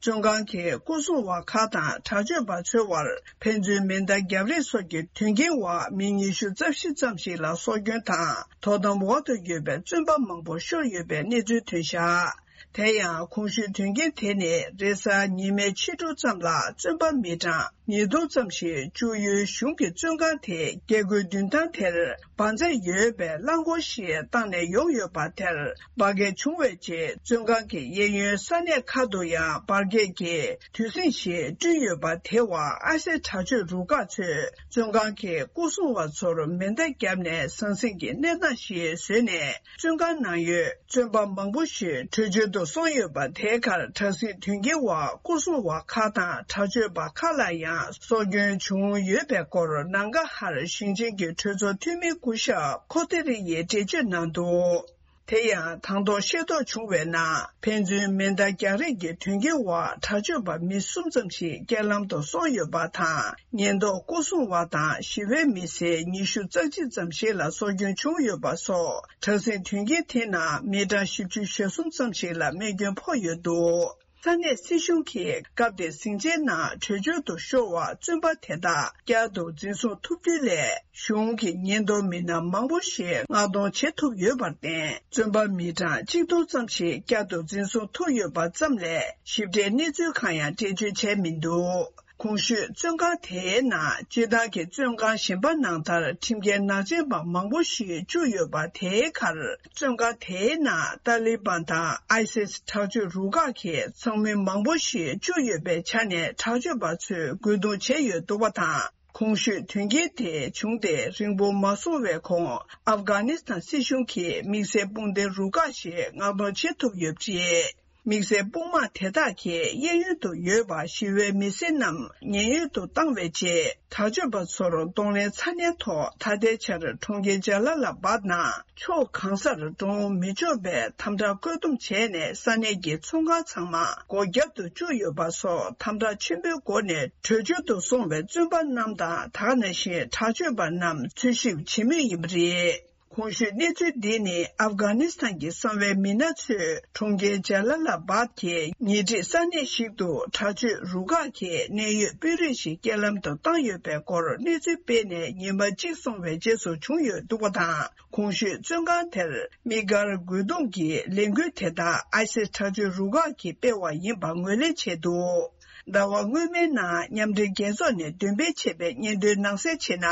བཙོན་ཁང་གི་སྐོར་སྲུང་བ་ཁག་དང་དྲག་སྤྱོད་པ་ཚོའི་བར་ཕན་ཚུན་མེ་མདའ་རྒྱབ་རེས་སོགས་ཀྱི་དོན་རྐྱེན་འོག་མི་ཉི་ཤུ་རྩ་བཞི་ཙམ་ཞིག་ལ་སྲོག་སྐྱོན་དང་དོ་དམ་འོག་ཏུ་ཡོད་པའི་བཙོན་པ་མང་པོ་ཤོར་ཡོད་པའི་གནས་ཚུལ་ཐོན་བཞག་དེ་ཡང་གོང་ཞུས་དོན་རྐྱེན་དེ་ནི་རེས་གཟའ་ཉི་མའི་ཕྱི་དྲོ་ཙམ་ལ་བཙོན་པ་མི་གྲངས་ཉིས་སྟོང་ཙམ་ཞིག་བཅུག་ཡུལ་གཞུང་གི་བཙོན་ཁང་དེའི་རྒྱལ་སྒོའི་མདུན་ཐང་དེར་འབར་རྫས་ཡོད་པའི་རླངས་འཁོར་ཞིག་བཏང་ནས་ཡོང་ཡོད་པ་དེར་འབར་གས་བྱུང་བའི་རྗེས་བཙོན་ཁང་གི་གཡས་གཡོན་ས་གནས་ཁག་ཏུ་ཡང་འབར་གས་ཀྱི་དུས་ཟིང་ཞིག་བསྐྲུན་ཡོད་པ་དེ་བ་ཨ་སེ་དྲག་སྤྱོད་རུ་ཁག་ཚོས་བཙོན་ཁང་གི་སྐོར་སྲུང་བ་ཚོར་མེ་མདའ་བརྒྱབ་ནས་ཟང་ཟིང་གི་གནས་སྟངས་ཤིག་བཟོས་ནས། བཙོན་ཁང་ནང་ཡོད་བཙོན་པ་མང་པོ་ཞིག་བྲོས་བྱོལ་དུ་སོང་ཡོད་པ་དེའི་ཁར་དྲག་ཟིང་དོན་རྐྱེན་འོག་སྐོར་སྲུང་བ་ཁག་དང་དྲག་སྤྱོད་པ་ཁག་ལ་ཡང་སྲོག་སྐྱོན་བྱུང་ཡོད་པའི་སྐོར་ནང་གྷ་ཧར་ཞིང་ཆེན་གྱི་གྲོས་ཚོགས་འཐུས་མི་སྐུ་ཞབས་ཁོ་ཏེ་རི་ཡིས་འགྲེལ་བརྗོད་གནང་འདུག་དེ་ཡང་དང་ཐོག་ཤེས་རྟོགས་བྱུང་བའི་ནང་ཕན་ཚུན་མེ་མདའ་རྒྱག་རེས་ཀྱི་དོན་རྐྱེན་འོག་དྲག་སྤྱོད་པ་མི་གསུམ་ཙམ་ཞིག་རྐྱེན་ལམ་དུ་སོང་ཡོད་པ་དང་། ཉེན་རྟོག་སྐོར་སྲུང་བ་དང་ཞི་བའི་མི་སེར་ཉི་ཤུ་རྩ་གཅིག་ཙམ་ཞིག་ལ་སྲོག་སྐྱོན་བྱུང་ཡོད་པ་སོགས་དྲག་ཟིང་དོན་རྐྱེན་དེའི་ནང་མི་གྲངས་བཞི་བཅུ་ཞེ་གསུམ་ཙམ་ཞིག་ལ་རྨས་སྐྱོན་ཕོག་ཡོད་འདུག་ས་གནས་སྲིད་གཞུང་གིས་སྐབས་དེར་ཟིང་ཆའི་ནང་བྲོས་བྱོལ་དུ་ཤོར་བ་བཙོན་པ་དེ་དག་བསྐྱར་དུ་འཛིན་བཟུང་ཐུབ་རྒྱུའི་སླད་གཞུང་གི་ཉེན་རྟོག་མི་སྣ་མང་པོ་ཞིག་མངགས་གཏོང་བྱེད་ཐུབ་ཡོད་པར་བརྟེན། བཙོན་པ་མི་གྲངས་གཅིག་སྟོང་ཙམ་ཞིག་བསྐྱར་དུ་འཛིན་བཟུང་ཐུབ་ཡོད་པ་ཙམ་ལས་ཞིབ་ཕྲའི་གནས་ཚུལ་གང་ཡང་འགྲེལ་བརྗོད་བྱས་མི་འདུག་གོང་ཞུས་བཙོན་ཁང་དེའི་ནང་སྤྱིར་བཏང་གི་བཙོན་ཁང་གཞན་པ་ནང་ལྟར་ཁྲིམས་འགལ་ནག་ཅན་པ་མང་པོ་ཞིག་བཅུག་ཡོད་པ་དེའི་ཁར། བཙོན་ཁང་དེའི་ནང་ཏཱ་ལི་བན་དང་ཨའི་སིས་དྲག་སྤྱོད་རུ་ཁག་གིས་ཚང་མི་མང་པོ་ཞིག་བཅུག་ཡོད་པའི་ཆ་ནས་དྲག་སྤྱོད་པ་ཚོས་རྒོལ་རྡུང་བྱས་ཡོད་འདུག་པ་དང་། གོང་ཞུས་དོན་རྐྱེན་དེ་བྱུང་སྟེ་རིང་པོ་མ་སོང་བའི་གོང་ཨབ་གྷ་ནི་སི་ཐན་སྲིད་གཞུང་གིས་དམིགས་བསལ་དཔུང་སྡེ་རུ་ཁག་ཞིག་མངགས་གཏོང་བྱེད་ཐུབ་ཡོད་པ་རེད། དམིགས་བསལ་དཔུང་དམག་དེ་དག་གི་གཡས་གཡོན་དུ་ཡོད་པ་ཞི་བའི་མི་སེར་རྣམས་ཉེན་གཡོལ་དུ་བཏང་བའི་རྗེས། དྲག་སྤྱོད་པ་ཚོར་གདོང་ལེན་ཚ་ནན་ཐོག་ད་ལྟའི་ཆར་གྲོང་ཁྱེར་ཇ་ལ་ལ་བཱད་ནང་ཕྱོགས་གང་སར་འགྲོ་འོང་མི་ཆོག་པའི་དམ་དྲག་བཀོད་འདོམས་བྱས་ནས་ས་གནས་ཀྱི་ཚོང་ཁང་ཚང་མ་སྒོ་བརྒྱབ་ཏུ་བཅུག་ཡོད་པ་སོགས་དམ་དྲག་ཆེན་པོའི་སྒོ་ནས་བྲོས་བྱོལ་དུ་སོང་བའི་བཙོན་པ་རྣམས་དང་། ད་ག་ནང་བཞིན་དྲག་སྤྱོད་པ་རྣམས་འཚོལ་ཞིབ་བྱེད་མུས་ཡིན་པ་རེད། གོང་ཞུས་གནས་ཚུལ་འདི་ནི་ཨབ་གྷ་ནི་སི་ཐན་གྱི་གསང་བའི་མི་སྣ་ཚོས་གྲོང་ཁྱེར་ཇ་ལ་ལ་བཱད་ཀྱི་ཉེ་འཁྲིས་ས་གནས་ཤིག་ཏུ་དྲག་སྤྱོད་རུ་ཁག་གིleinews གནད་ཡོད་དཔོན་རིགས་ཤིག་རྐྱེན་ལམ་དུ་བཏང་ཡོད་པའི་སྐོར་གནས་ཚུལ་སྤེལ་ནས་ཉི་མ་གཅིག་སོང་བའི་རྗེས་སུ་བྱུང་ཡོད་འདུག་པ་དང་། གོང་ཞུས་བཙོན་ཁང་དེར་དམིགས་བཀར་རྒོལ་རྡུང་གི་ལས་འགུལ་དེ་དག་ཨའི་སིས་དྲག་སྤྱོད་རུ་ཁག་གིས་སྤེལ་བ་ཡིན་པ་ངོས་ལེན་བྱས་འདུག་ཟླ་བ་སྔོན་མའི་ནང་མཉམ་འབྲེལ་རྒྱལ་ཚོགས་ནས་འདོན་སྤེལ་བྱས་པའི་སྙན་ཐོའི་ནང་གསལ་བྱས་ན།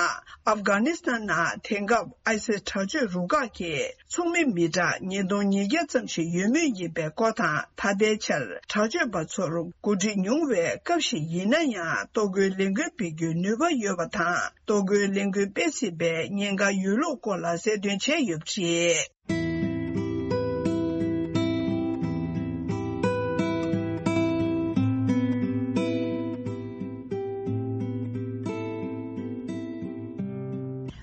ཨབ་གྷ་ནི་སི་ཐན་ནང་དེང་སྐབས་ཨའི་སིས་དྲག་སྤྱོད་རུ་ཁག་གི་ཚོགས་མི་མི་གྲངས་ཉིས་སྟོང་ཉིས་བརྒྱ་ཙམ་ཞིག་ཡོད་མུས་ཡིན་པའི་སྐོར་དང་། ད་ལྟའི་ཆར་དྲག་སྤྱོད་པ་ཚོར་འགོ་ཁྲིད་ཉུང་བའི་སྐབས་ཤིག་ཡིན་ན་ཡང་ལྟོ་གོས་ལས་འགུལ་སྤེལ་རྒྱུའི་ནུས་པ་ཡོད་པ་དང་། ལྟོ་གོས་ལས་འགུལ་སྤེལ་སྲིད་པའི་ཉེན་ཁ་ཡོད་ལུགས་སྐོར་ལ་གསལ་སྟོན་བྱས་ཡོད་པ་རེད།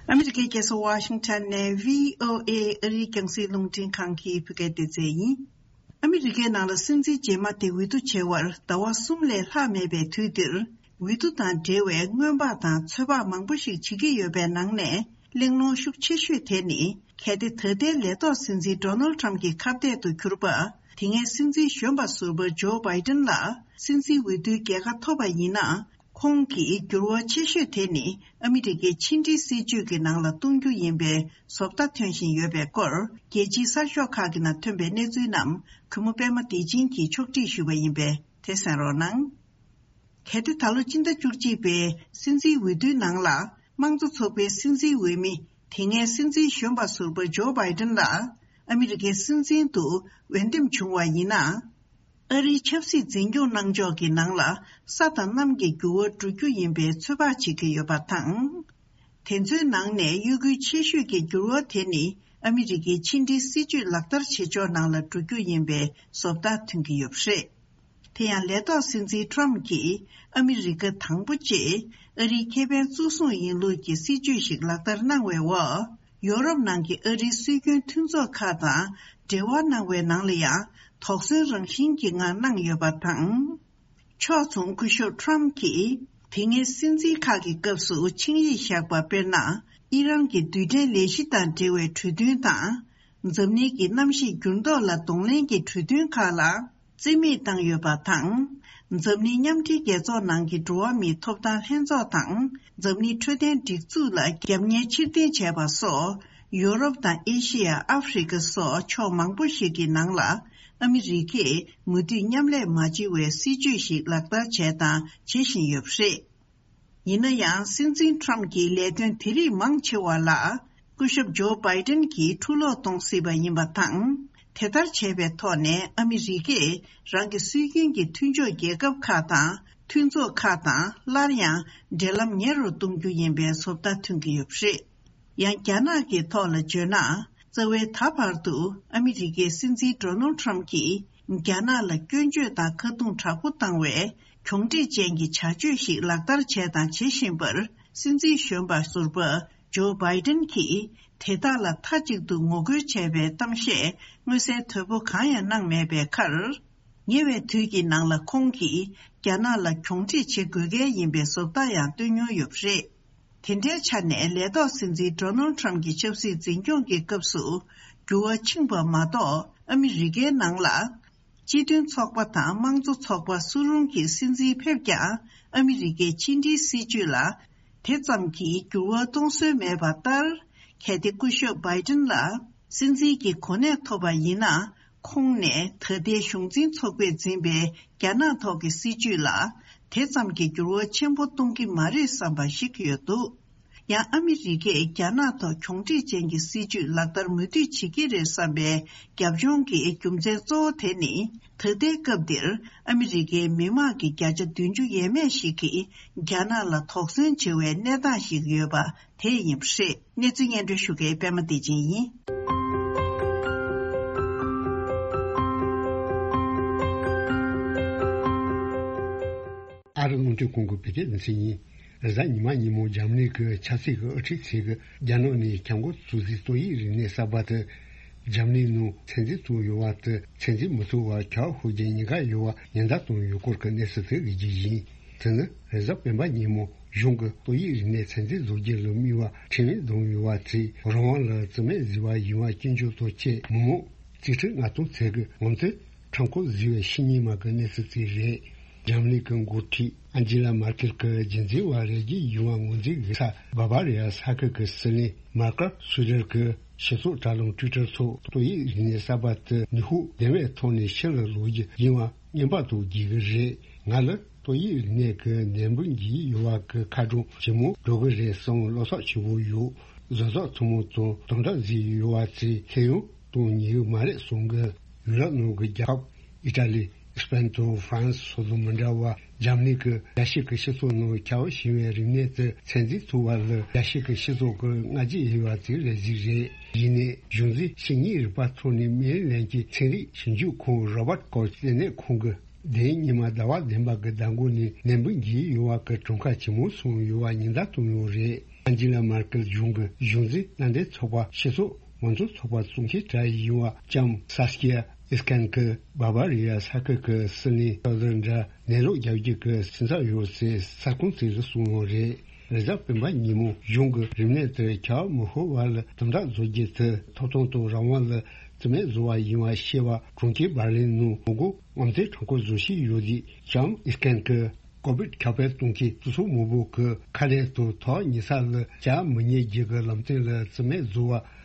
ཨ་མི་རི་ཀའི་རྒྱལ་ས་ཝ་ཤིང་ཊོན་ནས་བྷི་ཨོ་ཨེ་ཨ་རིའི་རྒྱང་སྲིང་རླུང་འཕྲིན་ཁང་གི་བོད་སྐད་སྡེ་ཚན་ཡིན། ཨ་མི་རི་ཀའི་ནང་ལ་སྲིད་འཛིན་རྗེས་མ་དེ་འོས་བསྡུ་བྱེད་པར་ཟླ་བ་གསུམ་ལས་ལྷག་མེད་པའི་དུས་འདིར། འོས་བསྡུ་དང་འབྲེལ་བའི་སྔོན་དཔག་དང་ཚོད་དཔག་མང་པོ་ཞིག་བྱེད་ཀྱི་ཡོད་པའི་ནང་ནས། གླེང་སློང་ཤུགས་ཆེ་ཤོས་དེ་ནི། གལ་ཏེ་ད་ལྟའི་ལས་ཐོག་སྲིད་འཛིན་ཌོ་ནལ་ཁྲམ་གྱི་ཁ་གཏད་དུ་གྱུར་པ། དེ་སྔའི་སྲིད་འཛིན་གཞོན་པ་ཟུར་པ་ཇོ་བྷའི་ཏན་ལ་སྲིད་འཛིན་འོས་བསྡུའི་རྒྱལ་ཁ་ཐོབ་པ་ཡིན་ན། ཁོང་གི་འགྱུར་བ་ཆེ་ཤོས་དེ་ནི་ཨ་མི་རི་ཀའི་ཕྱི་འབྲེལ་སྲིད་ཇུས་ཀྱི་ནང་ལ་གཏོང་རྒྱུ་ཡིན་པའི་བཟོ་ལྟ་ཐོན་བཞིན་ཡོད་པའི་སྐོར། རྒྱལ་སྤྱིའི་གསར་ཤོག་ཁག་གི་ནང་ཐོན་པའི་གནས་ཚུལ་རྣམས། གུས་མོ་པད་མ་བདེ་ཆེན་གྱིས་ཕྱོགས་སྒྲིག་ཞུས་པ་ཡིན་པས། དེ་གསན་རོགས་གནང་། གལ་ཏེ་ད་ལོ་སྤྱི་ཟླ་བཅུ་གཅིག་པའི་སྲིད་འཛིན་འོས་བསྡུའི་ནང་ལ། དམངས་གཙོ་ཚོགས་པའི་སྲིད་འཛིན་འོས་མི། དེ་སྔའི་སྲིད་འཛིན་གཞོན་པ་ཟུར་པ་ཇོ་བྷའི་ཏན་ལ། ཨ་མི་རི་ཀའི་སྲིད་འཛིན་དུ་འོས་འདེམས་བྱུང་བ་ཡིན་ན། ཨ་རིའི་ཆབ་སྲིད་འཛིན་སྐྱོང་གནང་ཕྱོགས་ཀྱི་ནང་ལ། ས་དང་གནམ་གྱི་འགྱུར་བ་འགྲོ་རྒྱུ་ཡིན་པའི་ཚོད་དཔག་བྱེད་ཀྱི་ཡོད་པ་དང་། དེ་ཚོའི་ནང་ནས་གཡོ་འགུལ་ཆེ་ཤོས་ཀྱི་འགྱུར་བ་དེ་ནི། ཨ་མི་རི་ཀའི་ཕྱི་འབྲེལ་སྲིད་ཇུས་ལག་བསྟར་བྱེད་ཕྱོགས་ནང་ལ་འགྲོ་རྒྱུ་ཡིན་པའི་བཟོ་ལྟ་ཐོན་གྱི་ཡོད་པ་རེད། དེ་ཡང་ལས་ཐོག་སྲིད་འཛིན་ཁྲོམ་གྱིས་ཨ་མི་རི་ཀ་དང་པོ་བཅས་ཨ་རིའི་ཁེ་ཕན་གཙོ་བཟུང་ཡིན་ལུགས་ཀྱི་སྲིད་ཇུས་ཤིག་ལག་བསྟར་གནང་བའི་འོག། ཡོ་རོབ་ནང་གི་ཨ་རིའི་སྲོལ་རྒྱུན་མཐུན་ཚོགས་ཁག་དང་འབྲེལ་བ་གནང་བའི་ནང་ལ་ཡང་དོགས་ཟོན་རང་བཞིན་གྱི་ངང་གནང་ཡོད་པ་དང་། ཕྱོགས་མཚུངས་སྐུ་ཞབས་ཁྲོམ་གྱིས་དེ་སྔའི་སྲིད་འཛིན་ཁག་གི་སྐབས་སུ་ཆིངས་ཡིག་བཞག་པ་དཔེར་ན། ཨི་རན་གྱི་རྡུལ་ཕྲན་ལས་གཞི་དང་འབྲེལ་བའི་གྲོས་མཐུན་དང་། འཛམ་གླིང་གི་གནམ་གཤིས་འགྱུར་ལྡོག་ལ་གདོང་ལེན་གྱི་གྲོས་མཐུན་ཁག་ལ་རྩིས་མེད་བཏང་ཡོད་པ་དང་། འཛམ་གླིང་མཉམ་འབྲེལ་རྒྱལ་ཚོགས་ནང་གི་འགྲོ་བ་མིའི་ཐོབ་ཐང་ལྷན་ཚོགས་དང་། འཛམ་གླིང་འཕྲོད་བསྟེན་སྒྲིག་འཛུགས་ལ་རྒྱབ་གཉེར་ཕྱིར་འཐེན་བྱས་པ་སོགས། ཡོ་རོབ་དང་ཨེ་ཤི་ཡ། ཨ་ཧྥེ་རི་ཁ་སོགས་ཕྱོགས་མང་པོ་ཞིག་གི་ནང་ལ། ཨ་མི་རི་ཀས་མུ་མཐུད་མཉམ་ལས་མ་བྱེད་པའི་སྲིད་ཇུས་ཤིག་ལག་བསྟར་བྱས་དང་བྱེད་བཞིན་ཡོད་པ་རེད། ཡིན་ན་ཡང་། སྲིད་འཛིན་ཁྲོམ་གྱི་ལས་དོན་དེ་རིགས་མང་ཆེ་བ་ལ། སྐུ་ཞབས་ཇོ་བྷའི་ཏན་གྱིས་འཁྲུ་སློག་གཏོང་སྲིད་པ་ཡིན་པ་དང་། དེ་ལྟར་བྱས་པའི་ཐོག་ནས་ཨ་མི་རི་ཀས་རང་གི་སྲོལ་རྒྱུན་གྱི་མཐུན་ཕྱོགས་རྒྱལ་ཁབ་ཁག་དང་མཐུན་ཚོགས་ཁག་དང་སླར་ཡང་འབྲེལ་ལམ་ཉེ་རུ་གཏོང་རྒྱུ་ཡིན་པའི་བཟོ་ལྟ་ཐོན་གྱི་ཡོད་པ་རེད། ཡང་རྒྱ་ནག་གི་ཐོག་ལ་བརྗོད་ན། རྩ་བའི་ད་བར་དུ་ཨ་མི་རི་ཀའི་སྲིད་འཛིན་ཌོ་ནལ་ཁྲམ་གྱིས་རྒྱ་ནག་ལ་སྐྱོན་བརྗོད་དང་ཁ་རྡུང་དྲག་པོ་བཏང་བའི་གྱོང་འབྲས་ཅན་གྱི་བྱ་སྤྱོད་ཞིག་ལག་བསྟར་བྱས་དང་བྱེད་བཞིན་པར། སྲིད་འཛིན་གཞོན་པ་ཟུར་པ་ཇོ་བྷའི་ཏན་གྱིས་དེ་དག་ལ་མཐའ་གཅིག་ཏུ་ངོ་རྒོལ་བྱས་པའི་གཏམ་བཤད་མངོན་གསལ་དོད་པོ་གང་ཡང་གནང་མེད་པའི་ཁར། ཉེ་བའི་དུས་ཀྱི་ནང་ལ་ཁོང་གིས་རྒྱ་ནག་ལ་གྱོང་འབྲས་བྱེད་དགོས་གལ་ཡིན་པའི་བཟོ་ལྟ་ཡང་བཏོན་མྱོང་ཡོད་པ་རེད། དེ་འདྲའི་ཆ་ནས་ལས་ཐོག་སྲིད་འཛིན་ཌོ་ནལ་ཁྲམ་གྱི་ཆབ་སྲིད་འཛིན་སྐྱོང་གི་སྐབས་སུ་འགྱུར་བ་ཕྱིན་པ་མ་གཏོགས། ཨ་མི་རི་ཀའི་ནང་ལ་སྤྱི་མཐུན་ཚོགས་པ་དང་དམངས་གཙོ་ཚོགས་པ་སུ་རུང་གི་སྲིད་འཛིན་ཕེབས་ཀྱང་ཨ་མི་རི་ཀའི་ཕྱི་འབྲེལ་སྲིད་ཇུས་ལ་དེ་ཙམ་གྱིས་འགྱུར་བ་གཏོང་སྲོལ་མེད་པ་ལྟར། གལ་ཏེ་སྐུ་ཞབས་བྷའི་ཏན་ལ་སྲིད་འཛིན་གྱི་གོ་གནས་ཐོབ་པ་ཡིན་ན། ཁོང་ནས་ད་ལྟའི་གཞུང་འཛིན་ཚོགས་པས་འཛིན་པའི་རྒྱ་ནག་ཐོག་གི་སྲིད་ཇུས་ལ་དེ་ཙམ་གྱི་འགྱུར་བ་ཆེན་པོ་གཏོང་གི་མ་རེད་བསམ་པ་ཞིག་ཡོད་འདུག། ཡང་ཨ་མི་རི་ཀས་རྒྱ་ནག་ཐོག་གྱོང་འབྲས་ཅན་གྱི་སྲིད་ཇུས་ལག་བསྟར་མུ་མཐུད་བྱེད་ཀྱི་རེད་བསམ་པའི་རྒྱབ་ལྗོངས་ཀྱི་རྒྱུ་མཚན་གཙོ་བོ་དེ་ནི། ད་ལྟའི་སྐབས་འདིར་ཨ་མི་རི་ཀའི་མི་དམངས་ཀྱི་བརྒྱ་ཆ་བདུན་ཅུ་ཡས་མས་ཤིག་གིས་རྒྱ་ནག་ལ་དོགས་ཟོན་བྱེད་པའི་གནས་སྟངས་ཤིག་ཡོད་པ་དེ་ཡིན་པ་རེད། གནས་ཚུལ་སྙན་སྒྲོན་ཞུ་མཁན་པད་མ་བདེ་ཆེན་ཡིན། ཨ་རི་རླུང་འཕྲིན་ཁང་གི་བོད་སྐད་སྡེ་ཚན་ཡིན། རེས་གཟའ་ཉི་མ་ཉིན་མོ་འཇར་མ་ནི་གི་ཆབ་སྲིད་ཀྱི་དབུ་ཁྲིད་ཚོས་རྒྱ་ནག་ནས་ཁྱབ་ཁོངས་སུ་གཟིགས་ཏོག་དབྱིབས་རིམས་ནད་གསར་པ་དེ། འཇར་མ་ནི་ནང་ཚོད་འཛིན་ཚུགས་ཡོད་པ་དེ་ཚོད་འཛིན་མི་ཚུགས་པར་ཁྱབ་ཤུགས་ཀྱིས་ཉེན་ཁ་ཡོད་པ་ཉེན་བརྡ་བཏང་ཡོད་སྐོར་གྱི་གནས་ཚུལ་དེ་གཟིགས་རྒྱུ་ཡིན། དེ་ནི་རེས་གཟའ་སྤེན་པ་ཉིན་མོ་གཞུང་གི་ཏོག་དབྱིབས་རིམས་ནད་ཚོད་འཛིན་བཟོ་རྒྱུ་ལ་དམིགས་པ་ཁྲིམས་ཡིག་བསྡོམས་ཡོད་པ་དེས། རང་དབང་ལ་བརྩི་མེད་བཟོས་པ་ཡིན་པ་སྐྱོན་བརྗོད་དང་བཅས། མི་མང་རྩིས་ཁྲི་ལྔ་སྟོང་ཚོས་ཀྱི་ངོ་མཚར་ཁྲོམ་སྐོར་བཟོས་པའི་ཕྱི་ཉིན་མ་གི་གནས་ཚུལ་ཅིག་རེད། འཇར་མ་ནི་གི་འགོ་ཁྲིད་ཨན་ཇི་ལ་མར་ཀེལ་གྱི་རྒྱུན་འཛིན་པ་རེ་བརྒྱད་ཡོད་པ་ངོས་འཛིན་གྱི་ས་བ་བ་རི་ཡ་ས་ཁུལ་གྱི་སྲིད་བློན་མར་ཀར་སུ་ཌར་གྱིས་སྤྱི་ཚོགས་དྲ་ལམ་ཊུའི་ཊར་ཐོག་ཏོག་དབྱིབས་རིམས་ནད་གསར་པ་དེ་ནུས་ཤུགས་ལྡན་པའི་ཐོག་ནས་ཕྱི་ལ་ལོག་རྒྱུ་ཡིན་པ་བརྙན་པར་དུ་བརྒྱུད་ཀྱི་རེད། ང་ལ་ཏོག་དབྱིབས་རིམས་ནད་ཀྱི་ནད་འབུ་འགོས་ཡོད་པ་གི་ཁ་གྲངས་ཇེ་མང་འགྲོ་གི་རེད་བསམ་བློ་ཐག་ཆོད་པོ་ཡོད། བཟོ་ཚོགས་ཐུན་མོང་དང་དམ་དྲག་བཟོས་ཡོད་པ་ཚོས་ཁྱོན་ཡོངས་གཏོང་ཉན་གྱི་མ་རེད་གསུང་གི། ཡུ་རོབ་ནང་གི་རྒྱལ་ཁབ་ཨི་ཊ་ལི། ཨི་སི་པན་དང་ཧྥ་རན་སི་སོགས་དང་མི་འདྲ་བར་འཇར་མ་ནི་གིས་རྒྱལ་སྤྱི་གི་སྤྱི་ཚོགས་ནང་ཁྱབ་བཞིན་པའི་རིམས་ནད་དེ་ཚོད་འཛིན་ཐུབ་པ་ལ་རྒྱལ་སྤྱི་གི་སྤྱི་ཚོགས་ཀྱི་སྔ་རྗེས་ཡོད་པ་ཚོའི་རེ་གཟིགས་རེད། ཡིན་ནའི་གཞུང་འཛིན་ཕྱི་དངུལ་རིག་པ་ཐོག་ནས་སྨན་ལན་གྱི་ཚན་རིག་ཞིབ་འཇུག་ཁང་རོ་བར་ཀོ་ཆ་ལྟེ་གནས་ཁང་གིས་དེ་རིང་ཉི་མ་ཟླ་བ་བདུན་པ་གི་ཟླ་འགོ་ནས་ནད་འབུ་འགོས་ཡོད་པ་གི་གྲངས་ཀ་ཇེ་མང་སོང་ཡོད་པ་ཉེན་བརྡ་བཏང་ཡོད་རེད། ཨན་ཇི་ལ་མར་ཀེལ་གཞུང་གི་གཞུང་འཛིན་མནའ་འབྲེལ་ཚོགས་པ་སྤྱི་ཚོགས་མང་གཙོ་ཚོགས་པ་གཙོ་འགན་དྲ་ཡིན་པ་ལྕམ་ས་སི་ཀི་ཡ་ཨིས་ཀན་གྱིས་བ་བ་རི་ཡ་ས་ཁུལ་གྱི་སྲིད་བློན་ཐོ་ལར་འདྲ་ནད་ལོག་རྒྱག་རྒྱུ་གི་སེམས་འཚབ་ཡོད་ཅེས་གསར་ཁང་ཚོ་ལ་གསུངས་ཡོད་རེད། རེས་གཟའ་སྤེན་པ་ཉིན་མོ་གཞུང་གི་རིམས་ནད་དེ་ཁྱབ་མི་ཤོར་བ་ལ་དམ་དྲག་བཟོ་རྒྱུ་དེ་ཐོབ་ཐང་དང་རང་དབང་ལ་བརྩི་མེད་བཟོ་བ་ཡིན་པ་ཤེས་པ་གྲོང་ཁྱེར་འབར་ལིན་ནང་ངོ་རྒོལ་དབང་འཛིན་གྲངས་འཁོར་བཟོ་བཞིན་ཡོད་དུས་ལྕམ་ཨིས་ཀན་གྱིས་ཀོ་བིད་ཁྱབ་སྤེལ་གཏོང་མཁན་སྤྱི་ཚོགས་མང་པོ་གི་ཁ་རས་དང་ཐག་ཉེ་ས་ལ་བཅར་མི་ཉན་རྒྱུ་གི་ལམ་སྟོན་ལ་བརྩི་མེད་བཟོ་བ།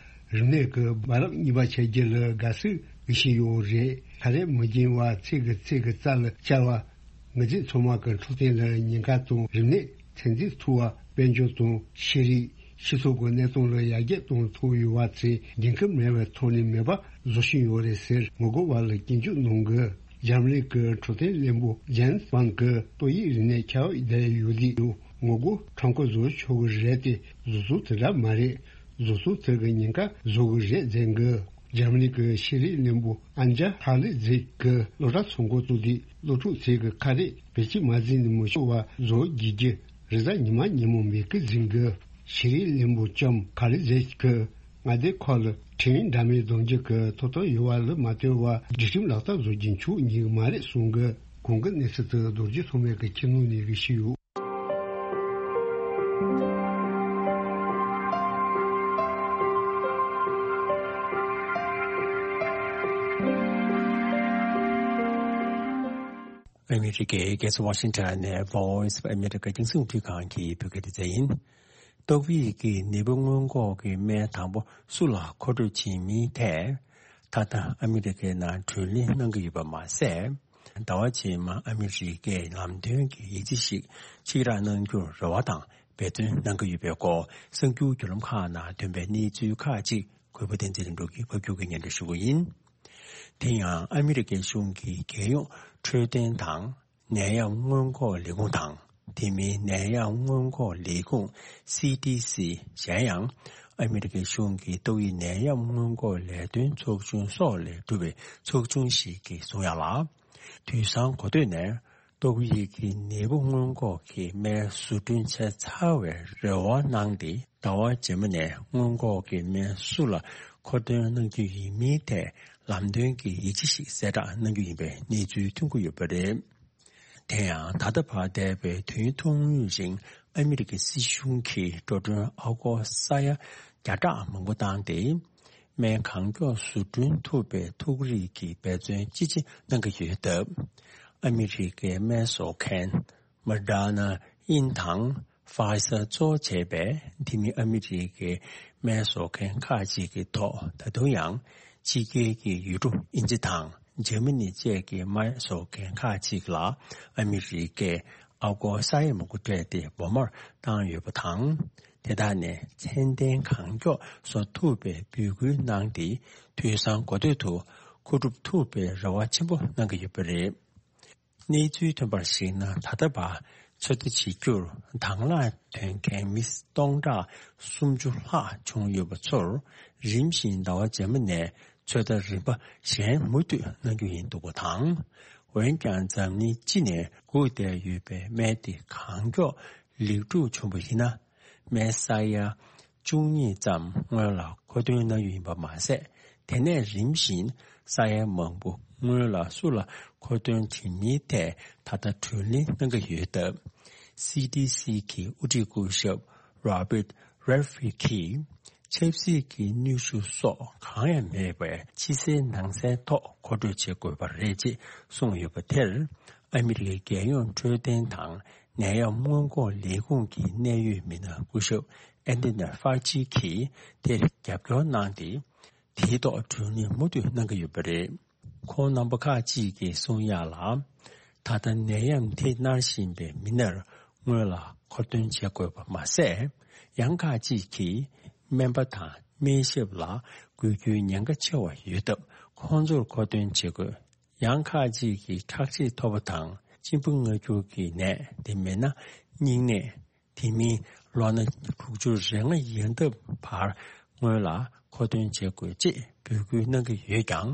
རིམས་ནད་ཀྱི་རྦ་རླབས་གཉིས་པ་ཆད་རྒྱུ་ལ་དགའ་བསུ་ཞུ་བཞིན་ཡོད་རེད། ཁ་རས་མི་འབྱིན་པ་ཚིག་གི་ཚིག་གི་རྩ་ལ་བཅར་བ། ངེད་ཅག་ཚང་མ་གི་འཕྲོད་བསྟེན་ལ་ཉེན་ཁ་དང་རིམས་ནད་ཚད་འཛིན་ཐུབ་པ་དཔལ་འབྱོར་དང་ཤེས་རིག་སྤྱི་ཚོགས་ཀྱི་གནས་སྟངས་ལ་ཡར་རྒྱས་གཏོང་ཐུབ་ཡོད་པ་ཚོས་འགན་ཁུར་མེད་པའི་ཐོག་ནས་མེད་པ་བཟོ་བཞིན་ཡོད་རེད་ཟེར་ངོ་རྒོལ་བ་ལ་སྐྱོན་བརྗོད་གནང་གི། འཇར་མ་ནི་གི་འཕྲོད་བསྟེན་བློན་པོ་ཇན་སི་ཝང་གིས་ཏོག་དབྱིབས་རིམས་ནད་ཁྱབ་བསྡད་ཡོད་དུས་ངོ་རྒོལ་གྲངས་འཁོར་བཟོ་ཆོག་གི་རེད་དེ་བཟོ་ཚུལ་དེ་འདྲ་མ་རེད། བཟོ་ཚུལ་དེ་གི་ཉེན་ཁ་བཟོ་གི་རེད་ཟེར་གི། འཇར་མ་ནི་གི་ཤེས་རིག་བློན་པོ་ཨན་ཇ་ཧ་ལི་ཛིག་གིས་སློབ་གྲྭ་ཚོགས་འགོ་བཙུགས་དུས་སློབ་ཕྲུག་ཚོས་གི་ཁ་རས་བེད་སྤྱོད་མ་བྱས་ནས་མི་ཆོག་པ་བཟོ་བགྱིད་རྒྱུ་རེས་གཟའ་ཉི་མ་ཉིན་མོ་མེད་གི་ཟིན་གི། ཤེས་རིག་བློན་པོ་ལྕམ་ཧ་ལི་ཛིག་གིས་མངའ་སྡེ་ཁག་ལ་ཁྲིམས་འདྲ་མིན་འདོན་རྒྱུ་གི་ཐོབ་ཐང་ཡོད་པ་ལ་མ་ལྟོས་པར་སྒྲིག་ཁྲིམས་ལག་བསྟར་བཟོ་རྒྱུ་འཆུག་ཉེས་མ་རེད་གསུང་གི། གོང་གི་གནས་ཚུལ་དེ་རྡོ་རྗེ་ཐོགས་མེད་ཀྱི་ཁྱིམ་ནང་ནས་གི་ཞུས་ཡོད། ཨ་མི་རི་ཀའི་རྒྱལ་ས་ཝ་ཤིང་ཊོན་ནས་Voice of America་རྒྱང་སྲིང་རླུང་འཕྲིན་ཁང་གི་བོད་སྐད་སྡེ་ཚན་ཡིན། ཏོག་དབྱིབས་ཀྱི་ནད་འབུ་སྔོན་འགོག་གི་སྨན་དང་པོ་སུ་ལ་མཁོ་སྤྲོད་བྱེད་མིན་ཐད། ད་ལྟ་ཨ་མི་རི་ཀའི་ནང་གྲོས་གླེང་གནང་གི་ཡོད་པ་མ་ཟད། ཟླ་བ་རྗེས་མ་ཨ་མི་རི་ཀས་ལམ་སྟོན་གྱི་ཡིག་ཆ་ཞིག་ཕྱིར་བསྒྲགས་གནང་རྒྱུར་རེ་བ་དང་འབད་བརྩོན་གནང་གི་ཡོད་པའི་སྐོར་གསར་འགྱུར་བརྒྱུད་ལམ་ཁག་ནང་ཐོན་པའི་གནས་ཚུལ་ཁག་ཅིག་གུས་པ་བསྟན་འཛིན་ལྷུན་གྲུབ་ཀྱིས་ཕབ་སྒྱུར་གྱིས་སྙན་སྒྲོན་ཞུ་གི་ཡིན། དེ་ཡང་ཨ་མི་རི་ཀའི་གཞུང་གི་རྒྱལ་ཡོངས་འཕྲོད་བསྟེན་དང་ནད་ཡམས་སྔོན་འགོག་ལས་ཁུངས་དང་། དེ་མིན་ནད་ཡམས་སྔོན་འགོག་ལས་ཁུངས་སི་ཌི་སི་གཞན་ཡང་ཨ་མི་རི་ཀའི་གཞུང་གི་ཏོག་དབྱིབས་ནད་ཡམས་སྔོན་འགོག་ལས་དོན་ཚོགས་ཆུང་སོགས་ལས་གྲུབ་པའི་ཚོགས་ཆུང་ཞིག་གིས་གསུངས་ཡག་ལ། དུས་སང་གོ་ཐོས་ནས་ཏོག་དབྱིབས་ཀྱི་ནད་འབུ་སྔོན་འགོག་གི་སྨན་བཟོ་སྐྲུན་བྱས་ཚར་བའི་རེ་བ་གནང་སྟེ་ཟླ་བ་རྗེས་མ་ནས་སྔོན་འགོག་གི་སྨན་སུ་ལ་མཁོ་འདོན་གནང་རྒྱུ་ཡིན་མིན་ཐད་ལམ་སྟོན་གྱི་ཡིག་ཆ་ཞིག་གསལ་བསྒྲགས་གནང་རྒྱུ་ཡིན་པའི་གནས་ཚུལ་ཐོན་གྱི་ཡོད་པ་རེད། དེ་ཡང་ད་ལྟ་བར་འདས་པའི་དུས་ཡུན་ཐུང་ངུའི་རིང་ཨ་མི་རི་ཀའི་སྲིད་གཞུང་གིས་འགྲོ་གྲོན་ཨ་སྒོར་ས་ཡ་བརྒྱ་ཕྲག་མང་པོ་བཏང་སྟེ། སྨན་གང་མགྱོགས་བཟོ་སྐྲུན་ཐུབ་པའི་ཐུགས་རེ་གི་འབད་བརྩོན་ཅི་ཆེ་གནང་གི་ཡོད་སྟབས། ཨ་མི་རི་ཀའི་སྨན་བཟོ་མཁན་Moderna་ཨིན་དང་Pfizer་གཙོ་བྱས་པའི་དེ་མིན་ཨ་མི་རི་ཀའི་སྨན་བཟོ་མཁན་ཁག་ཅིག་གི་ཐོག་ད་དུང་ཡང་ཕྱི་རྒྱལ་གྱི་ཡུལ་གྲུ་དབྱིན་ཇི་དང་འཇར་མ་ནི་བཅས་ཀྱི་སྨན་བཟོ་མཁན་ཁག་ཅིག་ལ་ཨ་མི་རི་ཀས་ཨ་སྒོར་ས་ཡ་མང་པོ་སྤྲད་དེ་སྦོམ་མར་བཏང་ཡོད་པ་དང་། དེ་དག་ནས་ཚད་ལྡན་གང་མགྱོགས་བཟོ་ཐུབ་པའི་འབོད་སྐུལ་གནང་སྟེ། དུས་སང་འགོ་སྟོད་དུ་མཁོ་སྒྲུབ་ཐུབ་པའི་རེ་བ་ཆེན་པོ་གནང་གི་ཡོད་པ་རེད། གནས་ཚུལ་ཐོན་པར་གཞིགས་ན། ད་ལྟ་བར་ཚོད་ལྟ་བྱེད་རྒྱུར་དང་བླངས་ཐོན་མཁན་མི་སྟོང་ཕྲག་སུམ་ཅུ་ལྷག་བྱུང་ཡོད་པ་ཚོར་རིམ་བཞིན་ཟླ་བ་རྗེས་མ་ནས་ཚོད་ལྟ་རིམ་པ་གཞན་མུ་མཐུད་གནང་རྒྱུ་ཡིན་འདུག་པ་དང་། འོན་ཀྱང་འཛམ་གླིང་སྤྱི་ནས་སྒུག་བསྡད་ཡོད་པའི་སྨན་དེ་གང་མགྱོགས་ལེགས་གྲུབ་བྱུང་བ་ཡིན་ན། སྨན་ས་ཡ་བཅུ་གཉིས་ཙམ་སྔོན་ལ་མཁོ་འདོན་གནང་ཡོད་ཡིན་པ་མ་ཟད། དེ་ནས་རིམ་བཞིན་ས་ཡ་མང་པོ་སྔོན་ལ་སུ་ལ་མཁོ་འདོན་བྱེད་མིན་ཐད་ད་ལྟ་གྲོས་གླེང་གནང་གི་ཡོད་སྟབས། སི་ཌི་སི་གི་དབུ་ཁྲིད་སྐུ་ཞབས་Robert Redfield་གྱིས། ཆབ་སྲིད་ཀྱི་ནུས་ཤུགས་སོགས་གང་ཡང་མེད་པའི་ཕྱི་གསལ་ནང་གསལ་ཐོག་མཁོ་སྤྲོད་བྱེད་དགོས་པ་རེད་ཅེས་གསུངས་ཡོད་པ་དེར། ཨ་མི་རི་ཀའི་རྒྱལ་ཡོངས་འཕྲོད་བསྟེན་དང་ནད་ཡམས་སྔོན་འགོག་ལས་ཁུངས་ཀྱི་གནད་ཡོད་མི་སྣ་སྐུ་ཞབས་Anthony Fauci་གིས་དེར་རྒྱབ་སྐྱོར་གནང་སྟེ། དེའི་ཐོག་གྲོས་གླེང་མུ་མཐུད་གནང་གི་ཡོད་པ་རེད། ཁོང་རྣམ་པ་ཁག་ཅིག་གིས་གསུང་ཡག་ལ། ད་ལྟ་ནད་ཡམས་འདི་མནར་བཞིན་པའི་མི་སྣར་སྔོན་ལ་མཁོ་འདོན་བྱེད་དགོས་པ་མ་ཟད། ཡང་ཁག་ཅིག་གིས་སྨན་པ་དང་སྨན་ཞབས་ལ་དགོས་རྒྱུའི་ཉེན་ཁ་ཆེ་བ་ཡོད་སྟབས། ཁོང་ཚོར་མཁོ་འདོན་བྱེད་དགོས། ཡང་ཁག་ཅིག་གིས་ཁྲག་ཤེད་མཐོ་པོ་དང་གཅིན་པ་མངར་སྐྱུར་གྱི་ནད། དེ་མིན་ན་སྙིང་ནད། དེ་མིན་ལོ་ན་དྲུག་ཅུ་རེ་ལྔ་ཡན་འདབ་བར་སྔོན་ལ་མཁོ་འདོན་བྱེད་དགོས་ཅེས་འབོད་སྐུལ་གནང་གི་ཡོད་ཀྱང་།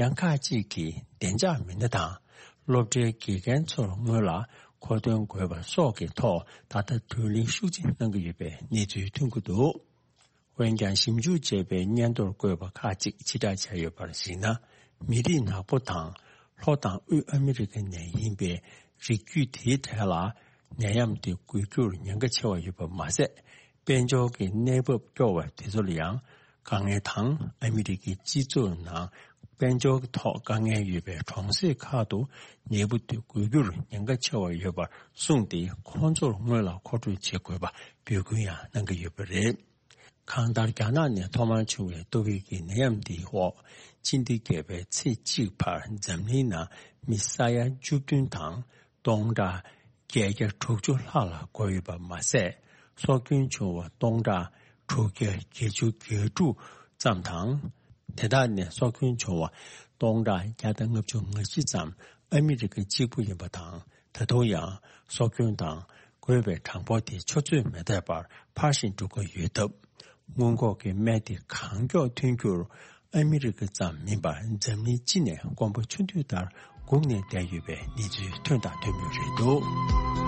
ཡང་ཁག་ཅིག་གིས་བདེ་འཇགས་མི་སྣ་དང་སློབ་གྲྭའི་དགེ་རྒན་ཚོར་སྔོན་ལ་མཁོ་འདོན་དགོས་པ་སོགས་ཀྱི་ཐོག་ད་ལྟ་གྲོས་གླེང་ཤུགས་ཆེ་གནང་གི་ཡོད་པའི་གནས་ཚུལ་ཐོན་གྱི་འདུག་འོན་ཀྱང་། ཞིབ་འཇུག་བྱས་པའི་སྙན་ཐོར་བཀོད་པ་ཁག་ཅིག་ཕྱིར་བསྒྲགས་བྱས་ཡོད་པར་གཞིགས་ན། མི་རིགས་ནག་པོ་དང་ལྷོ་དང་དབུས་ཨ་མི་རི་ཀ་ནས་ཡིན་པའི་རིགས་རྒྱུད་དེའི་གྲས་ལ་ ནད་ཡམས་དེ་འགོས་རྒྱུར་ཉེན་ཁ་ཆེ་བ་ཡོད་པ་མ་ཟད། དཔལ་འབྱོར་གྱི་གནས་བབ་སྐྱོ་བ་དེ་ཚོ་ལ་ཡང་དཀའ་ངལ་དང་། ཨ་མི་རི་ཀའི་སྤྱི་ཚོགས་ནང་དཔལ་འབྱོར་གྱི་ཐོག་དཀའ་ངལ་ཡོད་པའི་གྲོང་གསེབ་ཁག་ཏུ་ནད་འབུ་དེ་འགོས་རྒྱུར་ཉེན་ཁ་ཆེ་བ་ཡོད་པར་གསུངས་ཏེ། ཁོང་ཚོར་སྔོན་ལ་མཁོ་སྤྲོད་བྱེད་དགོས་པ་འབོད་སྐུལ་ཡང་གནང་གི་ཡོད་པ་རེད། གང་ལྟར། རྒྱ་ནག་ནས་ཐོག་མར་བྱུང་བའི་ཏོག་དབྱིབས་ཀྱི་ནད་ཡམས་འདིའི་འོག་ཕྱི་ཟླ་བརྒྱད་པའི་ཚེས་གཅིག་བར་འཛམ་གླིང་ནང་མི་ས་ཡ་བཅུ་བདུན་དང་སྟོང་ཕྲག་བརྒྱད་བརྒྱ་དྲུག་ཅུ་ལྷག་ལ་འགོས་ཡོད་པ་མ་ཟད། སྲོག་སྐྱོན་བྱུང་བ་སྟོང་ཕྲག་དྲུག་བརྒྱ་བརྒྱད་ཅུ་གྱ་དྲུག་ཙམ་དང་། དེ་དག་ནས་སྲོག་སྐྱོན་བྱུང་བ་སྟོང་ཕྲག་བརྒྱ་དང་ལྔ་བཅུ་ང་བཞི་ཙམ་ཨ་མི་རི་ཀ་གཅིག་པུ་ཡིན་པ་དང་། ད་དུང་ཡང་སྲོག་སྐྱོན་དང་འགོས་པའི་གྲངས་འབོར་དེ་ཆུ་ཚོད་མི་འདས་པར་འཕར་བཞིན་འགྲོ་གི་ཡོད་སྟབས། སྔོན་འགོག་གི་སྨན་དེ་གང་མགྱོགས་ཐོན་རྒྱུར་ཨ་མི་རི་ཀ་ཙམ་མིན་པར་འཛམ་གླིང་སྤྱི་ནས་དཀོན་པོ་ཆུང་དུས་ལྟར་སྒུག་ནས་བསྡད་ཡོད་པའི་གནས་ཚུལ་ཐོན་དང་ཐོན་མུས་རེད་འདུག།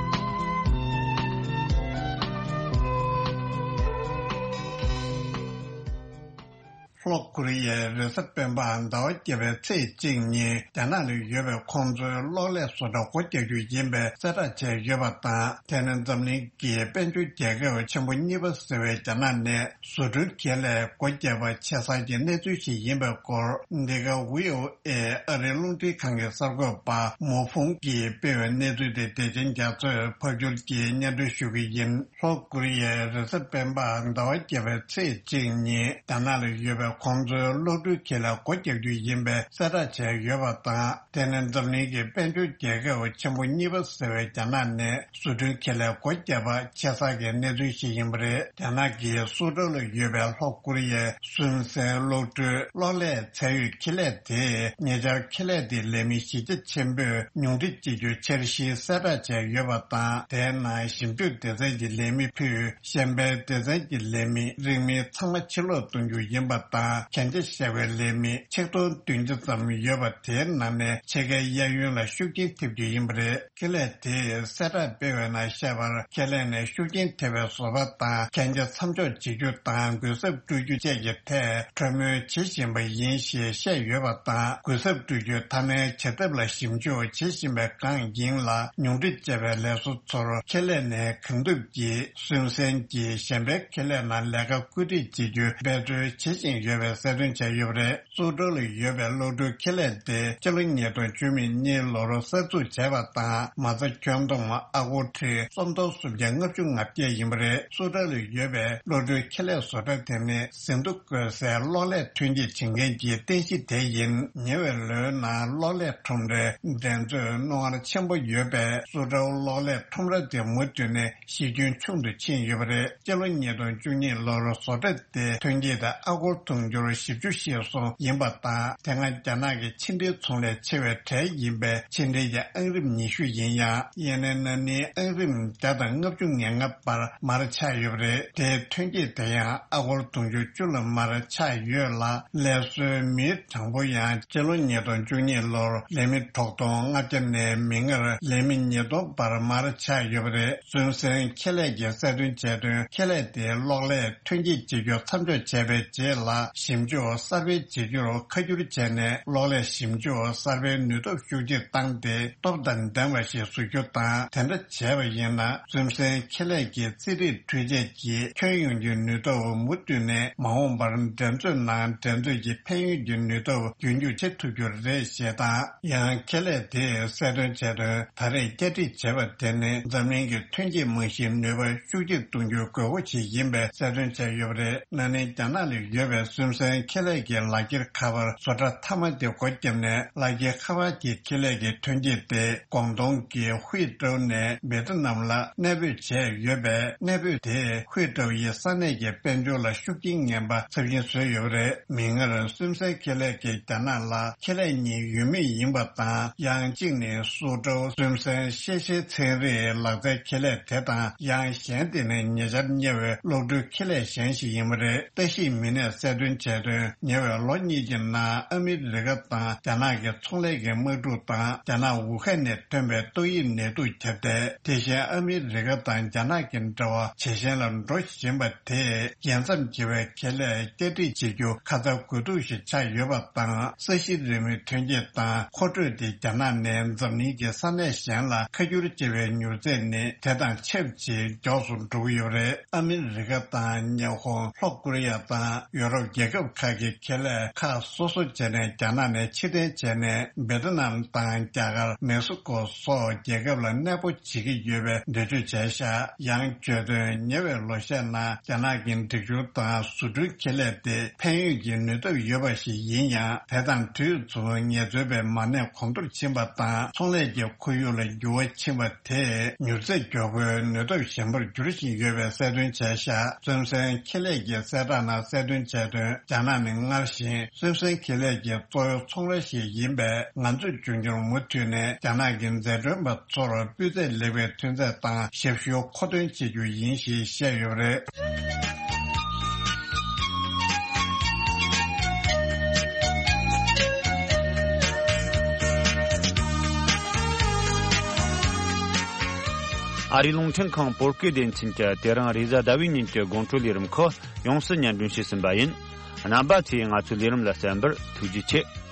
ལྷོ་ཀོ་རི་ཡའི་རེས་གཟའ་སྤེན་པ་ཟླ་བ་བརྒྱད་པའི་ཚེས་གཅིག་ཉིན་རྒྱ་ནག་ལ་ཡོད་པའི་ཁོང་ཚོའི་གློག་ཀླད་བཟོ་གྲྭ་སྒོ་རྒྱག་རྒྱུ་ཡིན་པའི་གསལ་བསྒྲགས་བྱས་ཡོད་པ་དང་། དེ་ནི་འཛམ་གླིང་གི་དཔལ་འབྱོར་རྒྱལ་ཁབ་ཆེན་པོ་གཉིས་པ་ཟེར་བའི་རྒྱ་ནག་ནས་བཟོ་སྐྲུན་ཁེ་ལས་སྒོ་བརྒྱབ་པ་ཆེ་ས་ཀྱི་གནས་ཚུལ་ཞིག་ཡིན་པའི་སྐོར། འདི་ག་ཝི་ཨོ་ཨེ་ཨ་རིའི་རླུང་འཕྲིན་ཁང་གི་གསར་འགོད་པ་མོ་ཧྥུང་གིས་སྤེལ་བའི་གནས་ཚུལ་དེ་བདེ་ཆེན་རྒྱ་མཚོས་ཕབ་སྒྱུར་གྱིས་སྙན་སྒྲོན་ཞུ་གི་ཡིན། ལྷོ་ཀོ་རི་ཡའི་རེས་གཟའ་སྤེན་པ་ཟླ་བ་བརྒྱད་པའི་ཚེས་གཅིག་ཉིན་རྒྱ་ནག་ལ་ཡོད་པའི་ཁོང་ཚོའི་གློག་འཕྲུལ་ཁེ་ལས་སྒོ་རྒྱག་རྒྱུ་ཡིན་པའི་གསལ་བསྒྲགས་བྱས་ཡོད་པ་དང་། དེ་ནི་འཛམ་གླིང་གི་དཔལ་འབྱོར་རྒྱལ་ཁབ་ཆེན་པོ་གཉིས་པ་ཟེར་བའི་རྒྱ་ནག་ནས་བཟོ་སྐྲུན་ཁེ་ལས་སྒོ་བརྒྱབ་པ་ཆེ་ས་གི་གནས་ཚུལ་ཞིག་ཡིན་པ་རེད། རྒྱ་ནག་གིས་སུའུ་ཀྲོའུ་ལ་ཡོད་པའི་ལྷོ་ཀོ་རི་ཡའི་སུན་སན་གློག་སྤྲོད་གློག་ཀླད་ཚད་ཡོད་ཁེ་ལས་དེས་ཉེ་ཆར་ཁེ་ལས་དེའི་ལས་མི་གཞི་རྒྱ་ཆེན་པོས་ཉུང་འཕྲི་བྱེད་རྒྱུའི་འཆར་གཞི་གསལ་བསྒྲགས་བྱས་ཡོད་པ་དང་། དེའི་ནང་ཞིབ་འཇུག་སྡེ་ཚན་གྱི་ལས་མི་ཕུད། གཞན་པའི་སྡེ་ཚན་གྱི་ལས་མི་རིང་མིན་ཚང་མ་ཕྱིར་ལོག་གཏོང་རྒྱུ་ཡིན་པ་དང་། གན་རྒྱ་བཞག་པའི་ལས་མི་ཆིག་སྟོང་བདུན་བརྒྱ་ཙམ་ཡོད་པ་དེའི་ནང་ནས་ཕྱེད་ཀའི་གཡས་གཡོན་ལ་ཤུགས་རྐྱེན་ཐེབས་རྒྱུ་ཡིན་པ་རེད། ཁེ་ལས་དེས་གསལ་བསྒྲགས་སྤེལ་བའི་ནང་བཤད་པར། ཁེ་ལས་ནས་ཤུགས་རྐྱེན་ཐེབས་པའི་བཟོ་པ་དང་གན་རྒྱ་མཚམས་འཇོག་བྱེད་རྒྱུ་དང་གུན་གསབ་སྤྲོད་རྒྱུ་བཅས་ཀྱི་ཐད་གྲོས་མོལ་བྱེད་བཞིན་པ་ཡིན་ཞེས་བཤད་ཡོད་པ་དང་། གུན་གསབ་སྤྲོད་རྒྱུའི་མཐའ་མའི་བྱ་ཐབས་ལ་ཞིབ་འཇུག་བྱེད་བཞིན་པའི་སྒང་ཡིན་ལ། ཉུང་འཕྲི་བྱས་པའི་ལས་བཟོ་ཚོར་ཁེ་ལས་ནས་གང་ཐུབ་ཀྱིས་སུན་སན་གྱིས་གཞན་པའི་ཁེ་ལས་ནང་ལས་ཀ་བཀོད་སྒྲིག་བྱེད་རྒྱུའི་འབད་རྩོལ་བྱེད་བཞིན་ཡོད་པའི་གསལ་སྟོན་བྱས་ཡོད་པ་རེད། སུའུ་ཀྲོའུ་ལ་ཡོད་པའི་གློག་འཕྲུལ་ཁེ་ལས་དེ་སྤྱི་ལོ་ཉིས་སྟོང་བཅུ་གཉིས་ལོར་གསར་འཛུགས་བྱས་པ་དང་། མ་རྩ་ཁྱོན་བསྡོམས་ཨ་སྒོར་ཁྲི་སུམ་སྟོང་སུམ་བརྒྱ་ལྔ་བཅུ་ང་བརྒྱད་ཡིན་པ་རེད། སུའུ་ཀྲོའུ་ལ་ཡོད་པའི་གློག་འཕྲུལ་ཁེ་ལས་བཟོ་གྲྭ་དེ་ནི་ཟིན་ཐོ་བཀོད་སའི་གློག་ཀླད་ཐོན་སྐྱེད་བྱེད་མཁན་གྱི་རྟེན་གཞི་དེ་ཡིན། ཉེ་བའི་ལོའི་ནང་གློག་ཀླད་ཁྲོམ་རའི་འགྲན་རྩོད་རྣོ་ངར་ཆེན་པོ་ཡོད་པས། སུའུ་ཀྲོའུ་གློག་ཀླད་ཁྲོམ་ར་དེ་མུ་མཐུད་ནས་གཞི་ཁྱོན་ཆུང་དུ་ཕྱིན་ཡོད་པ་རེད། སྤྱི་ལོ་ཉིས་སྟོང་བཅུ་གཉིས་ལོར་བཟོ་གྲྭ་དེ་ཐོན་སྐྱེད་དེ་ཨ་སྒོར་དུང་ཕྱུར་བཞི་བཅུ་ཞེ་གསུམ་ཡིན་པ་དང་། དེ་སྔ་རྒྱ་ནག་གི་ཕྱི་འབྲེལ་ཚོང་ལས་ཆེ་བའི་གྲས་ཡིན་པས། ཕྱི་འབྲེལ་གྱི་ཨང་རིམ་ཉི་ཤུ་ཡིན་ཡང་། ཡེ་ནས་ན་ནིང་ཨང་རིམ་བརྒྱ་དང་ལྔ་བཅུ་ང་ལྔ་བར་མར་ཆག་ཡོད་པ་རེད། དེའི་ཐོན་སྐྱེད་དེ་ཡང་ཨ་སྒོར་དུང་ཕྱུར་བཅུ་ལ་མར་ཆག་ཡོད་ལ། ལས་བཟོའི་མིའི་གྲངས་འབོར་ཡང་སྤྱི་ལོ་ཉིས་སྟོང་བཅུ་གཉིས་ལོར་ལས་མི་དྲུག་སྟོང་ལྔ་བརྒྱ་ནས་མིག་སྔར་ལས་མི་ཉིས་སྟོང་བར་མར་ཆག་ཡོད་པ་རེད། སུན་སན་ཁེ་ལས་ཀྱིས་གསལ་སྟོན་བྱས་དོན། ཁེ་ལས་དེའི་གློག་ཀླད་ཐོན་སྐྱེད་བྱེད་རྒྱུ་མཚམས་འཇོག་བྱས་པའི་རྗེས་ལ། ཞིབ་འཇུག་གསར་སྤེལ་བྱེད་རྒྱུར་ཁ་བསྒྱུར་བྱས་ནས། གློག་ཀླད་ཞིབ་འཇུག་གསར་སྤེལ་ནུས་སྟོབས་ཤུགས་ཆེར་བཏང་སྟེ། སྟོབས་དང་ལྡན་པ་ཞིག་བཟོ་རྒྱུ་དང་། དེ་འདྲ་བྱས་པ་ཡིན་ན། སུན་སན་ཁེ་ལས་ཀྱི་རྩིས་རིག་འཕྲུལ་ཆས་ཀྱི་ཁྱོན་ཡོངས་ཀྱི་ནུས་སྟོབས་མུ་མཐུད་ནས་མ་འོངས་པར་འགྲན་རྩོད་ནང་འགྲན་རྩོད་ཀྱི་ཕན་ཡོན་གྱི་ནུས་སྟོབས་རྒྱུན་འཁྱོངས་བྱེད་ཐུབ་རྒྱུ་རེད་ཞེས་དང་། ཡང་ཁེ་ལས་དེས་གསལ་སྟོན་བྱས་དོན། ད་རེས་བསྐྱར་སྒྲིག་བྱས་པ་དེ་ནི་འཛམ་གླིང་གི་ཐོན་སྐྱེད་རྨང་གཞིའི་ནུས་པ་ཤུགས་ཆེར་གཏོང་རྒྱུའི་དགོས་མཁོ་ཞིག་ཡིན་པའི་གསལ་སྟོན་བྱས་ཡོད་པ་རེད། ན་ནིང་རྒྱ་ནག་ལ་ཡོད་པའི་སུན་སན་ཁེ་ལས་ཀྱི་ལག་འཁྱེར་ཁ་པར་བཟོ་གྲྭ་མཐའ་མ་དེ་སྒོ་བརྒྱབ་ནས། ལག་འཁྱེར་ཁ་པར་གྱི་ཁེ་ལས་ཀྱི་ཐོན་སྐྱེད་དེ་ཀོང་ཏུང་གི་ཧུའེ་ཀྲོའུ་ནས་བེ་ཏི་ནམ་ལ་གནས་སྤོས་བྱས་ཡོད་པས། གནས་སྤོས་དེས་ཧུའེ་ཀྲོའུ་ཡི་ས་གནས་ཀྱི་དཔལ་འབྱོར་ལ་ཤུགས་རྐྱེན་ངན་པ་ཚབས་ཆེན་བཟོས་ཡོད་པ་རེད། མིག་སྔར་སུན་སན་ཁེ་ལས་ཀྱིས་རྒྱ་ནག་ལ་ཁེ་ལས་གཉིས་ཡོད་མུས་ཡིན་པ་དང་། ཡང་གཅིག་ནི་སུའུ་ཀྲོའུ་སུན་སན་ཤེས་བྱའི་ཚན་རིག་ལག་རྩལ་ཁེ་ལས་དེ་དང་། ཡང་གཞན་དེ་ནི་ཉེ་ཆར་གཉེར་བའི་གློག་འཕྲུལ་ཁེ་ལས་གཞན་ཞིག་ཡིན་པ་རེད། ལྟ་ཞིབ་མི་སྣས་གསལ་སྟོན་ སྟོན་བྱས་དོན། ཉེ་བའི་ལོ་གཉིས་ཀྱི་ནང་ཨ་མི་རི་ཀ་དང་རྒྱ་ནག་གི་ཚོང་ལས་ཀྱི་དམག་འཁྲུག་དང་རྒྱ་ནག་ཝུ་ཧན་ནས་ཐོན་པའི་ཏོག་དབྱིབས་ནད་དུག་ཁྱབ་གདལ། དེ་བཞིན་ཨ་མི་རི་ཀ་དང་རྒྱ་ནག་གི་འབྲེལ་བ་ཇེ་ཞན་ལ་འགྲོ་བཞིན་པ་དེས་རྒྱལ་མཚམས་བརྒལ་བའི་ཁེ་ལས་བསྐྱར་སྒྲིག་བྱེད་རྒྱུ་ཁ་ཚ་དགོས་གཏུགས་ཤིག་ཆགས་ཡོད་པ་དང་། ས་གཞི་རིན་མེད་ཐོན་སྐྱེད་དང་མཁོ་སྤྲོད་དེ་རྒྱ་ནག་ནས་འཛམ་གླིང་གི་ས་གནས་གཞན་ལ་ཁ་སྒྱུར་བྱེད་པའི་མྱུར་ཚད་ནི་དེ་དང་ཆབས་ཅིག་མགྱོགས་སུ་འགྲོ་གི་ཡོད་རེད། ཨ་མི་རི་ཀ་དང་ཉི་ཧོང་། ལྷོ་ཀོ་རི་ཡ་དང་ཡོ་རོབ་རྒྱལ་ཁབ་ཁག་གི་ཁེ་ལས་ཁག་སོ་སོ་བྱས་ནས་རྒྱ་ནག་ནས་ཕྱིར་འཐེན་བྱས་ནས་བེ་ཏི་ནམ་དང་རྒྱ་གར། མེག་སི་ཀོ་སོགས་རྒྱལ་ཁབ་ལ་གནས་སྤོ་བྱེད་ཀྱི་ཡོད་པའི་འགྲེལ་བརྗོད་བྱས་ཤག་ཡང་བརྗོད་དོན། ཉེ་བའི་ལོ་ཤས་ནང་རྒྱ་ནག་གི་སྒྲིག་སྦྱོར་དང་བཟོ་སྐྲུན་ཁེ་ལས་དེ་ཕན་ཡོད་ཀྱི་ནུས་སྟོབས་ཡོད་པ་ཞིག་ཡིན་ཡང་། དེ་དང་དུས་མཚུངས་ངལ་རྩོལ་པའི་མ་གནས་གོང་མཐོར་ཕྱིན་པ་དང་ཚོང་ལས་ཀྱི་ཁོར་ཡུག་ལ་འགྱུར་བ་ཕྱིན་པ་དེས་མྱུར་ཚད་མགྱོགས་པོའི་ནུས་སྟོབས་ཞན་པར་འགྱུར་བཞིན་ཡོད་པའི་གསལ་སྟོན་བྱས་ཤག་བཙོན་ཟོན་ཁེ་ལས་ཀྱི་གསལ་བསྒྲགས་ནང་གསལ་སྟོན་བྱས་དོན། རྒྱ་ནག་ནི་སྔར་བཞིན་བཙོན་ཟོན་ཁེ་ལས་ཀྱི་གཙོ་བོའི་ཚོང་ར་ཞིག་ཡིན་པས། ང་ཚོས་མཇུག་མྱུར་མུ་མཐུད་ནས་རྒྱ་ནག་གི་འཛད་གྲོན་པ་ཚོར་སྤུས་ཚད་ལེགས་པའི་ཐོན་རྫས་དང་ཞབས་ཞུ་མཁོ་འདོན་བྱེད་རྒྱུ་ཡིན་ཞེས་བཤད་ཡོད་པ་རེད། ཨ་རིའི་རླུང་འཕྲིན་ཁང་བོད་སྐད་སྡེ་ཚན་གྱིས་དེ་རིང་རེས་གཟའ་ཟླ་བའི་ཉིན་གྱི་དགོང་དྲོའི་ལས་རིམ་ཁག་ཡོངས་སུ་སྙན་སྒྲོན་བྱས་ཟིན་པ་ཡིན། རྣམ་པ་ཚོས་ང་ཚོའི་ལས་རིམ་ལ་གསན་པར་ཐུགས་རྗེ་ཆེ།